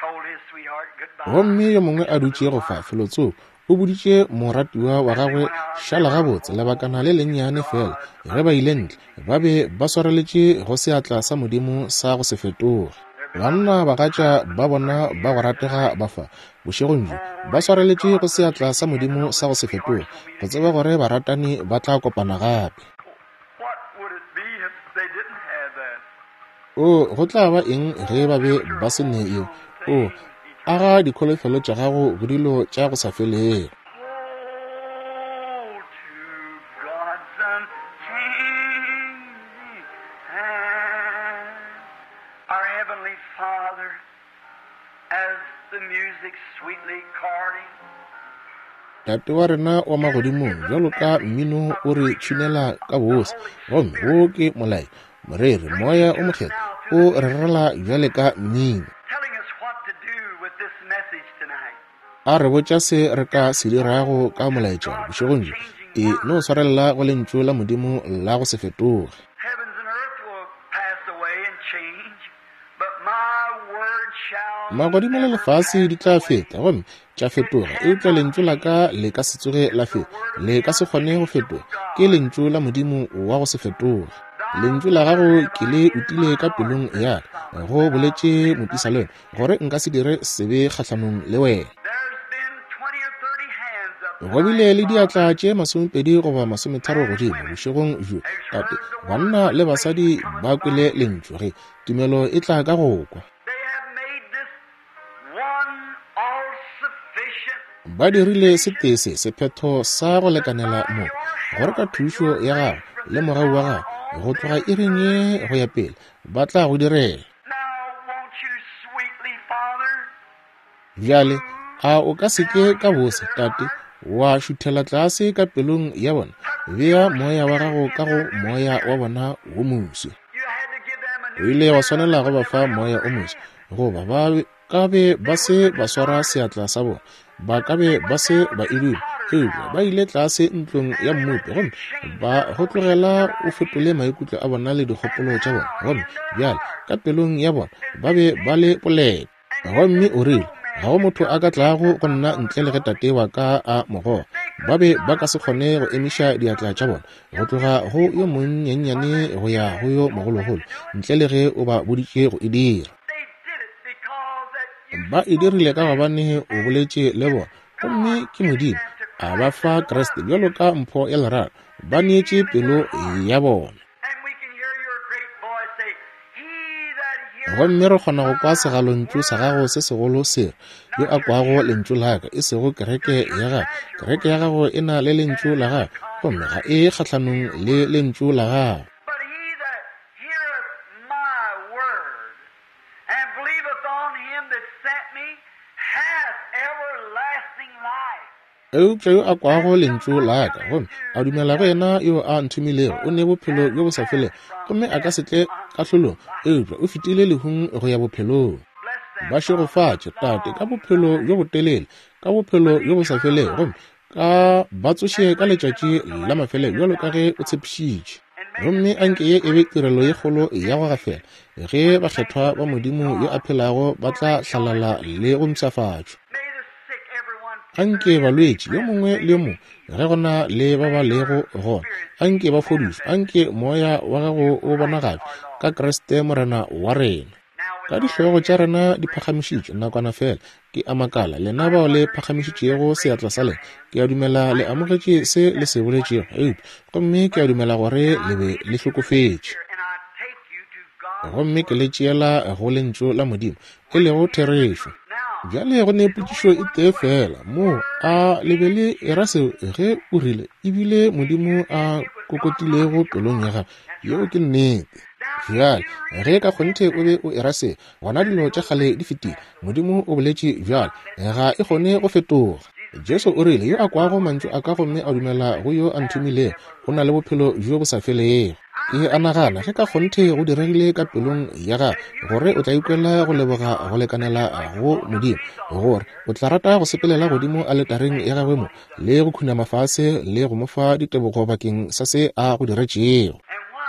S2: told his sweetheart goodbye.
S1: Gomme yo mongwe a dutše go fa felotsoko o boditše moratiwa wa gagwe šala gabotse lebakana le lennyane fela. Ge ba ile ntle, ba be ba swareletše go seatla sa Modimo sa go se fetoge. Banna bagatša ba bona ba go ratega ba fa bošegong bjo ba swareletše go seatla sa Modimo sa go se fetoge, go tseba gore baratani ba tla kopana gape.
S2: What would it be if they didn't have that?
S1: O, go tla ba eng ge ba be ba se ne yeo? O, aga dikholofelo tša gago go dilo tša go sa felego.
S2: Hold to God's unchanging hand. Our Heavenly Father, as the music sweetly chording,
S1: Tate wa rena wa magodimong, bjalo ka mmino o re tšhinela ka bose, gomme wo ke molai, moreri, moya o mokgethwa o re rerela bjale ka mmino,
S2: telling us what to do with this message tonight.
S1: a re botša se re ka se dirago ka molaetša bošegong bjo. E no swarelela go lentšu la Modimo la go se fetoge.
S2: Heavens and earth will pass away and change, but my word shall
S1: Magodimo le
S2: never
S1: lefase
S2: pass
S1: di tla
S2: away.
S1: feta gomme tša fetoga, eupša lentšu la ka le ka se tsoge la feta, le ka se kgone go fetoga. Ke lentšu la Modimo wa go se fetoge. Lentšu la gago ke le utile ka pelong ya ka, go boletše mopisalome, gore nka se dire sebe kgahlanong le wena.
S2: There's been 20 or 30 hands up
S1: Go bile le
S2: tonight,
S1: diatla
S2: Father.
S1: tše 20 goba 30 godimo bošegong bjo, Tate. Banna le basadi ba kwele lentšu ge tumelo e tla ka go kwa.
S2: They have made this one all-sufficient
S1: Ba dirile setee se sephetho sa go lekanela mo, gore ka thušo ya gago le mogau wa gago, go tloga iring ye go ya pele, ba tla go direla.
S2: Now, won't you sweetly, Father,
S1: Bjale, a o ka se ke ka bose, Tate, wa šuthela tlase ka pelong ya bona, bea moya wa gago ka go moya wa bona wo moswi.
S2: You had to give them a
S1: O ile wa swanela go ba fa moya o moswa, goba ba ka be ba se ba swara seatla sa bona, ba ka be ba se ba e duma. Eupša ba ile tlase ntlong ya mmopi gomme ba go tlogela o fetole maikutlo a bona le dikgopolo tša bona, gomme bjale ka pelong ya bona ba be ba le polelo. Gomme o rile, Ga go motho a ka tlago go nna ntle le ge Tate wa ka a mo goga. Ba be ba ka se kgone go emiša diatla tša bona, go tloga go yo monnyannyane go ya go yo mogologolo, ntle le ge o ba boditše go e dira. Ba e dirile ka gobane o boletše le bona, gomme ke Modimo a ba fa Kriste bjalo ka mpho ya lerato. Ba neetše pelo ya bona. Gomme re kgona go kwa segalontšu sa gago se segolo se re, Yo a kwago lentšu la ka, e sego kereke ya gago. Kereke ya gago e na le lentšu la gago, gomme ga e kgahlanong le lentšu la gago. Eupša yo a kwago lentšu la ka gomme a dumela go yena yo a nthomilego o ne bophelo bjo bo sa felego, gomme a ka se tle kahlolong, eupša o fetile lehung go ya bophelong. Ba šegofatše, Tate, ka bophelo bjo botelele, ka bophelo bjo bo sa felego, gomme ka ba tsoše ka letšatši la mafelelo bjalo ka ge o tshepišitše. Gomme anke ye e be tirelo ye kgolo ya go gafela, ge bakgethwa ba Modimo yo a phelago ba tla hlalala le go mpshafatšwa. Anke balwetši, yo mongwe le yo mongwe, ge go na le ba ba lego gona, anke ba fodišwe, anke Moya wa Gago o bonagatšwe ka Kriste Morena wa rena. Ka dihlogo tša rena di phagamišitšwe nakwana feela, ke a makala, lena bao le phagamišitšego seatla sa lena, ke a dumela le amogetše se le se boletšego, eupša, gomme ke a dumela gore le be le hlokofetše. Gomme ke le tšeela go Lentšu la Modimo, e lego therešo. Bjale go ne potšišo e tee feela moo, a le be le era seo ge o rile ebile Modimo a kokotilego pelong ya gago? Yeo ke nnete. Bjale ge ka kgonthe o be o era se, gona dilo tša kgale di fetile. Modimo o boletše bjalo, ga e kgone go fetoga. Jesu o rile, Yo a kwago mantšu a ka gomme a dumela go yo a nthomilego, o na le bophelo bjo bo sa felego. Ke a nagana, ge ka kgonthe go diregile ka pelong ya gago, gore o tla ikwela go leboga go lekanela go Modimo, gore o tla rata go sepelela godimo aletareng ya gagwe mo, le go khunama fase le go mo fa ditebogo bakeng sa se a go diretšego.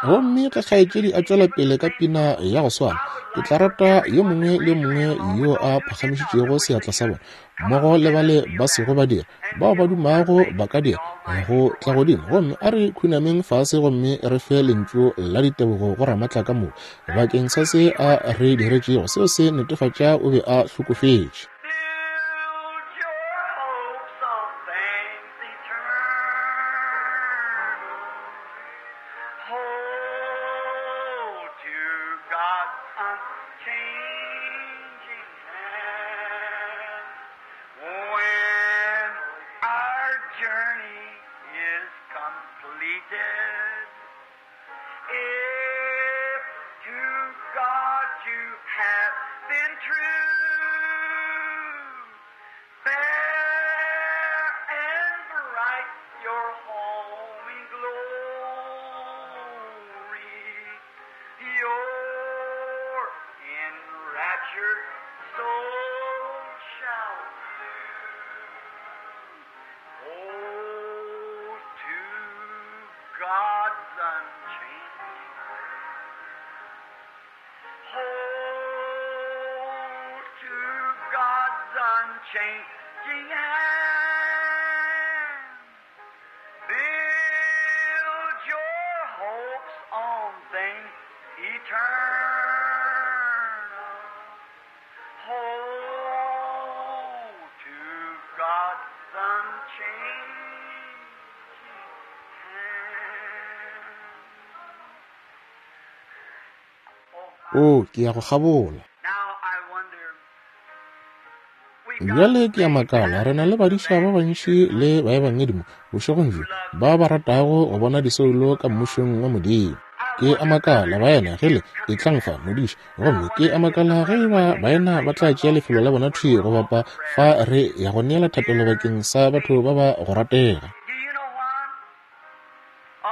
S1: Gomme ge kgaetšedi a tšwela pele ka pina ya go swana, ke tla rata yo mongwe le yo mongwe yo a phagamišitšego seatla sa bona, mmogo le bale ba sego ba dira, bao ba dumago ba ka dira, go tla godimo gomme a re khunameng fase gomme re fe lentšu la ditebogo go Ramatla ka moka bakeng sa se a re diretšego. Seo se netefatša o be a hlokofetše.
S2: When our journey is completed, if to God you have been true, fair and bright your home in glory, your enraptured soul shall hold to God's unchanging Hold to God's unchanging hand. Build your hopes on things eternal. Hold to God's unchanging hand.
S1: O, ke ya go kgabola.
S2: Now I wonder, we've got
S1: Bjale ke a makala, re na le badiša ba bantši le baebangedi mo bošegong bjo ba ba ratago go bona disoulo ka mmušong wa Modimo. Ke a makala, baena, ge le etlang fa, modiša, gomme ke a makala ge eba baena ba tla tšea lefelo la bona thwi go bapa fa re ya go neela thapelo bakeng sa batho ba ba go ratega.
S2: Do you know why?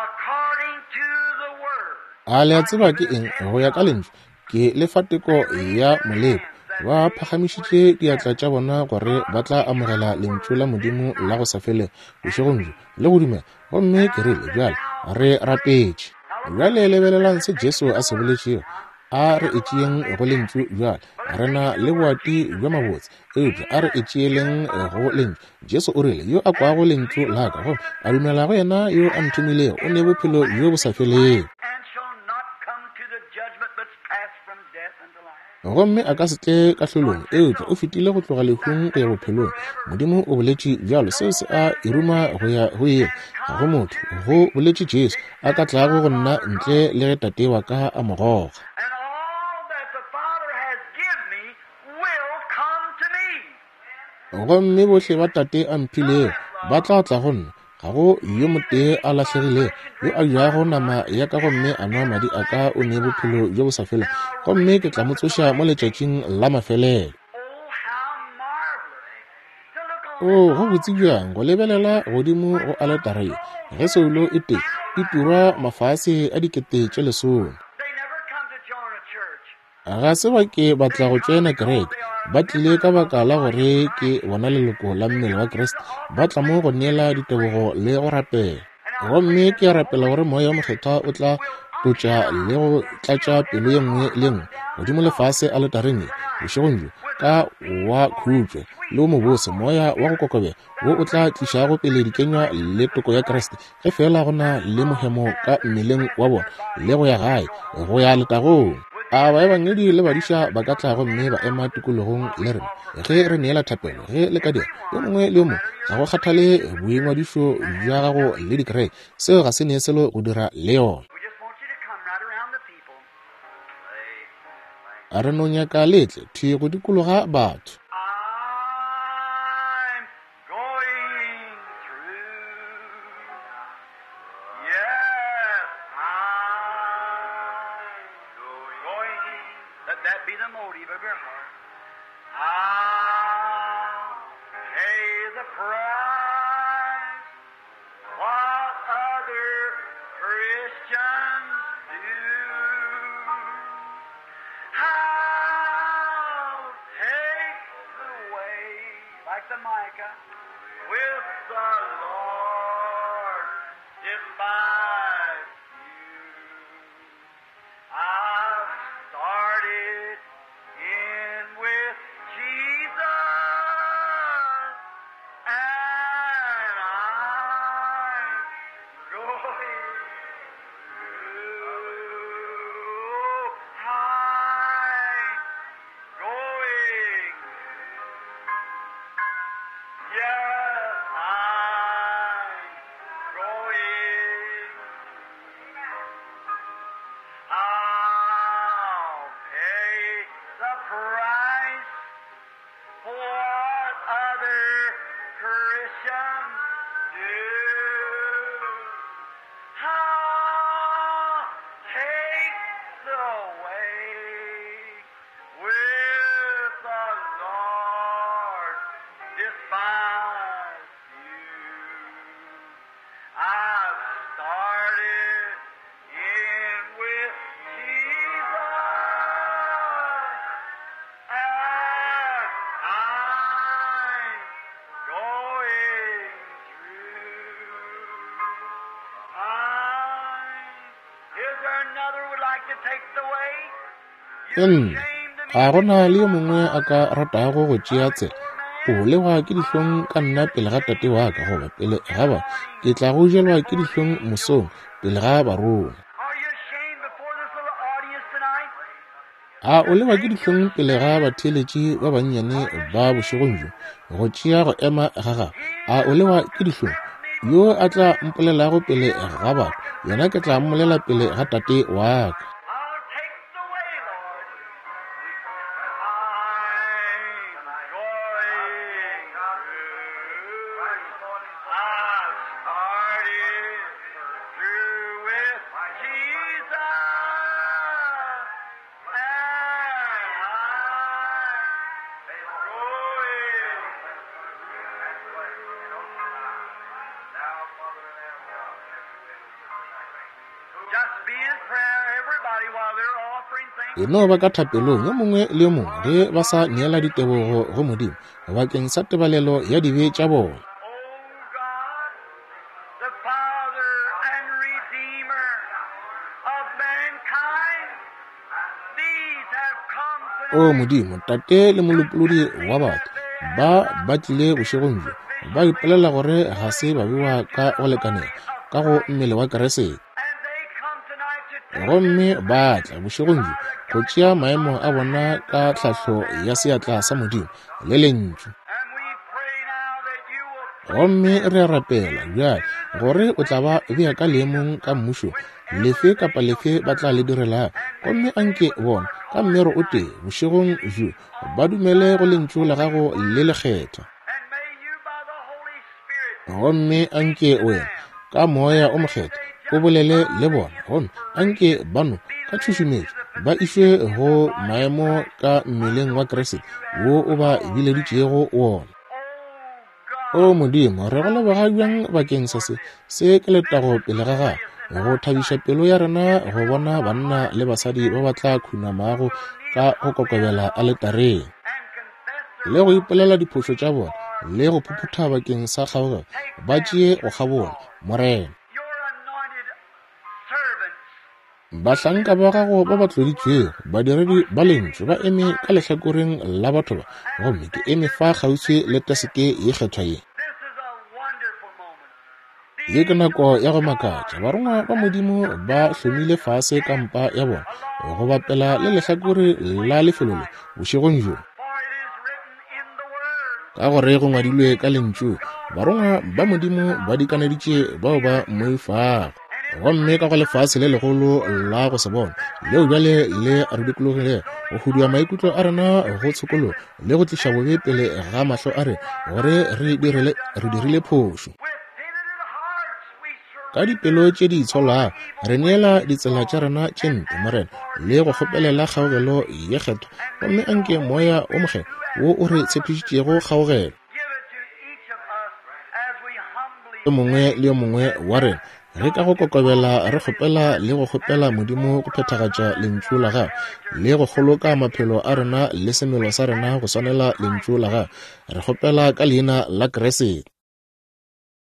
S2: According to the word.
S1: A le a tseba ke eng? Go ya ka Lentšu, ke le fa teko ya moleko. Ba phagamišitše diatla tša bona gore ba tla amogela Lentšu la Modimo la go sa felego bošegong bjo, le go dumela. Gomme ke rile, bjale re rapetše. Bjale lebelelang se Jesu a se boletšego. A re e tšeeng go Lentšu bjale. Re na le boati bja mabotse, eupša a re e tšeeleng go Lentšu. Jesu o rile, yo a kwago Lentšu la ka gomme a dumela go yena yo a nthomilego, o ne bophelo bjo bo sa felego. Gomme a ka se tle kahlolong, eupša o fetile go tloga lehung go ya bophelong. Modimo o boletše bjalo, seo se a e ruma go ya go yena. Ga go motho, go boletše Jesu, a ka tlago go nna ntle le ge Tate wa ka a mo goga. Gomme bohle ba Tate a mphilego ba tla tla go nna. Ga go yo motee a lahlegilego yo a jago nama ya ka gomme a nwa madi a ka o ne bophelo bjo bo sa felego, gomme ke tla mo tsoša mo letšatšing la mafelelo. Oo, go botse bjang go lebelela godimo go aletara ye, ge soulo e tee e turwa mafase a 10,000. Ga se ba ke ba tla go tšoena kereke. Ba tlile ka baka la gore ke bona leloko la mmele wa Kriste. Ba tla mo go neela ditebogo le go rapela. Gomme ke a rapela gore Moya wo Mokgethwa o tla tlotša le go tlatša pelo ye nngwe le nngwe godimo le fase aletareng ye bošegong bjo ka wa khutšo le wo mobose, moya wa go kokobela wo o tla tlišago pele dikenywa le toko ya Kriste, ge feela go na le mohemo ka mmeleng wa bona le go ya gae, go ya letagong. A baebangedi le badiša ba ka tla gomme ba ema tikologong le rena ge re neela thapelo, ge le ka dira, yo mongwe le yo mongwe, ga go kgathale boingwadišo bja gago le dikereke, seo ga se ne selo go dira le yona. A re no nyaka letle thwi go dikologa batho. Nna, ga go na le yo mongwe a ka ratago go tšea tsela. O lewa ke dihlong ka nna pele ga tate wa ka, goba pele ga ba. Ke tla go jelwa ke dihlong mosong pele ga barongwa. A o lewa ke dihlong pele ga batheeletši ba bannyane ba bošegong bjo, go tšea go ema ga gago? A o lewa ke dihlong? Yo a tla mpolelago pele ga batho, yena ke tla mmolela pele ga tate wa ka. E no ba ka thapelong yo mongwe le yo mongwe ge ba sa neela ditebogo go Modimo bakeng sa tebalelo ya dibe tša bona. O Modimo, Tate le Molopolodi wa batho, ba ba tlile bošegong bjo, ba ipolela gore ga se ba bewa ka go lekanela ka go mmele wa Keresete. Gomme ba tla bošegong bjo go tšea maemo a bona ka tlhahlo ya seatla sa Modimo le Lentšu. Gomme re a rapela bjale gore o tla ba bea ka leemong ka mmušong lefe kapa lefe ba tla le direlago. Gomme anke bona ka mmero o tee bošegong bjo ba dumele go Lentšu la Gago le lekgethwa. Gomme anke wena ka Moya o Mokgethwa o bolele le bona, gomme anke ba no ka tšhušumetšo ba išwe go maemo ka mmeleng wa Kriste wo o ba bileditšego wona. O Modimo, re go leboga bjang bakeng sa se. Se ke letago pele ga gago, go thabiša pelo ya rena go bona banna le basadi ba ba tla khunamago ka go kokobela aletareng, le go ipolela diphošo tša bona, le go phuphutha bakeng sa kgaogelo, ba tšee go kgabola, Morena. Bahlanka ba gago ba ba tloditšwego, badiredi ba Lentšu, ba eme ka lehlakoreng la batho ba, gomme ke eme fa kgauswi le taseke ye kgethwa ye. Ye ke nako ya go makatša. Barongwa ba Modimo ba hlomile fase kampa ya bona go bapela le lehlakore la lefelo le bošegong bjo. Ka gore go ngwadilwe ka Lentšu, barongwa ba Modimo ba dikaneditše bao ba mmoifago. Gomme ka go lefase le legolo la go se bonwe leo bjale le re dikologilego, go hudua maikutlo a rena go tshokologo le go tliša bobe pele ga mahlo a rena, gore re dirile phošo. Ka dipelo tše di itsholago re neela ditsela tša rena tše mpe, Morena, le go kgopelela kgaogelo ye kgethwa, gomme anke Moya wo Mokgethwa wo o re tshepišitšego kgaogelo yo mongwe le yo mongwe wa rena ge ka go kokobela re kgopela le go kgopela Modimo go phethagatša Lentšu la Gagwe le go kgoloka maphelo a rena le semelo sa rena go swanela Lentšu la Gagwe. Re kgopela ka Leina la Kriste.